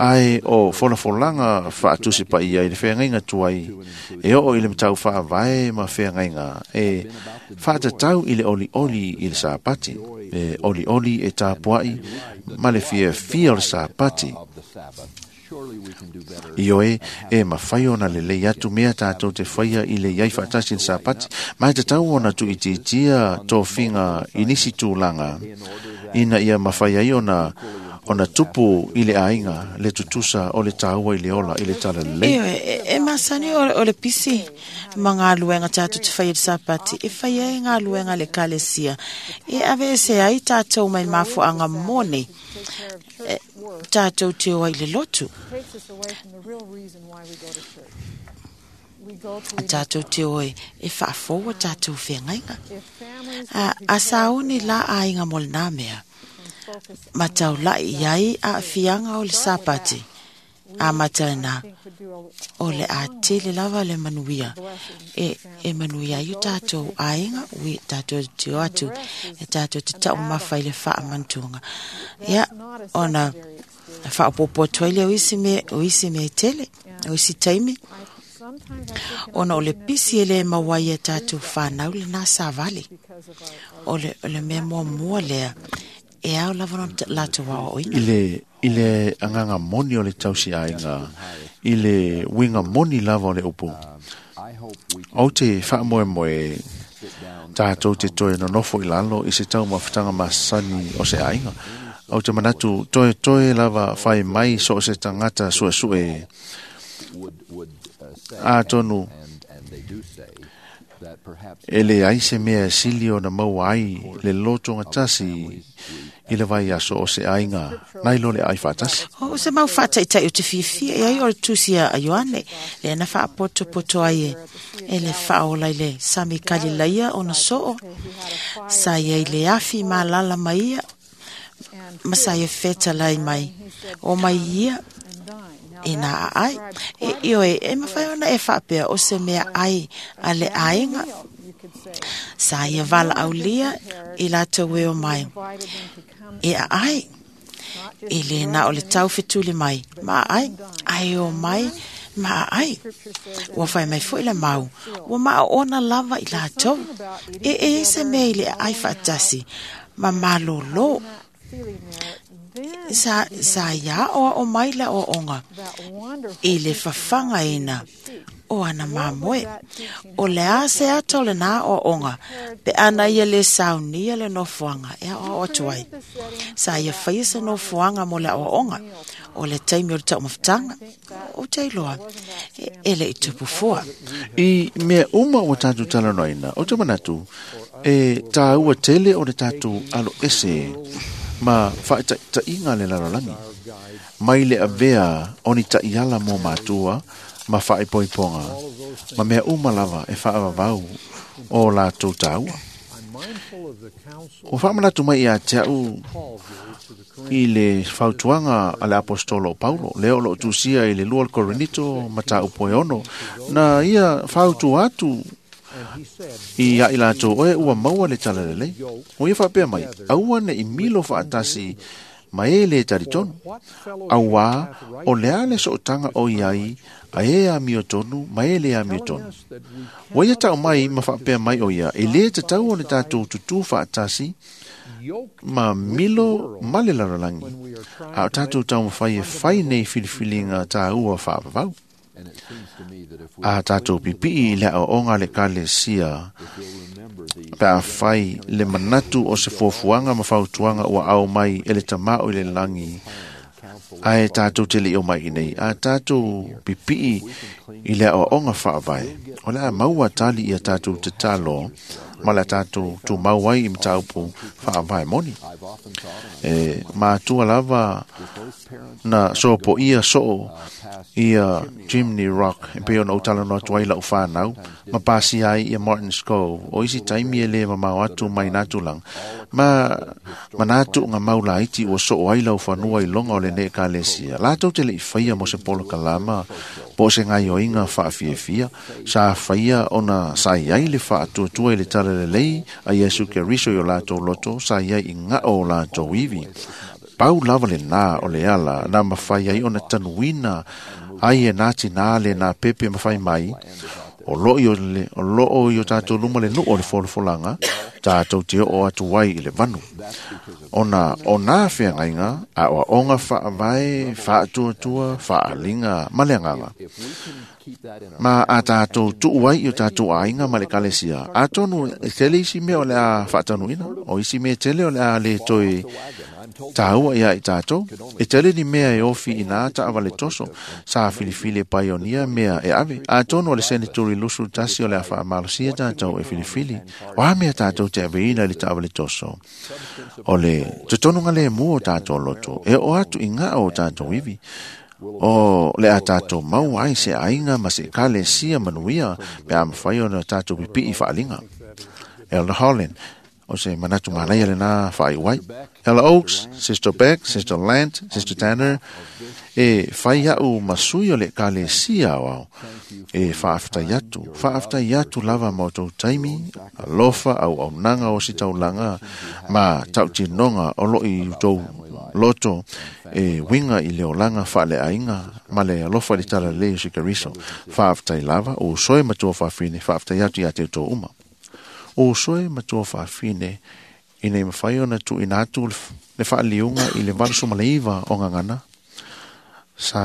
Ai o folafolanga whaatusi pa ia i le wheangainga tuai e o i le matau whaavae ma wheangainga e whaatatau i le oli oli i le sapati e oli oli e tāpuai ma le fia fia o le sapati. I oe e mawhai ona le lei atu mea tātou te whaia i le iai whaatasi le sapati mai te tau ona tu itiitia tō whinga i nisi tūlanga ina ia mawhai ai ona ona tupu i le ainga le tutusa o le tāua i le ola i le tala lelei. E, e, e masani o, o le pisi ma ngā luenga tātou te whai i le sapati e whai ai ngā luenga le kalesia. E ave e se ai tātou mai mafuanga mone e, tātou te oa i le lotu. Tātou te oe e whaafoua tātou whengainga. A, a sauni la ainga mo le nā mea. Ma tau lai iai a fianga o le sapati. A matana o le a tele lava le manuia. E, e manuia i tātou ainga, ui tātou te o atu, e tātou te tau mawhai le wha amantunga. Ia, ona whaapopo atu le o isi me, o isi me tele, o isi taimi. Ona o le pisi e le mawai e tātou whanau le nā sāvali. O le, o le mea mua mua lea, e au lava no lātou wao oina. I le, i le anganga moni o le tausi ainga, i le winga moni lava o le upu. O te whaamoe moe tātou te toe nonofo i lalo i se tau mawhitanga masani o se ainga. O te manatu toe toe lava whai mai so o se tangata sue sue. A tonu e le ai se mea sili o na maua ai le lotonga tasi i le vai aso o se ainga nai lo le ai whaatasi. O se mau whaataitai o te fiafia e ai o le tusi a Ioane le na whaapoto poto ai e e le whaola i le sami kalilaia o na soo sa ia i le afi malala mai ia ma sa ia whetalai mai o mai ia e nā ai e io e e mawhai ona e whaapea o se mea ai a le ainga sa ia wala aulia i lātou e o mai e a ai e le nā o le tau whetuli mai ma ai ai o mai ma ai ua whai mai fo i le mau ua maa ona lava i lātou e e se mea i le ai whaatasi ma malolo Sa, sa ia o o mai la o onga i le whawhanga ina o ana mamoe o le a se ato le nā o onga pe ana ia le saunia le nofoanga e o o tuai sa ia whaia se nofoanga mo le o onga o le taimi o le taumafutanga o te iloa e, e le i tupu fua. I mea uma o tātou talanoaina o te manatu e tāua tele o le tātou alo ese ma whaitainga le lalolangi. Mai le avea o ni taiala mō mātua ma whaepoiponga. Ma mea uma lava e whaavavau o lātou tāua. O whaamanatu mai ia te au i le fautuanga a le apostolo o Paulo, leo lo tusia i le lua le Korinito ma tā upo e ono, na ia fautua atu i a i lātou oe ua maua le tala lelei. O ia whaapea mai, aua ne i milo whaatasi ma e le taritonu. Aua o lea le sootanga o iai a e a mio tonu ma e le a mio tonu. O ia tau mai ma whaapea mai o ia, e le te tau o le tātou tutu whaatasi Ma milo ma le lalolagi, a o tātou taumafai e fai nei filifiliga tāua faavavau. A tātou pipii i le aoaoga a le Ekalesia pe a fai le manatu o se fuafuaga ma fautuaga ua ao mai e le tamā o i le lagi ae tātou te leʻi o mai i nei. A tātou pipii i le aoaoga faavae, o le a maua tali ia tātou tatalo ma le tātou tumau ai i mataupu faavae moni. E matua lava na sopoia soo ia Chimney Rock e pei ona ou talanoa atu ai lau whanau ma pasi ai ia Martin's Cove o isi taimi e le mamao atu mai nā tulaga ma manatu nga mau laiti ua soo ai lau fanua i loga o lenei Ekalesia latou te leʻi faia mo se polokalama po o se gaioiga faafiafia sa faia ona sa iai le faatuatua i le talalelei a Iesu Keriso i o latou loto sa iai i gao o latou ivi. Pau lava le nā o le ala na mawhai ai ona tanuina ai e nā tinā le nā pepe mawhai mai o loo i o, le, o loo i o tātou luma le nuu o le folafolanga tātou te o atu ai i le vanu. Ona o nā whiangaiga a oa onga whaavae, whaatuatua, whaalinga, ma le anganga. Ma a tātou tuu ai i o tātou aiga ma le Ekalesia. A tonu e tele isi mea o le a whaatanuina, o isi mea tele o le a le toi tāua ia i tātou. E tele ni mea e ofi i nā taavale toso, sa filifili e paionia mea e ave. A tonu o le seneturi lusu tasi o le a whaamalosia tātou e filifili. O a mea tātou te aveina i le taavale toso. O le totonunga le mua o tātou loto, e o atu i ngā o tātou iwi. O le a tātou mau ai se aiga ma se Ekalesia manuia pe a mawhai ona tātou pipii whaalinga. Elder Holland, o se manatu manaia le nā whaaiwai. Elder Oaks, Sister Beck, Sister Lant, Sister Tanner, e whai au masui o le Ekalesia o au. E whaaftai atu, whaaftai atu lava ma o tau taimi, alofa au au nanga o si taulanga, ma tautinonga o lo i tau loto e winga i le olanga whaale ainga, ma le alofa le tala leo si Keriso. Whaaftai lava, o soe matua whaafine, whaaftai atu ia te tō uma. O soe matua whaafine, i nei mawhai ona tu ina atu le whaaliunga i le valusu maleiva o ngangana, sa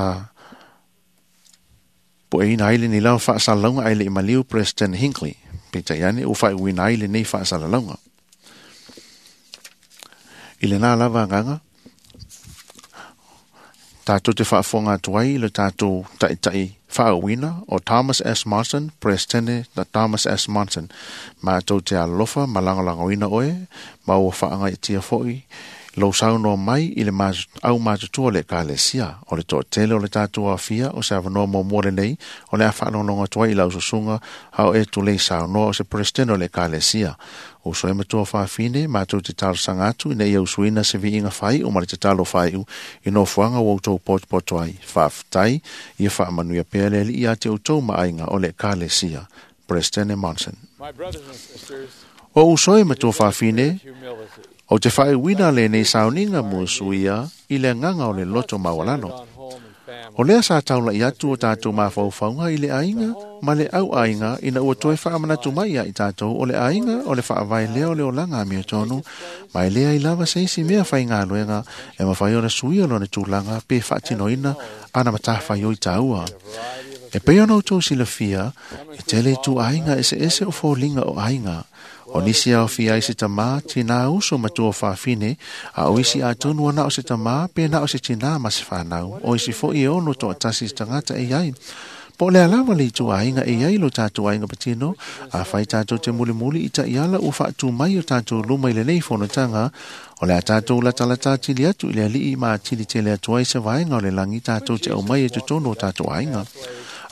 po e ina aile ni lau whaasalaunga aile i maliu President Hinckley. Pita iane o whai uina aile nei whaasalaunga. I le nā lava nganga, tātou te whaafonga atu ai le tātou ta'itai whaawina o Thomas S. Monson, President na Thomas S. Monson. Mātou te alofa malangolangoina oe, ma ua whaanga i tia foi, lau saunoa mai i le au matutua le Ekalesia, o le toatele o le tātou afia, o se avanoa muamua lenei, o le a whaalongonga atu ai i lau susunga, hao e tulei saunoa o se President o le Ekalesia. O soe matua whaafine, mātou te talosanga atu, ina ia usuina se viinga whai o ma le tatalo whaiu, i nofoaga ua outou potopoto ai. Whaaftai, ia whaamanuia pea le alii a te outou maaiga o le Ekalesia. President Monson. O usoe matua whaafine, o te whaewina le nei sauninga mo suia i le nganga o le loto mawalano. O lea sa taula i atu o tātou mawhauwhaunga i le aiga ma le au aiga ina ua toe whaamanatu mai ia i tātou o le aiga o le whaavai lea o le olanga mea tonu, ma e lea i lava se isi mea whai ngā luenga e mawhai ona suia lona tūlanga pe whaatinoina ana matawhai o i tāua. E pei ona o tō silafia, e tele tu aiga ese ese o fōlinga o aiga. O nisi au fia i se tamā, tinā uso matua whaafine, a o isi a tonu ana o se tamā, pēnā o se tinā ma se whanau, o isi fo i ono toa tasi se tangata e iai. Po le alawa le itu ainga e iai lo tātou ainga patino, a whai tātou te muli muli i ta iala o whaatu mai o tātou luma i le nei fonotanga, o le a tātou latalata tili atu i le alii ma tili tele atu ai se vaenga o le langi tātou te au mai e totono o tātou ainga.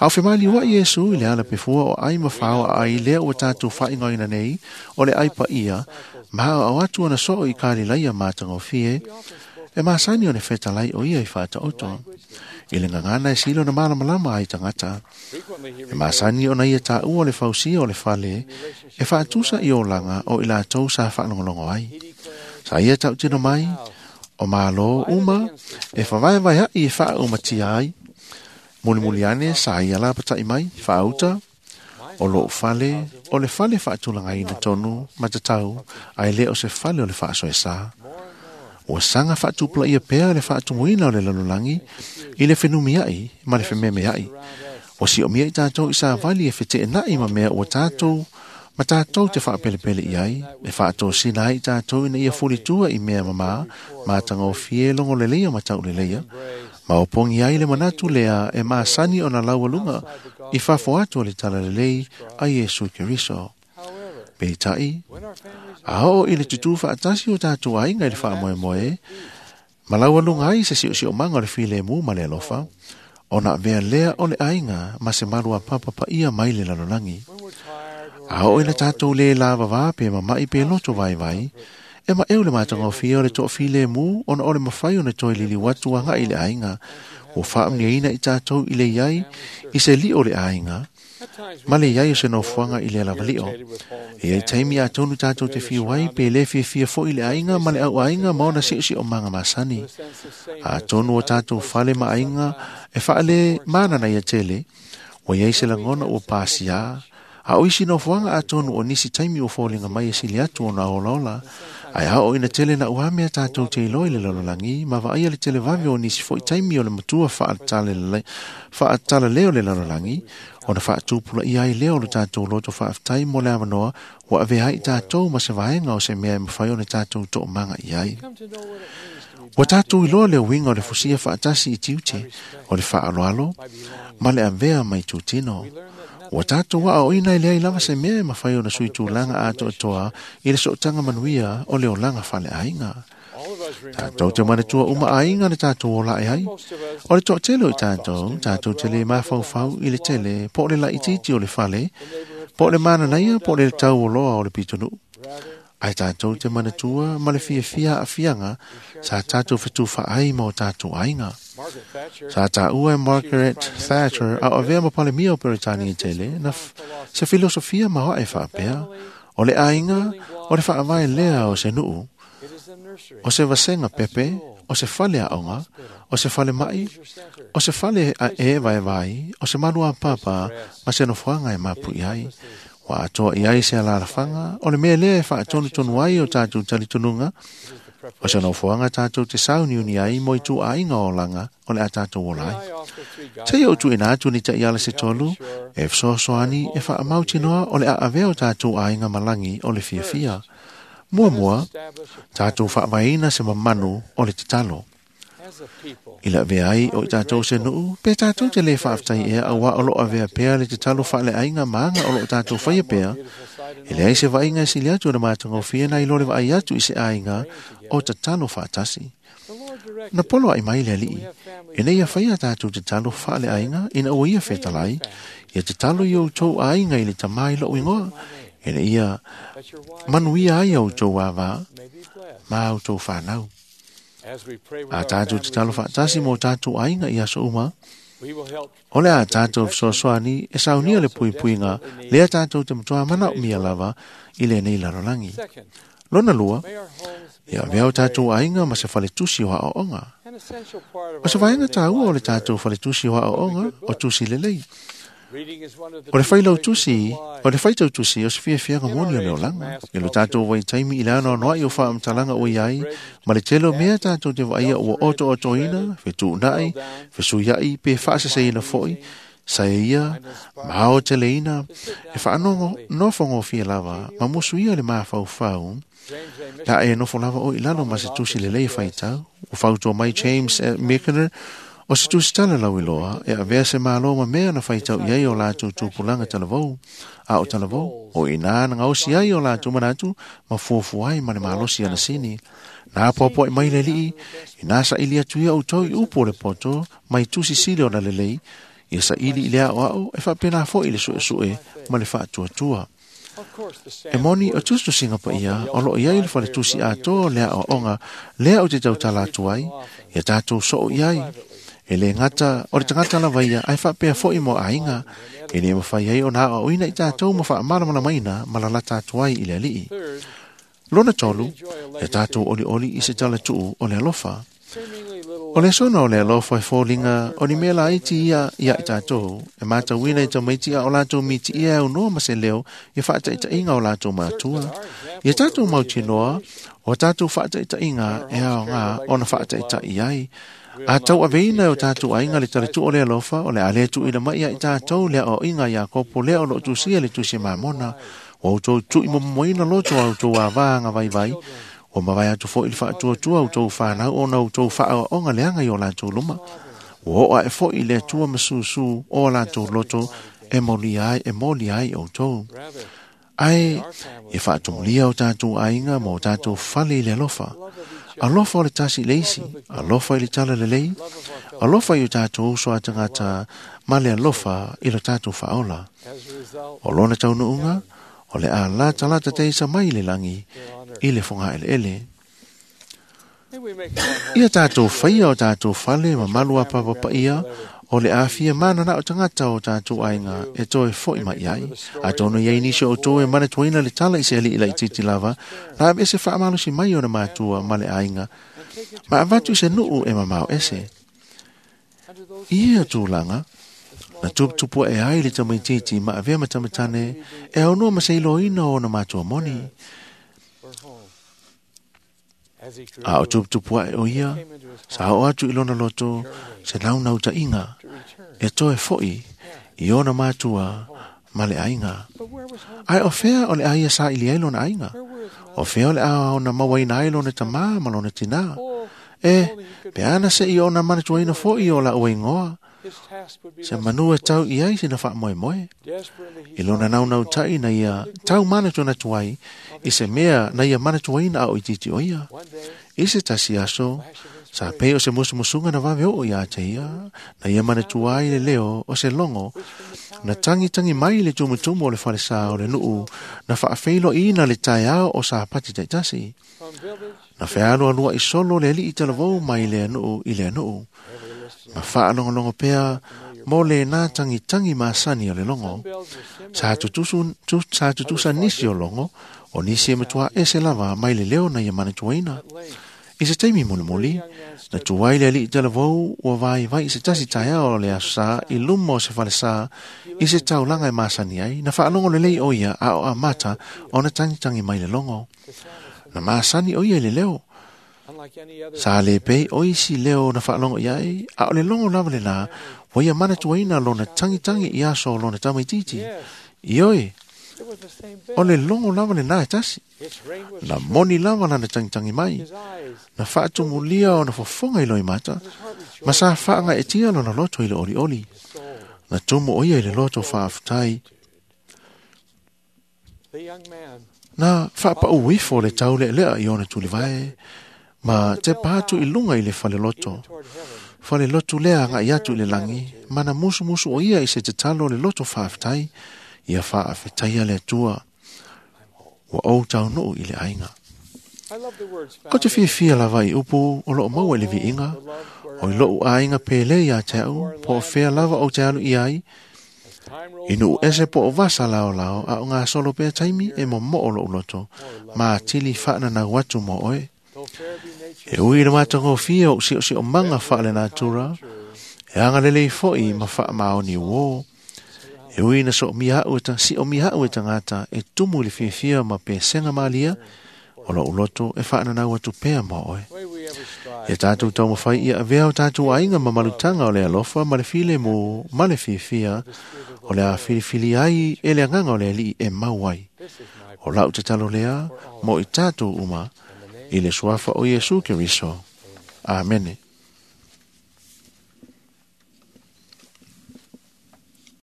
Au whemali wa Iesu i le ala pefua o ai mawhao a ai lea o tātou whaingoina nei, o le ai pa ia, ma au atu ana soo i kāli laia mātanga o fie, e māsani o ne whetalai o ia i whaata oto. I le ngangana e silo na malamalama ai tangata. E māsani o na ia tā ua le fausia o le whale, e whaatusa i o langa o i lātou sa whaalongolongo ai. Sa ia tau tino mai, o mālo uma, e whawai vai ai e wha umatia ai. Muli muli ane, sa ia la patai mai, whaauta, O lou fale, o le fale faatulagaina tonu ma tatau, ae lē o se fale o le faasoesa. Ua saga faatupulaia pea le faatumuina o le lalolagi i le fenumiaʻi ma le fememeaʻi. Ua siomia i tatou i savali e feteenaʻi ma mea ua tatou ma tatou te faapelepele i ai, e faatosina ai i tatou ina ia fulitua i mea mamā, matagofie logoleleia ma tauleleia, ma opogi ai le manatu lea e masani ona laualuga i fafo atu o le talalelei a Iesu Keriso. Peitai, a oo i le tutū faatasi o tatou aiga i le faamoemoe, ma laualuga ai se siosiomaga o le filemu ma le alofa, ona avea lea o le aiga ma se malu apapapaia mai le lalolagi. A oo ina tatou lē lavavā pe mamaʻi pe loto vaivai, e maʻeu le matagofie o le toʻafilemu ona o le mafai ona toe liliu atu agaʻi le aiga, ua faamuniaina i tatou i le iai i se liʻo le aiga, ma le iai o se nofoaga i le alavaliʻo. E iai taimi atonu tatou te fiu ai pe lē fiafia foʻi le aiga ma le auaiga ma ona siʻosiʻomaga masani. Atonu o tatou fale ma aiga e faale mananaia tele, ua iai se lagona ua pasiā, a o isi nofoaga atonu o nisi taimi ua foliga mai e sili atu ona olaola, ae a oo ina tele na uamea tatou te iloa i le lalolagi, ma vaaia le televave o nisi foʻi taimi o le matua faatalale o le lalolagi, ona faatupulaia ai lea o le tatou loto faafetai mo le avanoa ua avea ai tatou ma se vaega o se mea e mafai ona tatou toomaga i ai. Ua tatou iloa le uiga o le fusia faatasi i tiute, o le faaaloalo, ma le avea mai tutino. Ua tatou aoaoina e leai lava se mea e mafai ona sui tulaga atoatoa i le sootaga manuia o le olaga faleaiga. Tatou te manatua uma aiga le tatou olae ai. O le toatele o i tatou, tatou te lē mafaufau i le tele, po o le laitiiti o le fale, po o le mananaia, po o le tauoloa o le pitonuu. Ae tatou te manatua ma le fiafia aafiaga sa tatou fetufaai ma o tatou aiga. Sa taua e Margaret Thatcher a o avea ma palemia o Peretania tele na se filosofia maoaʻe faapea, o le aiga o le faavae lea o se nuu, o se vasega pepe, o se fale aoga, o se fale maʻi, o se fale e vaevai, o se maluapapa ma se nofoaga e mapuʻi ai. Ua atoa i ai se alalafaga, o le mea lea e faatonutonu ai o tatou talitonuga, o se nofoaga tatou te sauniuni ai mo i tuuaiga o olaga o le a tatou ola ai. Seia ou tuuina atu ni taʻiala se tolu, e fesoasoani e faamautinoa o le a avea o tatou aiga malagi o le fiafia. Muamua, tatou faavaeina se mamanu o le tatalo. I le avea ai o i tatou se nuu, pe tatou te lē faafetai ea auā o loo avea pea le tatalo faaleaiga ma aga o loo tatou faia pea, e leai se vaaiga e sili atu ona matagofie nai lo le vaai atu i se aiga o tatalo faatasi. Na polo ai mai le alii, ina ia faia tatou tatalo faaleaiga ina ua ia fetalai, ia tatalo i outou aiga i le tamā i lou igoa, ina ia manuia ai outou avā ma outou fanau. A tatou tatalo faatasi mo tatou aiga i aso uma, o le a tatou fesoasoani e saunia le puipuiga lea tatou te matuā manaomia lava i lenei lalolagi. Lona lua, ia avea o tatou aiga ma se faletusi o aoaoga. O se vaega taua o le tatou faletusi o aoaoga o tusi lelei. O le failautusi, o le faitautusi o se fiafiaga moni o le olaga. I lo tatou vaitaimi i le anoanoaʻi o faamatalaga ua iai, ma le tele o mea tatou te vaaia ua oto'otoina, fetuunaʻi, fesuiaʻi pe faaseseina foʻi, sa e ia, ma aoteleina, e faanogo nofogofie lava, ma musuia le mafaufau, la e nofo lava o i lalo ma se tusi lelei e faitau. Ua fautua mai James Michener, o se tusi tala lauiloa, e avea se malo ma mea na faitau i ai o latou tupulaga talavou, a o talavou, o inā na gaosi ai o latou manatu, ma fuafua ai ma le malosi ana sini. Na apoapoaʻi mai le alii, inā saʻili atu ia outou i upu o le poto, mai tusi sili ona lelei, ia saʻili i le aʻoaʻo, e faapena foʻi le suʻesuʻe ma le faatuatua. E moni o tusitusiga paia o loo iai le faletusi atoa o le aʻoaʻoga lea ou te tautala atu ai, ia tatou soo i ai. E le gata o le tagata lava ia ae faapea foʻi mo aiga, e lē mafai ai ona aoaoina i tatou ma faamalamalamaina ma lalata atu ai i le alii. Lona tolu, ia tatou olioli i se talatuu o le alofa. O le sona o le alofa e fōlinga o ni mea laiti ia ia i tātou, e mātauina i tamaiti a o lātou miti ia au noa ma se leo i whaataitaiga o lātou mātua. Ia tātou mautinoa, o tātou whaataitaiga e ao ngā ona whaataitai ai. A tau aveina o tātou ainga le taletu o le alofa o le ale tu ina mai ia i tātou lea o inga ia kopo lea o lo tusia le tusi mamona. O tau tui momoina loto au tau avanga vai vai. O mawai atu fo i le whaatuatua o tau whanau o na o tau whaonga leanga i o lātou luma. O oa e fo i le atua masusu o lātou loto e moli ai, e moli ai o tau. Ai, e whaatumulia o tātou ainga mo tātou whale i le alofa. Alofa o le tasi leisi, alofa i le tala lelei, alofa i o tātou uso a tangata ma le alofa i lo tātou whaola. O lona tau nuunga, o le a lata lata teisa mai le langi i le whonga ele ele. Ia tātou whaia o tātou whale ma malu a papa ia, o le awhia mana na o tangata o tātou ainga e toe foi mai ai. A tono iai nisi o toe mana tuaina le tala i se ali ila i titi lava, na awe ese whaamalosi mai o na mātua ma le ainga, ma avatu se nuu e mamao ese. Ia tūlanga, na tupu e ai le tamaititi ma avea matamatane e au noa maseiloina o na mātua moni. A o tupu e o ia, sa o atu i lona loto, se naunau ta inga, e toe foi i ona mātua ma le ainga. Ai o fea o le aia sa ili ai lona ainga, o fea o le a ona mawaina ai lona tamā ma lona tinā. E, pe ana se i ona manatuaina foi o la uengoa, se manu e tau i ai sina wha moe moe. I lona naunau tai na ia tau manatu na tuai, i se mea na ia manatuaina au i titi o ia. I se tasi aso, sa pei o se musumusunga na wawe o ia te ia, na ia manatuai le leo o se longo, na tangi tangi mai le tumutumu o le whalesa o le nuu, na whaafeilo ina le taiao o sa pati taitasi. Na whealo alua i solo le li i talavou mai le nuu i le nuu. Ma whaalongolongo pea mo le nā tangi tangi masani o le longo. Sa tutusu, tu, sa tutusa nisi o longo, o nisi e matua ese lava mai le leo na ia manatuaina. I se taimi mulimuli, na tuai le ali i talavou ua vai vai i se tasi taia o le asa i luma o se whalesa i se taulanga e masani ai, na whaalongo le lei o ia a o a mata o na tangi tangi mai le longo. Na masani o ia i le leo. Sa le pei o isi leo na whaalongo iai, a o le longo lava le la, wa ia manatuaina lona tangi tangi i aso lona tamaititi. Ioi, o le longo lava le nā e tasi. Na moni lava lana tangi tangi mai. Na whaatumulia o na fofonga i loi mata, ma sa whaanga e tia lona loto i le oli oli. Na tumu o ia i le loto whaaftai. Na whaapa uifo le taule lea i ona tulivae, ma te pātu i lunga i le whale loto. Whale loto lea ngā i atu i le langi, mana musu musu o ia i se te talo le loto whaaftai, ia whaafetaia le atua, wa o tau nuu i le ainga. Ko te whiawhia lava i upu o loo maua i le viinga, o i loo ainga pele ia te au, po o whea lava o te alu i ai, i nuu ese po o vasa lao lao a o ngā solo pea taimi e mo mo o loo loto, ma tili whaana nau atu mo oe. E ui na mātango whia o sio sio manga whaale natura, e anga lelei foi ma wha maoni wō. E ui na so mia au e si o mia au e tangata e tumu le whiawhia ma pe senga malia, o lo uloto e whaana nau atu pea mo oe. E tātou tau mawhai ia avea o tātou ainga ma malutanga o le alofa ma le file mo ma le whiawhia o le a whiliwhili ai e le anganga o le ali e mau ai. O lau te talo lea mo i tātou uma i le suafa o Iesu Keriso. Amene.